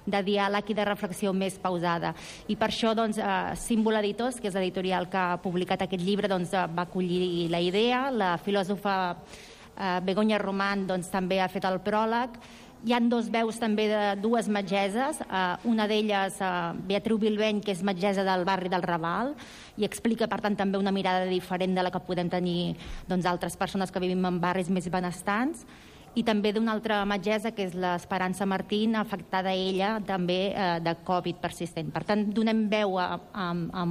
de diàleg i de reflexió més pausada. I per això, doncs, eh, Símbol Editors, que és l'editorial que ha publicat aquest llibre, doncs, va acollir la idea. La filòsofa eh, Begoña Román, doncs, també ha fet el pròleg. Hi ha dos veus també de dues metgeses, eh, una d'elles, eh, Beatriu Bilbeny, que és metgessa del barri del Raval, i explica, per tant, també una mirada diferent de la que podem tenir, doncs, altres persones que vivim en barris més benestants, i també d'una altra metgessa, que és l'Esperança Martín, afectada ella també eh, de Covid persistent. Per tant, donem veu a, a, a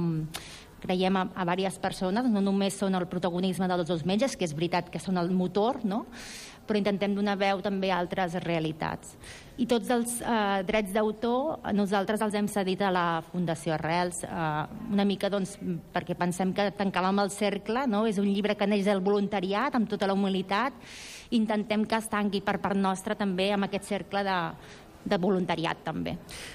creiem a, a diverses persones, no només són el protagonisme dels dos metges, que és veritat que són el motor, no? Però intentem donar veu també a altres realitats. I tots els eh, drets d'autor nosaltres els hem cedit a la Fundació Arrels, eh, una mica doncs, perquè pensem que tancàvem el cercle, no? És un llibre que neix del voluntariat, amb tota la humilitat, intentem que es tanqui per part nostra també amb aquest cercle de, de voluntariat també.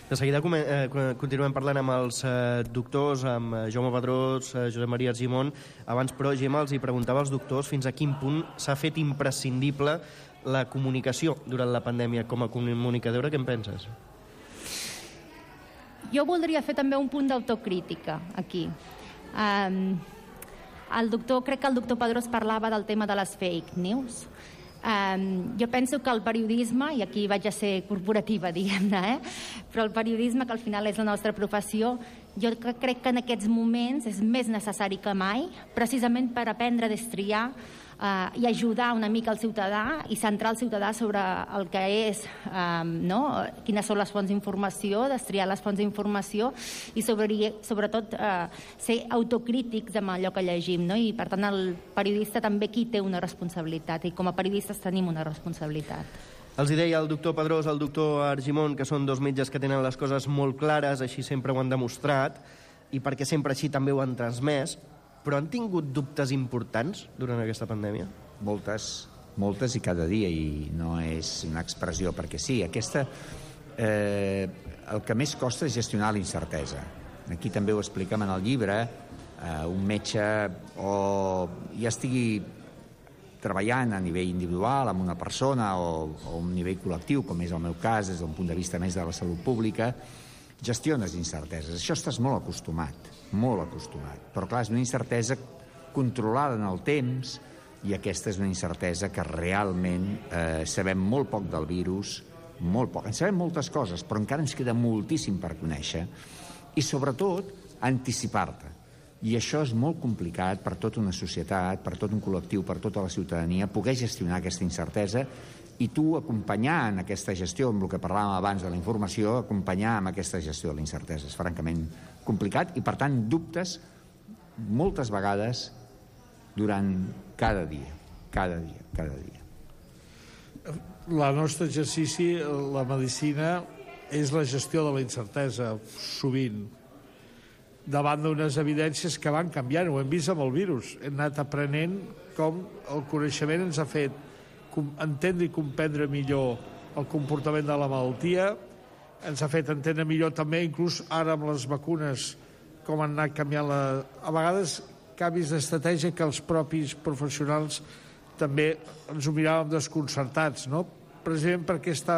De seguida eh, continuem parlant amb els eh, doctors, amb eh, Jaume Pedrós, eh, Josep Maria Argimon. Abans, però, Gemma, els hi preguntava als doctors fins a quin punt s'ha fet imprescindible la comunicació durant la pandèmia. Com a comunicadora, què en penses? Jo voldria fer també un punt d'autocrítica aquí. Um, el doctor, crec que el doctor Pedrós parlava del tema de les fake news. Um, jo penso que el periodisme, i aquí vaig a ser corporativa, diguem-ne, eh? Però el periodisme, que al final és la nostra professió, jo crec que en aquests moments és més necessari que mai, precisament per aprendre a destriar uh, i ajudar una mica el ciutadà i centrar el ciutadà sobre el que és, um, no? Quines són les fonts d'informació, destriar les fonts d'informació i sobre, sobretot uh, ser autocrítics amb allò que llegim, no? I per tant el periodista també aquí té una responsabilitat i com a periodistes tenim una responsabilitat. Els hi deia el doctor Pedrós, el doctor Argimon, que són dos metges que tenen les coses molt clares, així sempre ho han demostrat, i perquè sempre així també ho han transmès, però han tingut dubtes importants durant aquesta pandèmia? Moltes, moltes i cada dia, i no és una expressió perquè sí. Aquesta, eh, el que més costa és gestionar la incertesa. Aquí també ho expliquem en el llibre, eh, un metge o ja estigui treballant a nivell individual amb una persona o, o un nivell col·lectiu, com és el meu cas, des d'un punt de vista més de la salut pública, gestiones incerteses. Això estàs molt acostumat, molt acostumat. Però clar, és una incertesa controlada en el temps i aquesta és una incertesa que realment eh, sabem molt poc del virus molt poc. En sabem moltes coses, però encara ens queda moltíssim per conèixer i, sobretot, anticipar-te. I això és molt complicat per tota una societat, per tot un col·lectiu, per tota la ciutadania, poder gestionar aquesta incertesa i tu acompanyar en aquesta gestió, amb el que parlàvem abans de la informació, acompanyar amb aquesta gestió de la incertesa. És francament complicat i, per tant, dubtes moltes vegades durant cada dia, cada dia, cada dia. El nostre exercici, la medicina, és la gestió de la incertesa, sovint, davant d'unes evidències que van canviant. Ho hem vist amb el virus. Hem anat aprenent com el coneixement ens ha fet entendre i comprendre millor el comportament de la malaltia, ens ha fet entendre millor també, inclús ara amb les vacunes, com han anat canviant la... a vegades canvis d'estratègia que els propis professionals també ens ho miràvem desconcertats, no? Precisament perquè està...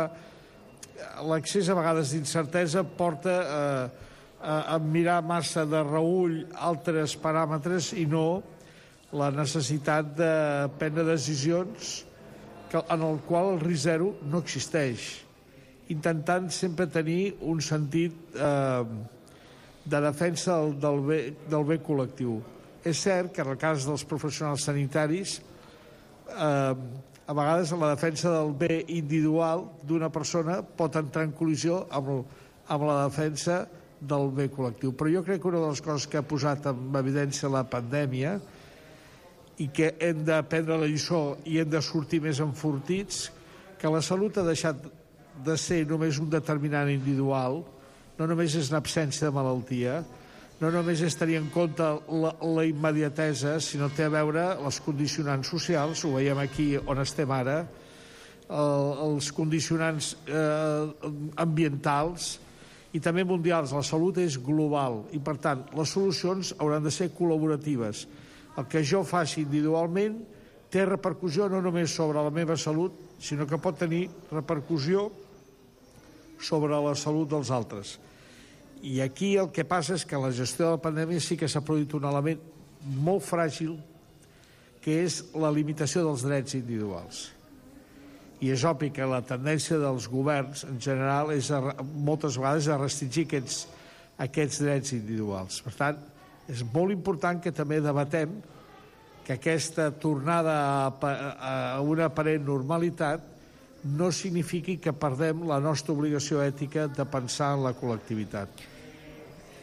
l'accés a vegades d'incertesa porta a, a, a mirar massa de reüll altres paràmetres i no la necessitat de prendre decisions que, en el qual el risc zero no existeix, intentant sempre tenir un sentit eh, de defensa del, del, bé, del bé col·lectiu. És cert que en el cas dels professionals sanitaris eh, a vegades la defensa del bé individual d'una persona pot entrar en col·lisió amb, el, amb la defensa del bé col·lectiu. Però jo crec que una de les coses que ha posat en evidència la pandèmia i que hem de prendre la lliçó i hem de sortir més enfortits, que la salut ha deixat de ser només un determinant individual, no només és una absència de malaltia, no només és tenir en compte la, la immediatesa, sinó té a veure les condicionants socials, ho veiem aquí on estem ara, el, els condicionants eh, ambientals i també mundials. La salut és global i, per tant, les solucions hauran de ser col·laboratives. El que jo faci individualment té repercussió no només sobre la meva salut, sinó que pot tenir repercussió sobre la salut dels altres. I aquí el que passa és que en la gestió de la pandèmia sí que s'ha produït un element molt fràgil, que és la limitació dels drets individuals. I és obvi que la tendència dels governs, en general, és a, moltes vegades a restringir aquests, aquests drets individuals. Per tant, és molt important que també debatem que aquesta tornada a, a una aparent normalitat no signifiqui que perdem la nostra obligació ètica de pensar en la col·lectivitat.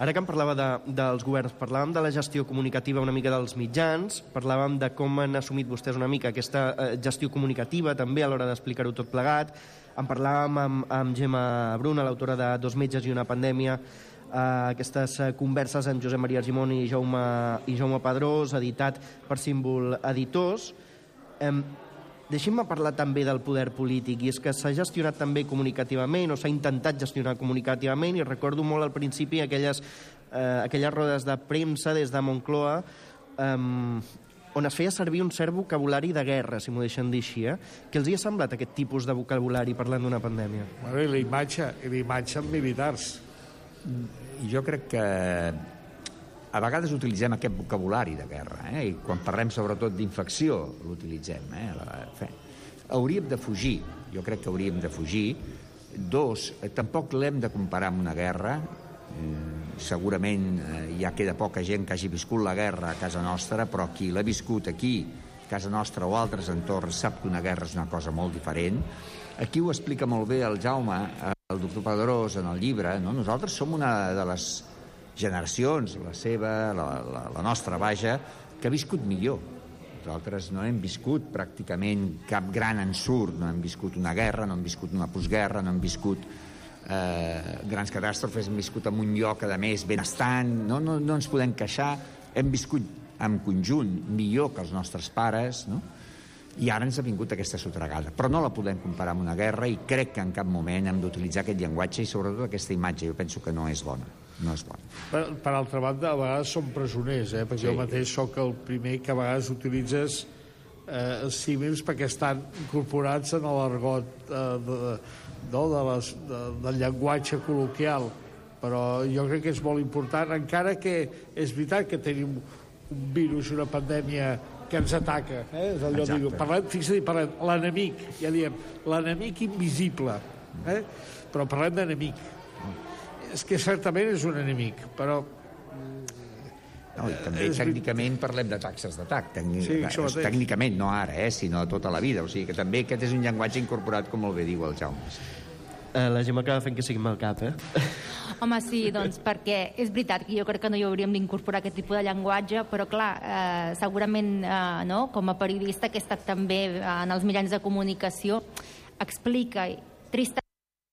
Ara que em parlava de, dels governs, parlàvem de la gestió comunicativa una mica dels mitjans, parlàvem de com han assumit vostès una mica aquesta eh, gestió comunicativa també a l'hora d'explicar-ho tot plegat. En parlàvem amb, amb Gemma Bruna, l'autora de Dos metges i una pandèmia, eh, aquestes converses amb Josep Maria Argimon i Jaume, i Jaume Pedrós, editat per Símbol Editors. Eh, Deixem-me parlar també del poder polític, i és que s'ha gestionat també comunicativament, o s'ha intentat gestionar comunicativament, i recordo molt al principi aquelles, eh, aquelles rodes de premsa des de Moncloa, eh, on es feia servir un cert vocabulari de guerra, si m'ho deixen dir així, eh? Què els hi ha semblat aquest tipus de vocabulari parlant d'una pandèmia? Bueno, i la imatge, i la imatge amb militars. Jo crec que a vegades utilitzem aquest vocabulari de guerra, eh? I quan parlem sobretot d'infecció l'utilitzem. Eh? La... Hauríem de fugir, jo crec que hauríem de fugir. Dos, tampoc l'hem de comparar amb una guerra. Eh, segurament eh, ja queda poca gent que hagi viscut la guerra a casa nostra, però qui l'ha viscut aquí, a casa nostra o altres entorns, sap que una guerra és una cosa molt diferent. Aquí ho explica molt bé el Jaume, el doctor Pedrós, en el llibre. No? Nosaltres som una de les generacions, la seva, la, la, la nostra, vaja, que ha viscut millor. Nosaltres no hem viscut pràcticament cap gran ensurt, no hem viscut una guerra, no hem viscut una postguerra, no hem viscut eh, grans catàstrofes, hem viscut en un lloc, a més, benestant, no, no, no ens podem queixar, hem viscut en conjunt millor que els nostres pares, no? I ara ens ha vingut aquesta sotregada. Però no la podem comparar amb una guerra i crec que en cap moment hem d'utilitzar aquest llenguatge i sobretot aquesta imatge. Jo penso que no és bona. No és bona. Per, per altra banda, a vegades som presoners, eh? Perquè sí. Jo mateix sóc el primer que a vegades utilitzes eh, símils perquè estan incorporats en l'argot eh, de, de, de les, de, del llenguatge col·loquial. Però jo crec que és molt important, encara que és veritat que tenim un virus i una pandèmia que ens ataca, eh? És allò, dic, parlem, fixa't, parlem, l'enemic, ja diem, l'enemic invisible, Eh? Però parlem d'enemic. És que certament és un enemic, però... No, i també és... tècnicament parlem de taxes d'atac, tècnic... sí, tècnicament, no ara, eh, sinó tota la vida. O sigui que també aquest és un llenguatge incorporat, com el bé diu el Jaume. Eh, la Gemma acaba fent que sigui mal cap, eh? Home, sí, doncs perquè és veritat que jo crec que no hi hauríem d'incorporar aquest tipus de llenguatge, però clar, eh, segurament, eh, no? Com a periodista que he estat també en els mitjans de comunicació, explica, tristament,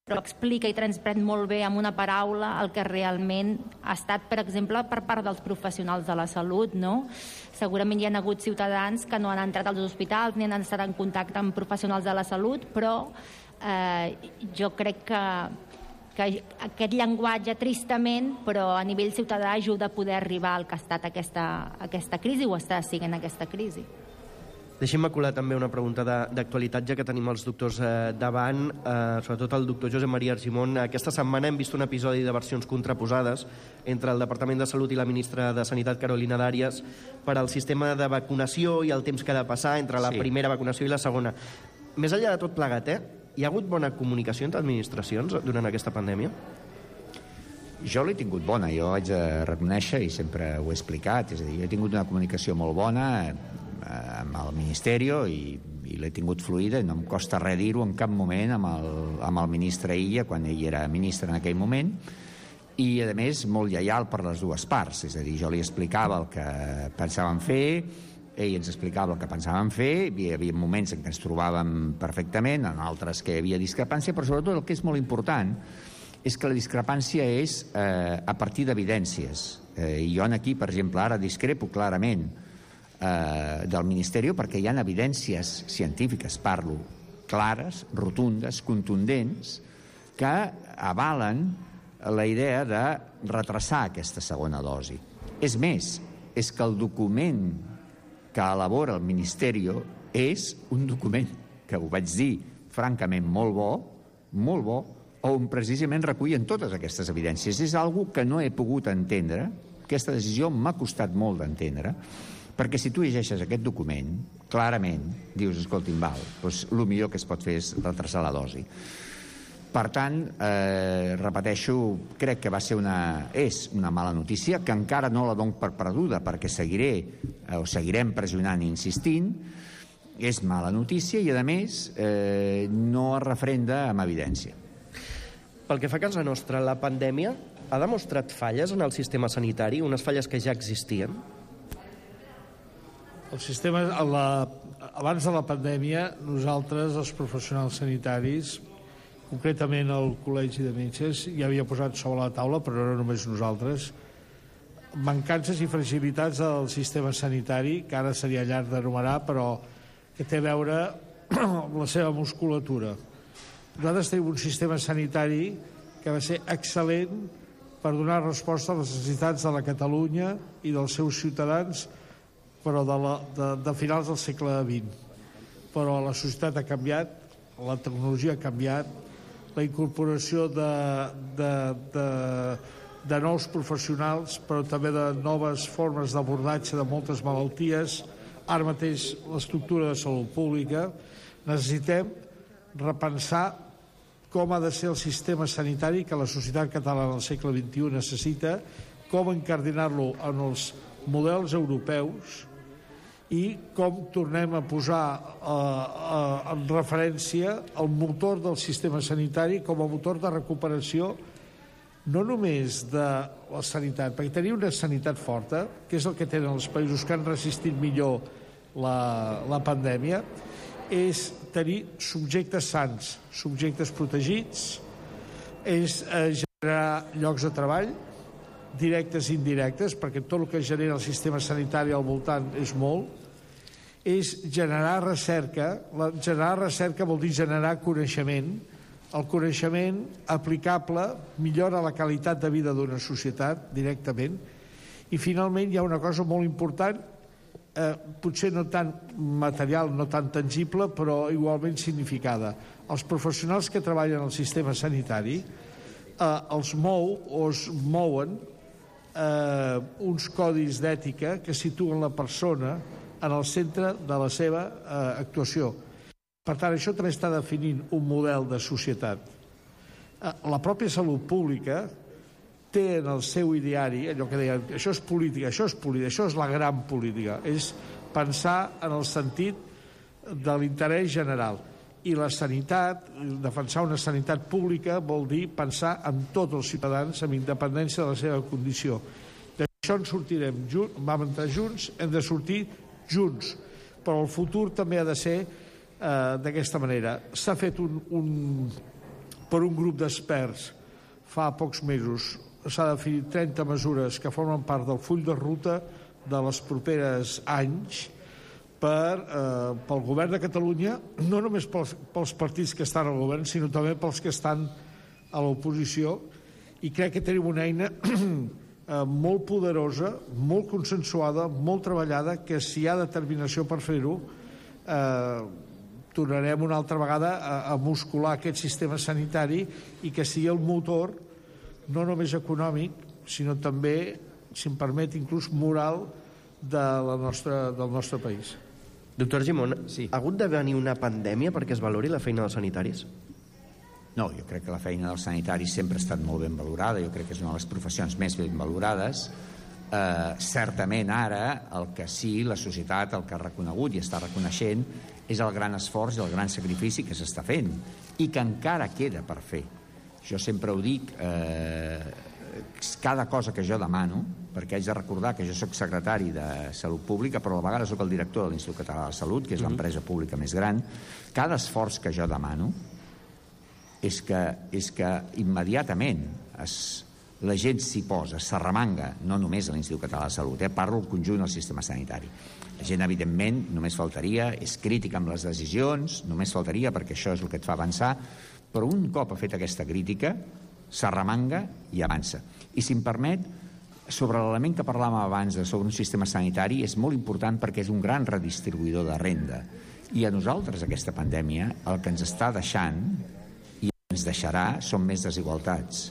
però explica i transmet molt bé amb una paraula el que realment ha estat, per exemple, per part dels professionals de la salut, no? Segurament hi ha hagut ciutadans que no han entrat als hospitals ni han estat en contacte amb professionals de la salut, però eh, jo crec que, que aquest llenguatge, tristament, però a nivell ciutadà ajuda a poder arribar al que ha estat aquesta, aquesta crisi o està siguent aquesta crisi. Deixem-me colar també una pregunta d'actualitat, ja que tenim els doctors eh, davant, eh, sobretot el doctor Josep Maria Argimon. Aquesta setmana hem vist un episodi de versions contraposades entre el Departament de Salut i la ministra de Sanitat, Carolina Dàrias, per al sistema de vacunació i el temps que ha de passar entre la sí. primera vacunació i la segona. Més enllà de tot plegat, eh? Hi ha hagut bona comunicació entre administracions durant aquesta pandèmia? Jo l'he tingut bona, jo haig de reconèixer, i sempre ho he explicat, és a dir, jo he tingut una comunicació molt bona amb el Ministeri i, i l'he tingut fluida, no em costa res dir-ho en cap moment amb el, amb el ministre Illa, quan ell era ministre en aquell moment, i a més molt lleial per les dues parts, és a dir, jo li explicava el que pensàvem fer, ell ens explicava el que pensàvem fer, hi havia moments en què ens trobàvem perfectament, en altres que hi havia discrepància, però sobretot el que és molt important és que la discrepància és eh, a partir d'evidències. Eh, I jo aquí, per exemple, ara discrepo clarament eh, del Ministeri perquè hi ha evidències científiques, parlo, clares, rotundes, contundents, que avalen la idea de retrasar aquesta segona dosi. És més, és que el document que elabora el Ministeri és un document que ho vaig dir francament molt bo, molt bo, on precisament recullen totes aquestes evidències. És algo que no he pogut entendre, aquesta decisió m'ha costat molt d'entendre, perquè si tu llegeixes aquest document, clarament dius, escolti'm, val, doncs el millor que es pot fer és retrasar la dosi. Per tant, eh, repeteixo, crec que va ser una, és una mala notícia, que encara no la dono per perduda, perquè seguiré, eh, o seguirem pressionant i insistint, és mala notícia i, a més, eh, no es refrenda amb evidència. Pel que fa a casa nostra, la pandèmia ha demostrat falles en el sistema sanitari, unes falles que ja existien? El sistema, la, abans de la pandèmia, nosaltres, els professionals sanitaris, concretament el Col·legi de Metges, ja havia posat sobre la taula, però no només nosaltres, mancances i fragilitats del sistema sanitari, que ara seria llarg d'enumerar, però que té a veure amb la seva musculatura. Nosaltres tenim un sistema sanitari que va ser excel·lent per donar resposta a les necessitats de la Catalunya i dels seus ciutadans, però de, la, de, de finals del segle vint. Però la societat ha canviat, la tecnologia ha canviat, la incorporació de, de, de, de nous professionals, però també de noves formes d'abordatge de moltes malalties, ara mateix l'estructura de salut pública, necessitem repensar com ha de ser el sistema sanitari que la societat catalana del segle vint-i-u necessita, com encardinar-lo en els models europeus i com tornem a posar eh, eh, en referència el motor del sistema sanitari com a motor de recuperació no només de la sanitat, perquè tenir una sanitat forta, que és el que tenen els països que han resistit millor la, la pandèmia, és tenir subjectes sants, subjectes protegits, és eh, generar llocs de treball, directes i indirectes, perquè tot el que genera el sistema sanitari al voltant és molt, és generar recerca. La, generar recerca vol dir generar coneixement. El coneixement aplicable millora la qualitat de vida d'una societat directament. I finalment hi ha una cosa molt important, Eh, potser no tan material, no tan tangible, però igualment significada. Els professionals que treballen al sistema sanitari eh, els mou o es mouen eh, uns codis d'ètica que situen la persona en el centre de la seva eh, actuació. Per tant, això també està definint un model de societat. La pròpia salut pública té en el seu ideari allò que deien, això és política, això és política, això és la gran política, és pensar en el sentit de l'interès general. I la sanitat, defensar una sanitat pública vol dir pensar en tots els ciutadans amb independència de la seva condició. D'això en sortirem junts, vam entrar junts, hem de sortir junts, però el futur també ha de ser eh, d'aquesta manera. S'ha fet un, un, per un grup d'experts fa pocs mesos, s'ha definit trenta mesures que formen part del full de ruta de les properes anys per, eh, pel govern de Catalunya, no només pels, pels partits que estan al govern, sinó també pels que estan a l'oposició, i crec que tenim una eina eh, molt poderosa, molt consensuada, molt treballada, que si hi ha determinació per fer-ho, eh, tornarem una altra vegada a, a muscular aquest sistema sanitari i que sigui el motor no només econòmic, sinó també, si em permet, inclús moral de la nostra, del nostre país. Doctor Argimon, sí. Ha hagut de venir una pandèmia perquè es valori la feina dels sanitaris? No, jo crec que la feina dels sanitaris sempre ha estat molt ben valorada, jo crec que és una de les professions més ben valorades. Eh, certament ara el que sí, la societat el que ha reconegut i està reconeixent és el gran esforç i el gran sacrifici que s'està fent i que encara queda per fer. Jo sempre ho dic, eh, cada cosa que jo demano, perquè haig de recordar que jo sóc secretari de Salut Pública, però a la vegada sóc el director de l'Institut Català de la Salut, que és l'empresa pública més gran, cada esforç que jo demano és que, és que immediatament es, la gent s'hi posa, s'arremanga, no només a l'Institut Català de la Salut, eh, parlo del conjunt del sistema sanitari. La gent, evidentment, només faltaria, és crítica amb les decisions, només faltaria perquè això és el que et fa avançar, però un cop ha fet aquesta crítica, s'arremanga i avança. I si em permet, sobre l'element que parlàvem abans de sobre un sistema sanitari, és molt important perquè és un gran redistribuïdor de renda. I a nosaltres aquesta pandèmia el que ens està deixant i ens deixarà són més desigualtats.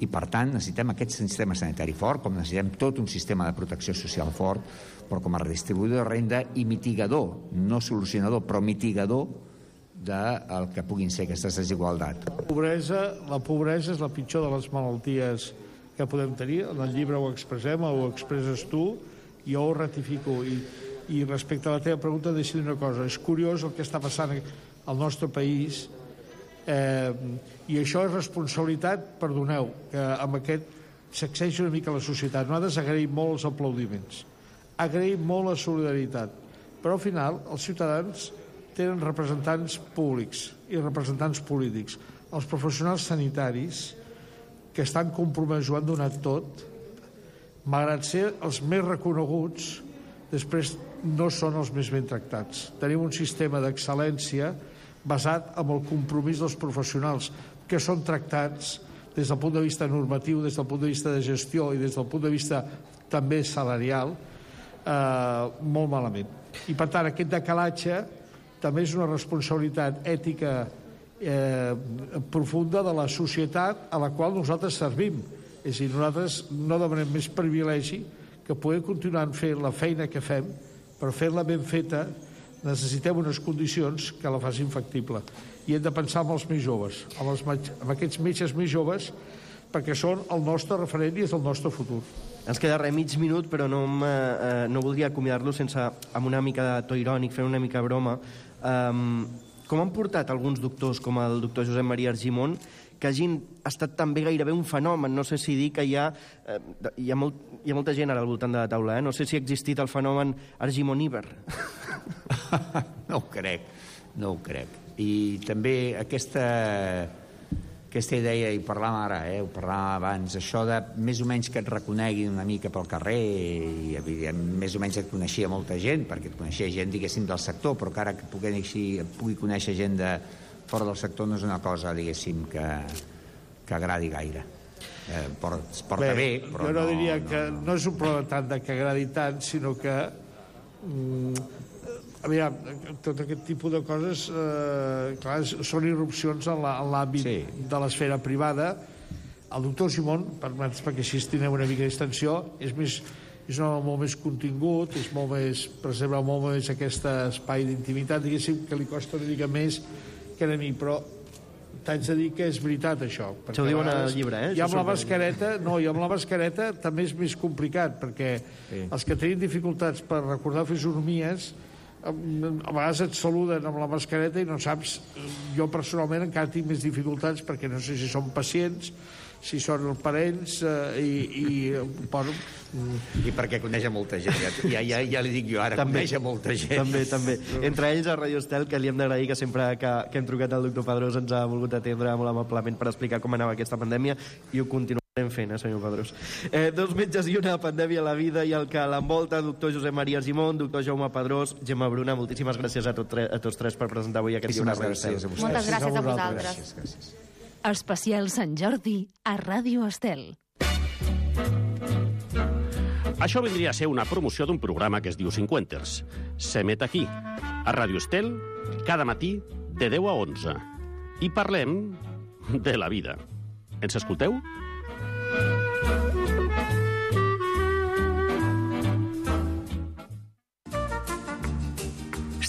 I per tant necessitem aquest sistema sanitari fort, com necessitem tot un sistema de protecció social fort, però com a redistribuïdor de renda i mitigador, no solucionador, però mitigador del que puguin ser aquestes desigualtats. La pobresa, la pobresa és la pitjor de les malalties que podem tenir. En el llibre ho expressem, ho expresses tu, jo ho ratifico. I, i respecte a la teva pregunta, deixa dir una cosa. És curiós el que està passant al nostre país, eh, i això és responsabilitat, perdoneu, que amb aquest sacseja una mica la societat. Nosaltres agraïm molt els aplaudiments, agraïm molt la solidaritat, però al final els ciutadans tenen representants públics i representants polítics. Els professionals sanitaris que estan compromesos ho han donat tot, malgrat ser els més reconeguts, després no són els més ben tractats. Tenim un sistema d'excel·lència basat en el compromís dels professionals, que són tractats des del punt de vista normatiu, des del punt de vista de gestió i des del punt de vista també salarial, eh, molt malament. I per tant aquest decalatge també és una responsabilitat ètica eh, profunda de la societat a la qual nosaltres servim. És a dir, nosaltres no demanem més privilegi que poder continuar fent la feina que fem, però fer-la ben feta necessitem unes condicions que la facin factible. I hem de pensar en els més joves, en, els, en aquests metges més joves, perquè són el nostre referent i és el nostre futur. Ens queda res, mig minut, però no, eh, no voldria acomiadar-lo sense, amb una mica de to irònic, fent una mica broma. Um, com han portat alguns doctors, com el doctor Josep Maria Argimon, que hagin estat també gairebé un fenomen? No sé si dir que hi ha, eh, hi ha, molt, hi ha molta gent ara al voltant de la taula, eh? No sé si ha existit el fenomen Argimoníber. No ho crec, no ho crec. I també aquesta... aquesta idea, i parlàvem ara, eh, ho parlàvem abans, això de més o menys que et reconeguin una mica pel carrer, i evidentment més o menys et coneixia molta gent, perquè et coneixia gent, diguéssim, del sector, però que ara que pugui, pugui conèixer gent de fora del sector no és una cosa, diguéssim, que, que agradi gaire. Eh, porta, es porta bé, bé però jo no, no diria no, que no. no és un problema tant de que agradi tant, sinó que mm, aviam, tot aquest tipus de coses eh, clar, són irrupcions en l'àmbit sí. de l'esfera privada. El doctor Simón, perquè així tenen una mica d'extensió, és, més, és un home molt més contingut, és molt més, preserva molt més aquest espai d'intimitat, diguéssim, que li costa una mica més que a mi, però t'haig de dir que és veritat, això. Això ho diuen al llibre, eh? I amb la mascareta, no, i amb la mascareta també és més complicat, perquè sí. els que tenim dificultats per recordar fisonomies, a vegades et saluden amb la mascareta i no saps... Jo personalment encara tinc més dificultats perquè no sé si són pacients, si són parents eh, i, i, bueno... I perquè coneix molta gent, ja, ja, ja, ja li dic jo ara, també, coneix molta gent. També, també. Entre ells a Radio Estel, que li hem d'agrair que sempre que, que hem trucat al doctor Pedrós ens ha volgut atendre molt amablement per explicar com anava aquesta pandèmia, i ho continuarem fent, eh, senyor Pedrós. Eh, dos metges i una pandèmia a la vida i el que l'envolta, doctor Josep Maria Argimon, doctor Jaume Pedrós, Gemma Bruna, moltíssimes gràcies a, tot tre, a tots tres per presentar avui aquest llibre a Radio Estel. Moltes gràcies a vosaltres. Gràcies, gràcies. Especial Sant Jordi a Radio Estel. Això vindria a ser una promoció d'un programa que es diu Cinquenters. S'emet aquí, a Radio Estel, cada matí de deu a onze. I parlem de la vida. Ens escolteu?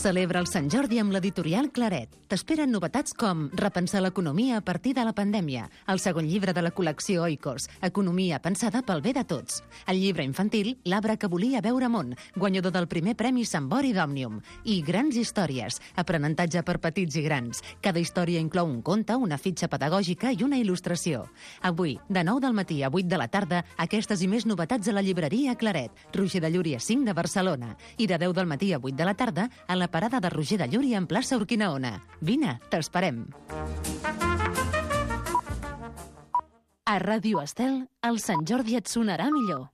Celebra el Sant Jordi amb l'editorial Claret. T'esperen novetats com Repensar l'economia a partir de la pandèmia, el segon llibre de la col·lecció Oikos, Economia pensada pel bé de tots, el llibre infantil L'arbre que volia veure món, guanyador del primer premi Sant Bori d'Òmnium, i Grans històries, aprenentatge per petits i grans. Cada història inclou un conte, una fitxa pedagògica i una il·lustració. Avui, de nou del matí a vuit de la tarda, aquestes i més novetats a la llibreria Claret, Roger de Llúria cinc de Barcelona, i de deu del matí a vuit de la tarda a la parada de Roger de Llúria en plaça Urquinaona. Vine, t'esperem. A Ràdio Estel, el Sant Jordi et sonarà millor.